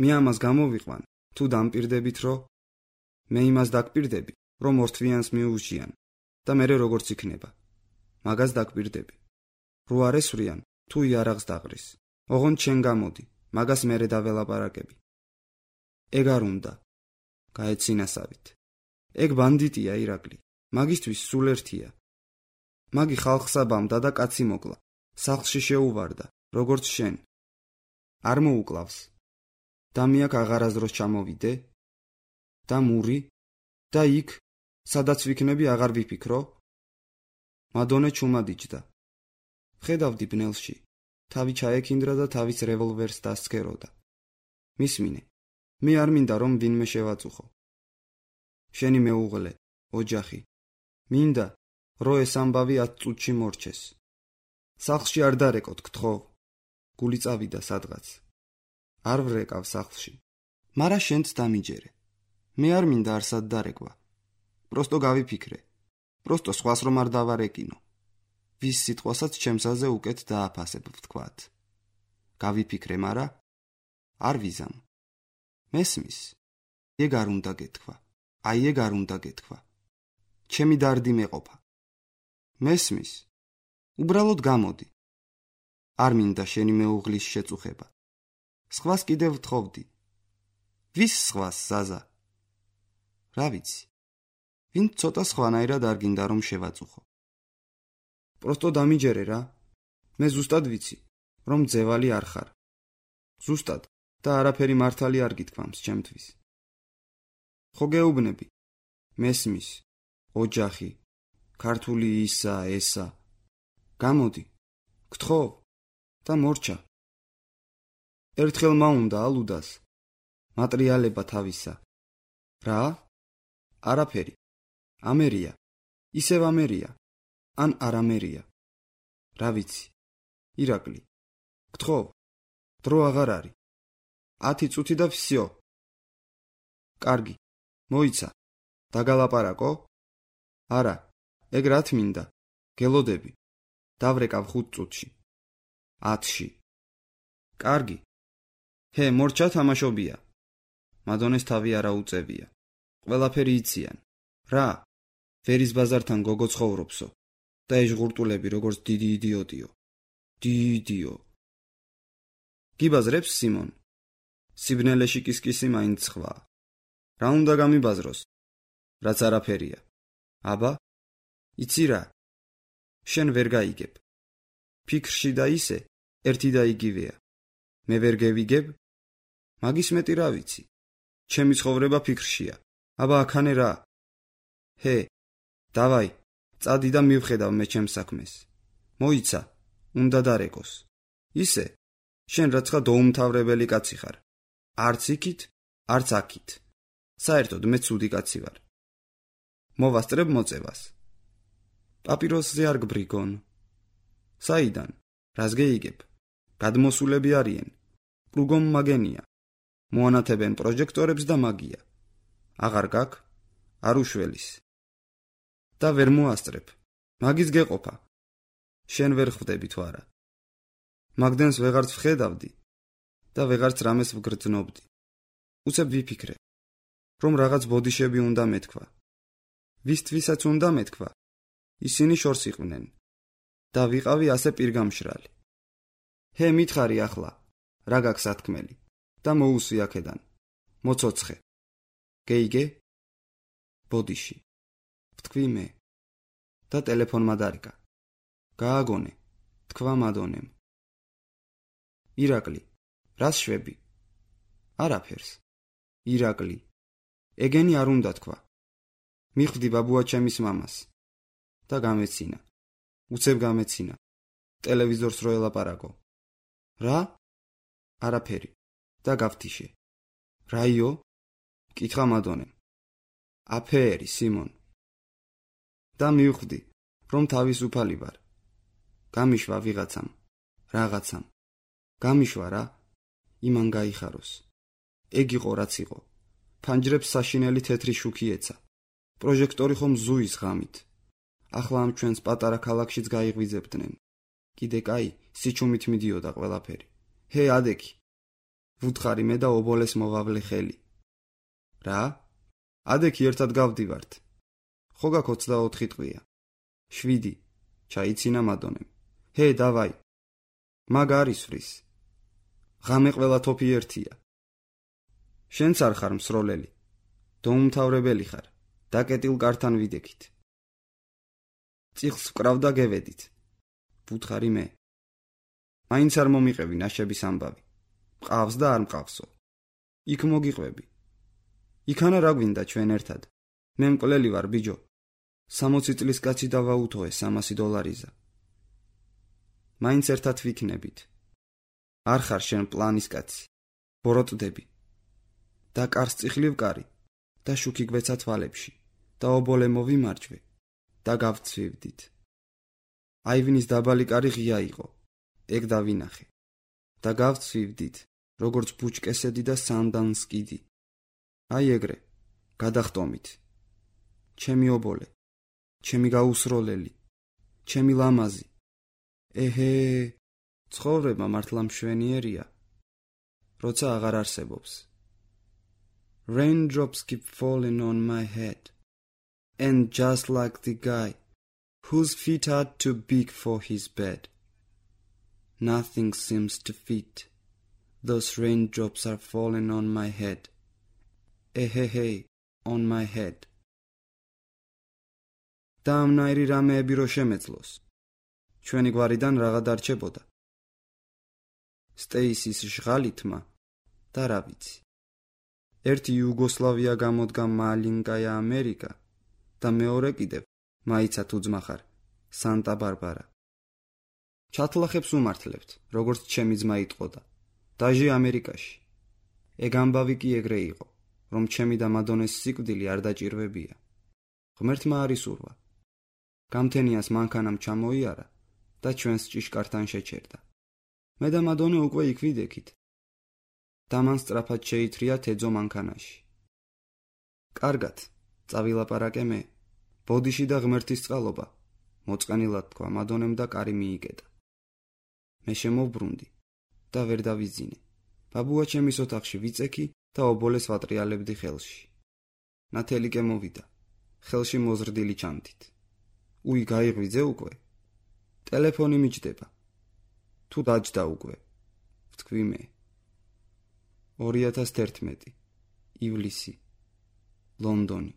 მე ამას გამოვიყვან, თუ დამპირდებით რომ მე იმას დაგპირდები, რომ ორთვიანს მიუჟიან და მე როგორც იქნება. მაგას დაგპირდები. რო არ ესვრიან, თუ იარაღს დაღრის. ოღონდ შენ გამოდი, მაგას მერე დაველაპარაკები. ეგ არ უნდა. გაეცინასავით. ეგ ბანდიტია ირაკლი. მაგისთვის სულ ერთია. მაგი ხალხს აბამდა და კაცი მოკლა. სახლში შეუვარდა, როგორც შენ. არ მოუკლავს. და მე აქ აღარასდროს ჩამოვიდე? და მური? და იქ, სადაც ვიქნები აღარ ვიფიქრო? მადონე ჩუმადიჯდა. ხედავდი ბნელში. თავი ჩაექინდრა და თავის რევოლვერს დასცქეროდა. მისმინე, მე არ მინდა რომ ვინმე შევაწუხო. შენი მეუღლე, ოჯახი. მინდა, რომ ეს ამბავი 10 წუთში მორჩეს. სახლში არ დარეკოთ, გთხოვ. გული წავიდა სადღაც. არ ვრეკავ სახლში. მარა შენც დამიჯერე. მე არ მინდა არსად დარეკვა. პროსტო გავიფიქრე. პროსტო სხვას რომ არ დავარეკინო. ვის სიტყვასაც ჩემსაზე უკეთ დააფასებ ვთქვათ. გავიფიქრე, მარა არ ვიზამ. მესმის? ეგ არ უნდა გეთქვა. აი ეგ არ უნდა გეთქვა. ჩემი დარდი მეყოფა. მესმის? უბრალოდ გამოდი. არ მინდა შენი მეუღლის შეწუხება. სხვას კიდევ ვთხოვდი. ვის სხვას, ზაზა? რა ვიცი. ვინ ცოტა სხვანაირად არ გინდა რომ შევაწუხო. პროსტო დამიჯერე რა. მე ზუსტად ვიცი, რომ ძევალი არ ხარ. ზუსტად და არაფერი მართალი არ გითქვამს ჩემთვის. ხო გეუბნები. მესმის, ოჯახი, ქართული ისა, ესა. გამოდი, გთხოვ და მორჩა. ერთხელ მაუნდა ალუდას. მატრიალება თავისა. რა? არაფერი. ამერია. ისევ ამერია. ან არამერია. რა ვიცი. ირაკლი. გთხოვ. დრო აღარ არის. 10 წუთი და ვსიო. კარგი. მოიცა. დაგალაპარაკო? არა. ეგ რა თმინდა? გელოდები. დავრეკავ 5 წუთში. 10-ში. კარგი. ჰე, მორჩა თამაშობია. მადონეს თავი არა უწევია. ყველაფერი იციან. რა? ვერის ბაზართან გოგო ცხოვრობსო. და ეს ღურტულები როგორც დიდი იდიოტიო. დიდიო. გიბაზრებს სიმონ. სიბნელეში კისკისი მაინც სხვა. რა უნდა გამიბაზროს? რაც არაფერია. აბა? იცი რა? შენ ვერ გაიგებ. ფიქრში და ისე ერთი და იგივეა. მე ვერ გევიგებ? მაგის მეტი რა ვიცი. ჩემი ცხოვრება ფიქრშია. აბა აქანე რა? ჰე, დავაი, წადი და მივხედავ მე ჩემს საქმეს. მოიცა, უნდა დარეკოს. ისე, შენ რაცხა დაუმთავრებელი კაცი ხარ. არც იქით, არც აქით. საერთოდ მე ცუდი კაცი ვარ. მოვასწრებ მოწევას. პაპიროსზე არ გბრიგონ. საიდან? რას გეიგებ? გადმოსულები არიან. პლუგომ მაგენია. მოანათებენ პროჟექტორებს და მაგია. აღარ გაკ? არ უშველის. და ვერ მოასწრებ. მაგის გეყოფა. შენ ვერ ხვდები თუ არა. მაგდენს ვეღარც ვხედავდი და ვეღარც რამეს ვგრძნობდი. უცებ ვიფიქრე, რომ რაღაც ბოდიშები უნდა მეთქვა. ვისთვისაც უნდა მეთქვა, ისინი შორს იყვნენ და ვიყავი ასე პირგამშრალი. ჰე, მითხარი ახლა, რა გაქვს ათქმელი და მოუსვი აქედან. მოцоცხე. გეიგე? ბოდიში. ვთქვი მე. და ტელეფონმა დარეკა. გააგონე, თქვა მადონემ. ირაკლი, რას შვები? არაფერს. ირაკლი, ეგენი არ უნდა თქვა. მიხვდი ბაბუა ჩემის მამას. და გამეცინა. უცებ გამეცინა. ტელევიზორს რო ელაპარაკო. რა? არაფერი. და გავთიშე. რაიო? კითხა მადონემ. აფერი, სიმონ. და მივხვდი, რომ თავისუფალი ვარ. გამიშვა ვიღაცამ, რაღაცამ. გამიშვა რა, იმან გაიხაროს. ეგ იყო რაც იყო. ფანჯრებს საშინელი თეთრი შუქი ეცა. პროჟექტორი ხომ ზუის ღამით. ახლა ამ ჩვენს პატარა ქალაქშიც გაიღვიძებდნენ. კიდე კაი, სიჩუმით მიდიოდა ყველაფერი. ჰე, ადექი. ვუთხარი მე და ობოლეს მოვავლე ხელი. რა? ადექი ერთად გავდივართ. ხო გაქ 24 ტყვია. 7. ჩაიცინა მადონემ. ჰე, დავაი. მაგ არის ვრის. ღამე ყველა თოფი ერთია. შენც არ ხარ მსროლელი. დაუმთავრებელი ხარ. დაკეტილ კართან ვიდექით. წიხლს ვკრავ და გევედით. ვუთხარი მე. მაინც არ მომიყევი ნაშების ამბავი. მყავს და არ მყავსო. იქ მოგიყვები. იქანა რა გვინდა ჩვენ ერთად. მე მკვლელი ვარ ბიჯო. 60 წლის კაცი დავაუთოე $300. მაინც ერთად ვიქნებით. არ ხარ შენ პლანის კაცი. ბოროტდები. და კარს წიხლი ვკარი და შუქი გვეცა თვალებში და ობოლე მოვიმარჯვე და გავცვივდით. აივნის დაბალი კარი ღია იყო. ეგ დავინახე. და გავცვივდით, როგორც ბუჩკესედი და სანდანსკიდი. აი ეგრე, გადახტომით. ჩემი ობოლე, ჩემი გაუსროლელი, ჩემი ლამაზი. ეჰე, ცხოვრება მართლა მშვენიერია, როცა აღარ არსებობს. Raindrops keep falling on my head, and just like the guy whose feet are too big for his bed, nothing seems to fit. Those raindrops are falling on my head. Hey, on my head. და ამნაირი რამეები რო შემეძლოს. ჩვენი გვარიდან რაღა დარჩებოდა. სტეისის ჟღალი თმა და რა ვიცი. ერთი იუგოსლავია გამოდგა მალინკაია ამერიკა და მეორე კიდევ მაიცა თუ ძმა ხარ სანტა ბარბარა. ჩათლახებს უმართლებთ, როგორც ჩემი ძმა იტყოდა. დაჟე ამერიკაში. ეგ ამბავი კი ეგრე იყო, რომ ჩემი და მადონეს სიკვდილი არ დაჭირვებია. ღმერთმა არის ურვა. გამთენიას მანქანამ ჩამოიარა და ჩვენს ჭიშკართან შეჩერდა. მე და მადონე უკვე იქ ვიდექით. და მან სწრაფად შეითრია თეძო მანქანაში. კარგად, წავილაპარაკე მე. ბოდიში და ღმერთის წყალობა. მოწყენილად თქვა მადონემ და კარი მიიკეტა. მე შემოვბრუნდი და ვერ დავიძინე. ბაბუა ჩემის ოთახში ვიწექი და ობოლეს ვატრიალებდი ხელში. ნათელიკე მოვიდა, ხელში მოზრდილი ჩანთით. უი, გაიღვიძე უკვე? ტელეფონი მიჯდება. თუ დაჯდა უკვე, ვთქვი მე. 2011 ივლისი, ლონდონი.